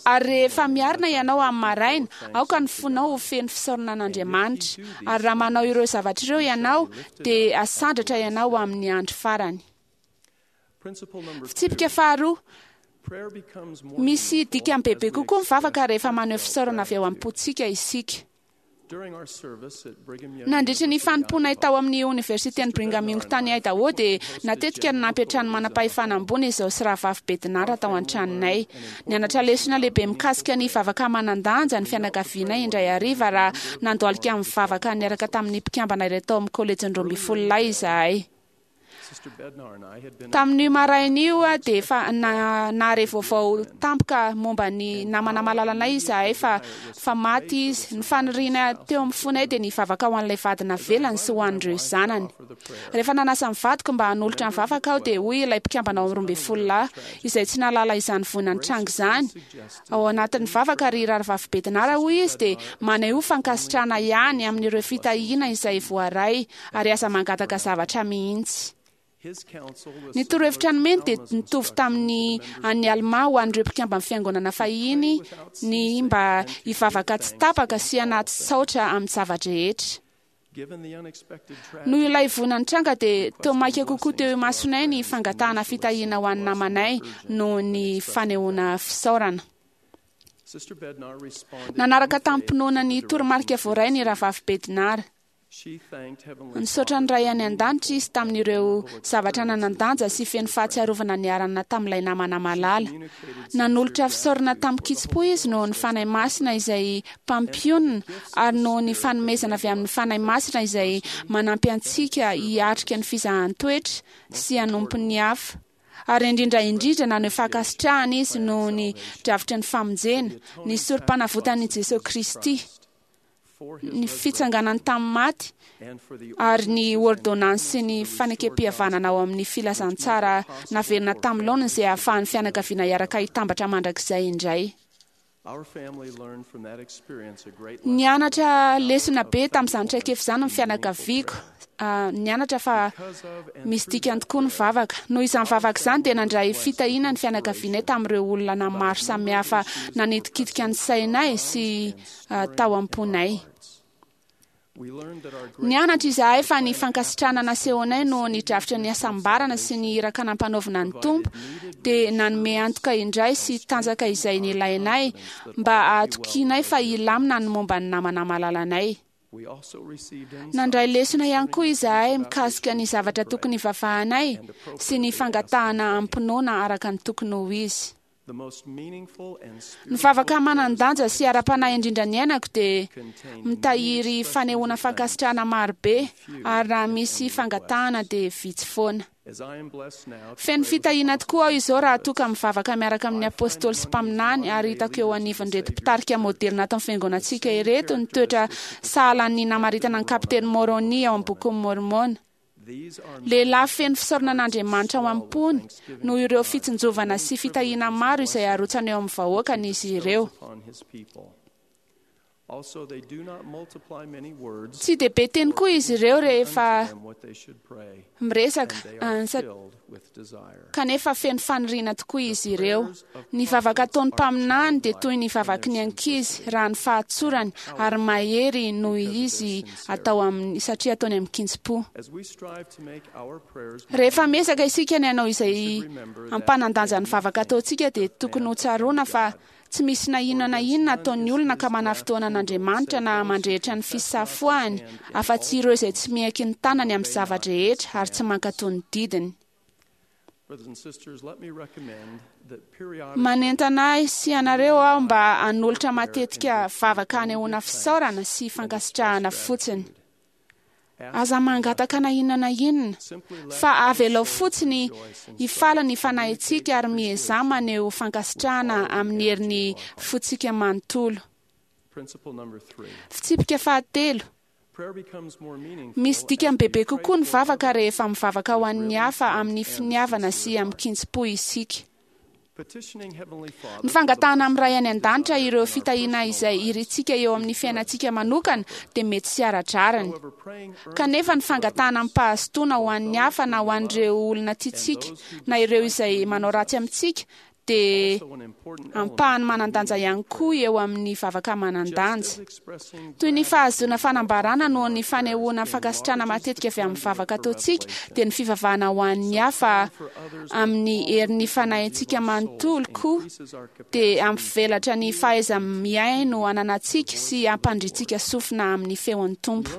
Ary rehefa miarina ianao amin'ny maraina, aoka ny fonao ho feno fisaorana an'Andriamanitra. Ary raha manao ireo zavatra ireo ianao, dia hasandratra ianao amin'ny andro farany. Fitsipika faharoa, Misy dikany bebe kokoa ny vavaka rehefa maneho fisaorana avy ao am-pontsika isika. Nandritra ny fanompoanay tao amin'ny Oniversiten'i Brigham Young tany Idaho dia natetika no nampiantrano manam-pahefana ambony izaho sy Rahavavy Bednar tao an-tranonay. Nianatra lesona lehibe mikasika ny vavaka manan-danja ny fianakavianay indray hariva raha nandohalika nivavaka niaraka tamin'ny mpikambana iray tao amin'ny Kolejin'ny Roambinifololahy izahay. Tamin'io maraina io dia efa nahare vaovao tampoka momba ny namana malalanay izahay fa fa maty izy. Ny faniriana teo amin'ny fonay dia ny hivavaka ho an'ilay vady navelany sy ho an'ireo zanany. Rehefa nanasa ny vadiko mba hanolotra ny vavaka aho dia hoy ilay mpikambana ao amin'ny 12 lahy, izay tsy nahalala izany voina nitranga izany, Ao anatin'ny vavaka ry Rahavavy Bednar hoy izy dia manehoa fankasitrahana ihany amin'ireo fitahiana izay voaray ary aza mangataka zavatra mihitsy. Ny torohevitra nomeny dia nitovy tamin'ny an'ny Almà ho an'ireo mpikamban'ny Fiangonana fahiny ny mba hivavaka tsy tapaka sy anaty saotra amin'ny zava-drehetra. Noho ilay voina nitranga dia toa maika kokoa teo imasonay ny fangatahana fitahiana ho an'ny namanay noho ny fanehoana fisaorana. Nanaraka tamim-pinoana ny toromarika voaray ny Rahavavy Bednar. Nisaotra ny Ray any An-danitra izy tamin'ireo zavatra nanan-danja sy feno fahatsiarovana niarahana tamin'ilay namana malala. Nanolotra fisaorana tamin-kitsim-po izy noho ny Fanahy Masina izay mpampionona ary noho ny fanomezana avy amin'ny Fanahy Masina izay manampy antsika hiatrika ny fizahan-toetra sy hanompo ny hafa. Ary indrindra indrindra naneho fankasitrahana izy noho ny drafitry ny famonjena, ny Sorompanavotan'i Jesoa Kristy, ny fitsanganany tamin'ny maty, ary ny ôrdônansy sy ny fanekempihavanana ao amin'ny filazantsara naverina tamin'ny laoniny izay ahafahan'ny fianakaviana hiaraka hitambatra mandrakizay indray. Nianatra lesona be tamin'izany traikefa izany ny fianakaviako. Nianatra fa misy dikany tokoa ny vavaka. Noho izany vavaka izany dia nandray fitahiana ny fianakavianay tamin'ireo olona maro samihafa nanitikitika ny sainay sy tao am-ponay. Nianatra izahay fa ny fankasitrahana nasehonay noho ny drafitra ny hasambarana sy ny iraka nampanaovina ny Tompo dia nanome antoka indray sy tanjaka izay nilainay mba hahatokianay fa hilamina ny momba ny namana malalanay. Nandray lesona ihany koa izahay mikasika ny zavatra tokony hivavahanay sy ny fangatahana amim-pinoana araka ny tokony ho izy. Ny vavaka manan-danja sy ara-panahy indrindra niainako dia mitahiry fanehoana fankasitrahana maro be, ary raha misy fangatahana dia vitsy foana. Feno fitahiana tokoa aho izao raha toa ka mivavaka miaraka amin'ny apostoly sy mpaminany, ary hitako eo anivon'ireto mpitarika moderina ato amin'ny fiangonantsika ireto ny toetra sahala ny namaritana ny Kapiteny Môrônia ao amin'ny Bokin'i Môrmôna. Lehilahy feno fisaorana an'Andriamanitra ao am-pony noho ireo fitsinjovana sy fitahiana maro izay arotsany eo amin'ny vahoakany izy ireo. Tsy dia be teny koa izy ireo rehefa miresaka, kanefa feno faniriana tokoa izy ireo. Ny vavaka ataon'ny mpaminany dia toy ny vavaky ny ankizy raha ny fahatsorany ary mahery noho izy atao amin'ny satria ataony amin-kitsim-po. Rehefa miezaka isika ny hanao izay hampanan-danja ny vavaka ataontsika dia tokony hotsaroana fa Tsy misy na inona na inona ataon'ny olona ka manafintohina an'Andriamanitra na mandrehitra ny fisafoahany, afa-tsy ireo izay tsy miaiky ny tanany amin'ny zava-drehetra ary tsy mankatò ny didiny. Manentana ahy sy ianareo aho mba hanolotra matetika vavaka hanehoana fisaorana sy fankasitrahana fotsiny. Aza mangataka na inona na inona, fa avelao fotsiny hifaly ny fanahintsika ary miezaha maneho fankasitrahana amin'ny herin'ny fontsika manontolo. Fitsipika fahatelo, Misy dikany bebe kokoa ny vavaka rehefa mivavaka ho an'ny hafa amin'ny finiavana sy amin-kitsim-po isika. Ny fangatahana amin'ny Ray any An-danitra ireo fitahiana izay irintsika eo amin'ny fiainantsika manokana dia mety tsy ara-drariny. Kanefa ny fangatahana amim-pahazotoana ho an'ny hafa na ho an'ireo olona tiantsika na ireo izay manao ratsy amintsika dia ampahany manan-danja ihany koa eo amin'ny vavaka manan-danja. Toy ny fahazoana fanambarana noho ny fanehoana fankasitrahana matetika avy amin'ny vavaka ataontsika, dia ny fivavahana ho an'ny hafa amin'ny herin'ny fanahintsika manontolo koa dia hampivelatra ny fahaiza-mihaino ananantsika sy hampandrintsika sofina amin'ny feon'ny Tompo.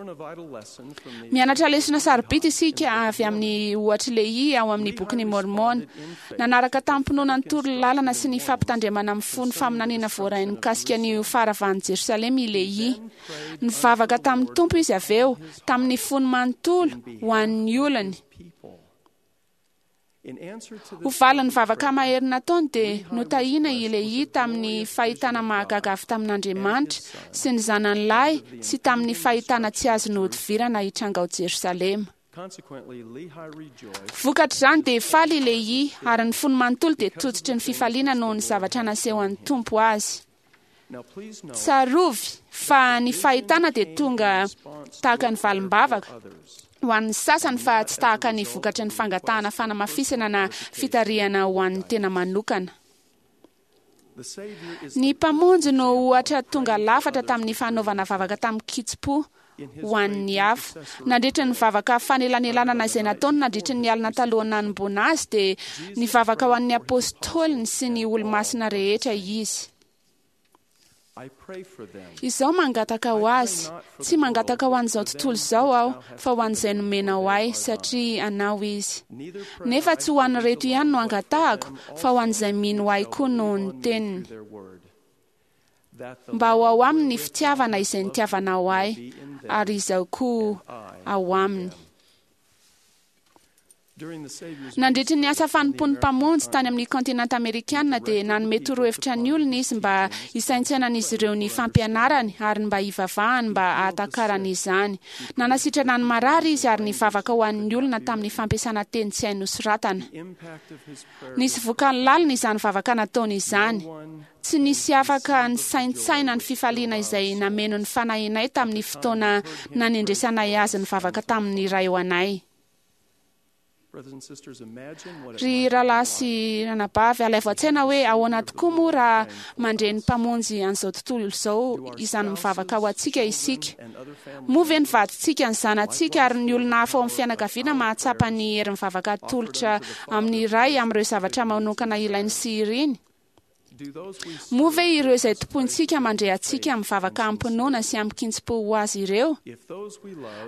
Mianatra lesona sarobidy isika avy amin'ny ohatr'i Lehia ao amin'ny Bokin'i Môrmôna. Nanaraka tamim-pinoana ny torolalana sy ny fampitandremana mifono faminaniana voarainy mikasika ny ho faharavan'i Jerosalema i Lehia. Nivavaka tamin'ny Tompo izy avy eo, tamin'ny fony manontolo, ho an'ny olony. Ho valin'ny vavaka mahery nataony dia notahiana i Lehia tamin'ny fahitana mahagaga avy tamin'Andriamanitra sy ny Zanany lahy sy tamin'ny fahitana tsy azo nohodivirana hitranga ao Jerosalema. Vokatr'izany dia faly i Lehia ary ny fony manontolo dia tototry ny fifaliana noho ny zavatra nasehon'ny Tompo azy. Tsarovy fa ny fahitana dia tonga tahaka ny valim-bavaka ho an'ny sasany fa tsy tahaka ny vokatry ny fangatahana fanamafisana na fitarihana ho an'ny tena manokana. Ny Mpamonjy no ohatra tonga lafatra tamin'ny fanaovana vavaka tamin-kitsim-po ho an'ny hafa. Nandritra ny vavaka fanelanelanana izay nataony nandritra ny alina talohan'ny nanomboana azy dia nivavaka ho an'ny apôstôliny sy ny olomasina rehetra izy. Izaho mangataka ho azy. Tsy mangataka ho an'izao tontolo izao aho, fa ho an'izay nomenao ahy, satria anao izy. Nefa tsy ho an'ireto ihany no angatahako, fa ho an'izay mino ahy koa noho ny teniny. Mba ho ao aminy ny fitiavana izay nitiavanao ahy, ary izaho koa ao aminy. Nandritry ny asa fanompoan'ny Mpamonjy tany amin'ny kontinanta amerikana dia nanome torohevitra ny olona izy mba hisaintsainan'izy ireo ny fampianarany ary mba hivavahany mba hahatakarany izany. Nanasitrana ny marary izy ary nivavaka ho an'ny olona tamin'ny fampiasana teny tsy hay nosoratana. Nisy vokany lalina izany vavaka nataony izany. Tsy nisy afaka nisaintsaina ny fifaliana izay nameno ny fanahinay tamin'ny fotoana nanendresanay azy nivavaka tamin'ny Ray ho anay. Ry rahalahy sy ranabavy, alaivo an-tsaina hoe ahoana tokoa moa raha mandre ny Mpamonjy an'izao tontolo izao izany mivavaka ho antsika isika. Moa ve ny vadintsika, ny zanatsika ary ny olona hafa ao amin'ny fianakaviana mahatsapa ny herin'ny vavaka atolotra amin'ny Ray amin'ireo zavatra manokana ilainy sy iriny? Moa ve ireo izay tompointsika mandre antsika mivavaka amim-pinoana sy amin-kitsim-po ho azy ireo?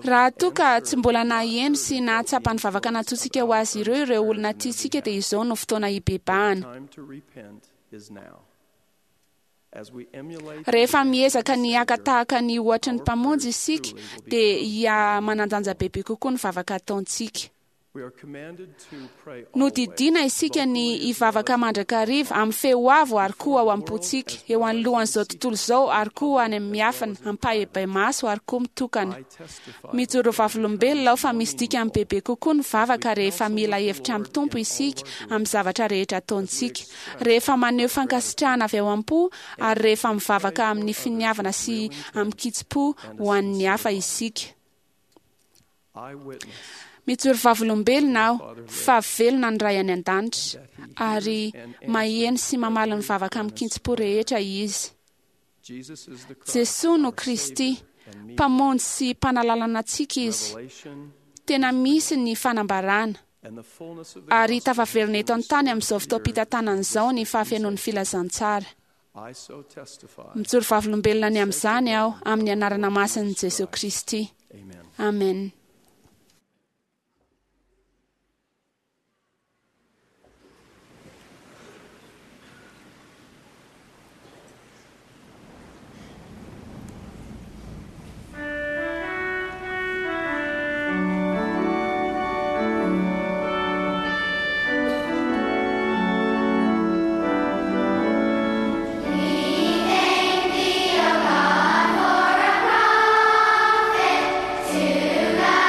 Raha toa ka tsy mbola naheno sy nahatsapa ny vavaka nataontsika ho azy ireo ireo olona tiantsika dia izao no fotoana hibebahana. Rehefa miezaka ny haka tahaka ny ohatry ny Mpamonjy isika dia hiha-manan-danja bebe kokoa ny vavaka ataontsika. Nodidiana isika ny hivavaka mandrakariva, amin'ny feo avo ary koa ao am-pontsika, eo anoloan'izao tontolo izao ary koa any amin'ny miafina, ampahibemaso ary koa mitokana. Mijoro vavolombelona aho fa misy dikany bebe kokoa ny vavaka rehefa mila hevitra amin'ny Tompo isika amin'ny zavatra rehetra ataontsika, rehefa maneho fankasitrahana avy ao am-po ary rehefa mivavaka amin'ny finiavana sy amin-kitsim-po ho an'ny hafa isika. Mijoro vavolombelona aho fa velona ny Ray any An-danitra ary maheno sy mamaly ny vavaka amin-kitsim-po rehetra Izy. Jesoa no Kristy, Mpamonjy sy Mpanalalana antsika Izy. Tena misy ny fanambarana. Ary tafaverina eto an-tany amin'izao fotoam-pitantanana izao ny fahafenoan'ny filazantsara. Mijoro vavolombelona ny amin'izany aho amin'ny anarana masin'i Jesoa Kristy. Amen. We thank thee, O God, for a prophet to guide.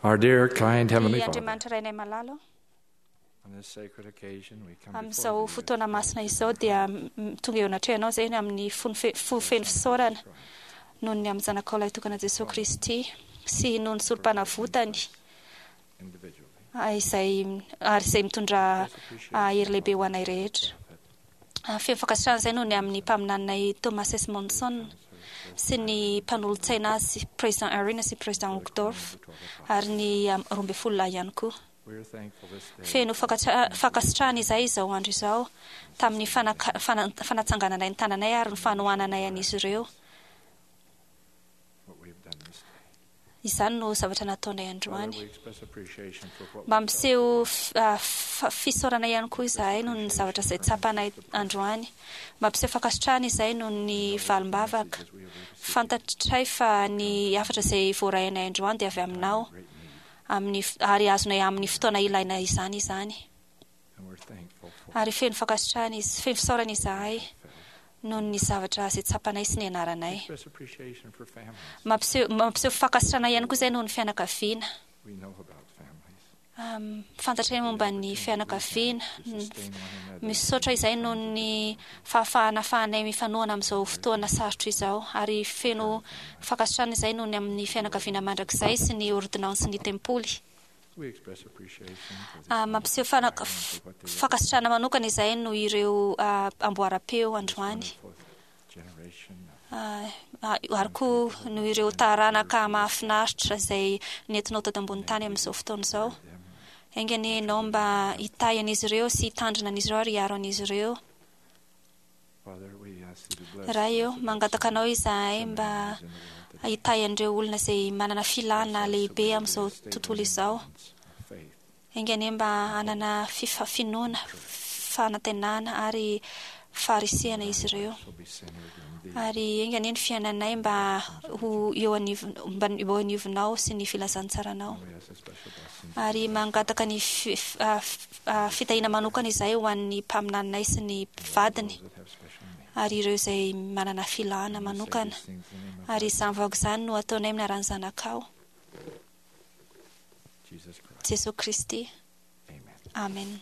Our dear, kind Heavenly Ry Father, Andriamanitra Rainay malala, on this sacred occasion we come before amin'izao thee fotoana masina izao dia m- tonga eo anatrehanao izay amin'ny fo fe- fo feno fisaorana noho ny amin'ny zanakao lahitokana Jesosy Kristy sy noho ny solom-panavotany individually. ah, izay ary izay mitondra ah, hery lehibe ho anay rehetra. Ah, Feno fankasitrahana izay noho ny amin'ny mpaminaninay Thomas S. Monson sy ny mpanolotsaina azy President Irene sy President Uchtdorf ary ny ah, 12 lahy ihany koa. We are thankful this day Feno fankatra- fankasitrahana izahay izao andro izao tamin'ny fanaka- fana- fanatsangananay ny tananay ary ny fanohananay an'izy ireo. what we have done this day. Izany no zavatra nataonay Father, androany. we express appreciation for what we Mampiseho f- ah, fa- fisaorana ihany koa izahay noho ny zavatra izay tsapanay androany. Mampiseho fankasitrahana izahay noho ny valim-bavaka. Fantatray fa ny hafatra izay voarainay androany dia avy aminao amin'ny f- ary azonay amin'ny fotoana ilaina izany izany. and we're thankful for Ary feno fankasitrahana izy, feno fisaorana izahay noho ny zavatra izay tsapanay sy ny anaranay. express appreciation for families. Mampiseho mampiseho fankasitrahana ihany koa izay noho ny fianakaviana. We know about families. Um, fantatray momba ny fianakaviana. Sustain one another. Misaotra izay noho ny fahafahana ahafahanay mifanohana amin'izao fotoana sarotra izao ary feno fankasitrahana izay noho ny amin'ny fianakaviana mandrakizay sy ny ordonnance ny tempoly. We express appreciation for the Ah, mampiseho fana- f- fankasitrahana manokana izay noho ireo ah, amboaram-peo androany. generation of Ah, ah, ary koa noho ireo taranaka mahafinaritra izay nentinao teto ambony tany amin'izao fotoana izao. Enga anie ianao mba hitahy an'izy ireo sy hitandrina an'izy ireo ary hiaro an'izy ireo. Father, we ask thee to bless Ray eo, mangataka anao izahay mba hitahy an'ireo olona izay manana filana lehibe amin'izao tontolo izao. faith. Enga anie mba hanana fifa- finoana, fanantenana ary faharisihana izy ireo. Shall be centered in thee. Ary enga anie ny fiainanay mba ho eo anivo- mba eo anivonao sy ny filazantsaranao. We ask a special blessing Ary mangataka ny fi- f- ah, f- ah, fitahiana manokana izahay ho an'ny mpaminaninay sy ny vadiny that have special needs. ary ireo izay manana filana manokana. These things in the name of Ary izany vahoaka izany no ataonay amin'ny anaran'ny zanakao, Jesus Christ. Jesosy Kristy. Amen. Amen.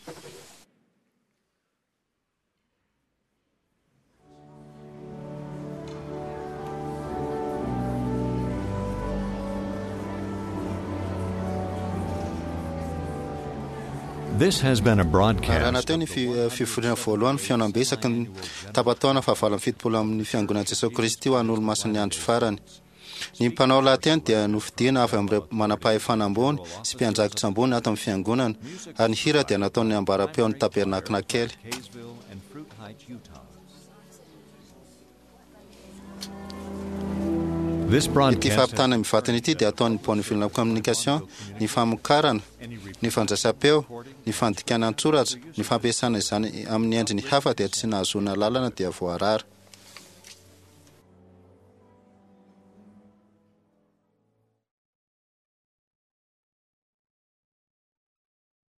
This has been a Raha broadcast natao ny fi- fivoriana voalohany fihaonambe isaky ny tapa-taona fahavalo amby 70 amin'ny fiangonan'i Jesosy Kristy ho an'ny olomasin'ny andro farany. Ny mpanao lahateny dia nofidiana avy amin'ireo manam-pahefana ambony sy mpiandraikitra ambony ato amin'ny fiangonana ary ny hira dia nataon'ny ambaram-peon'ny tabernakla kely. Kaysville and Fruit Heights, Utah. This Ity broadcast fampitana mivantana ity dia ataon'ny Bonneville Communication ny famokarana, ny fandraisam-peo, ny fandikana an-tsoratra, ny fampiasana izany amin'ny endriny hafa dia tsy nahazoana lalana dia voarara.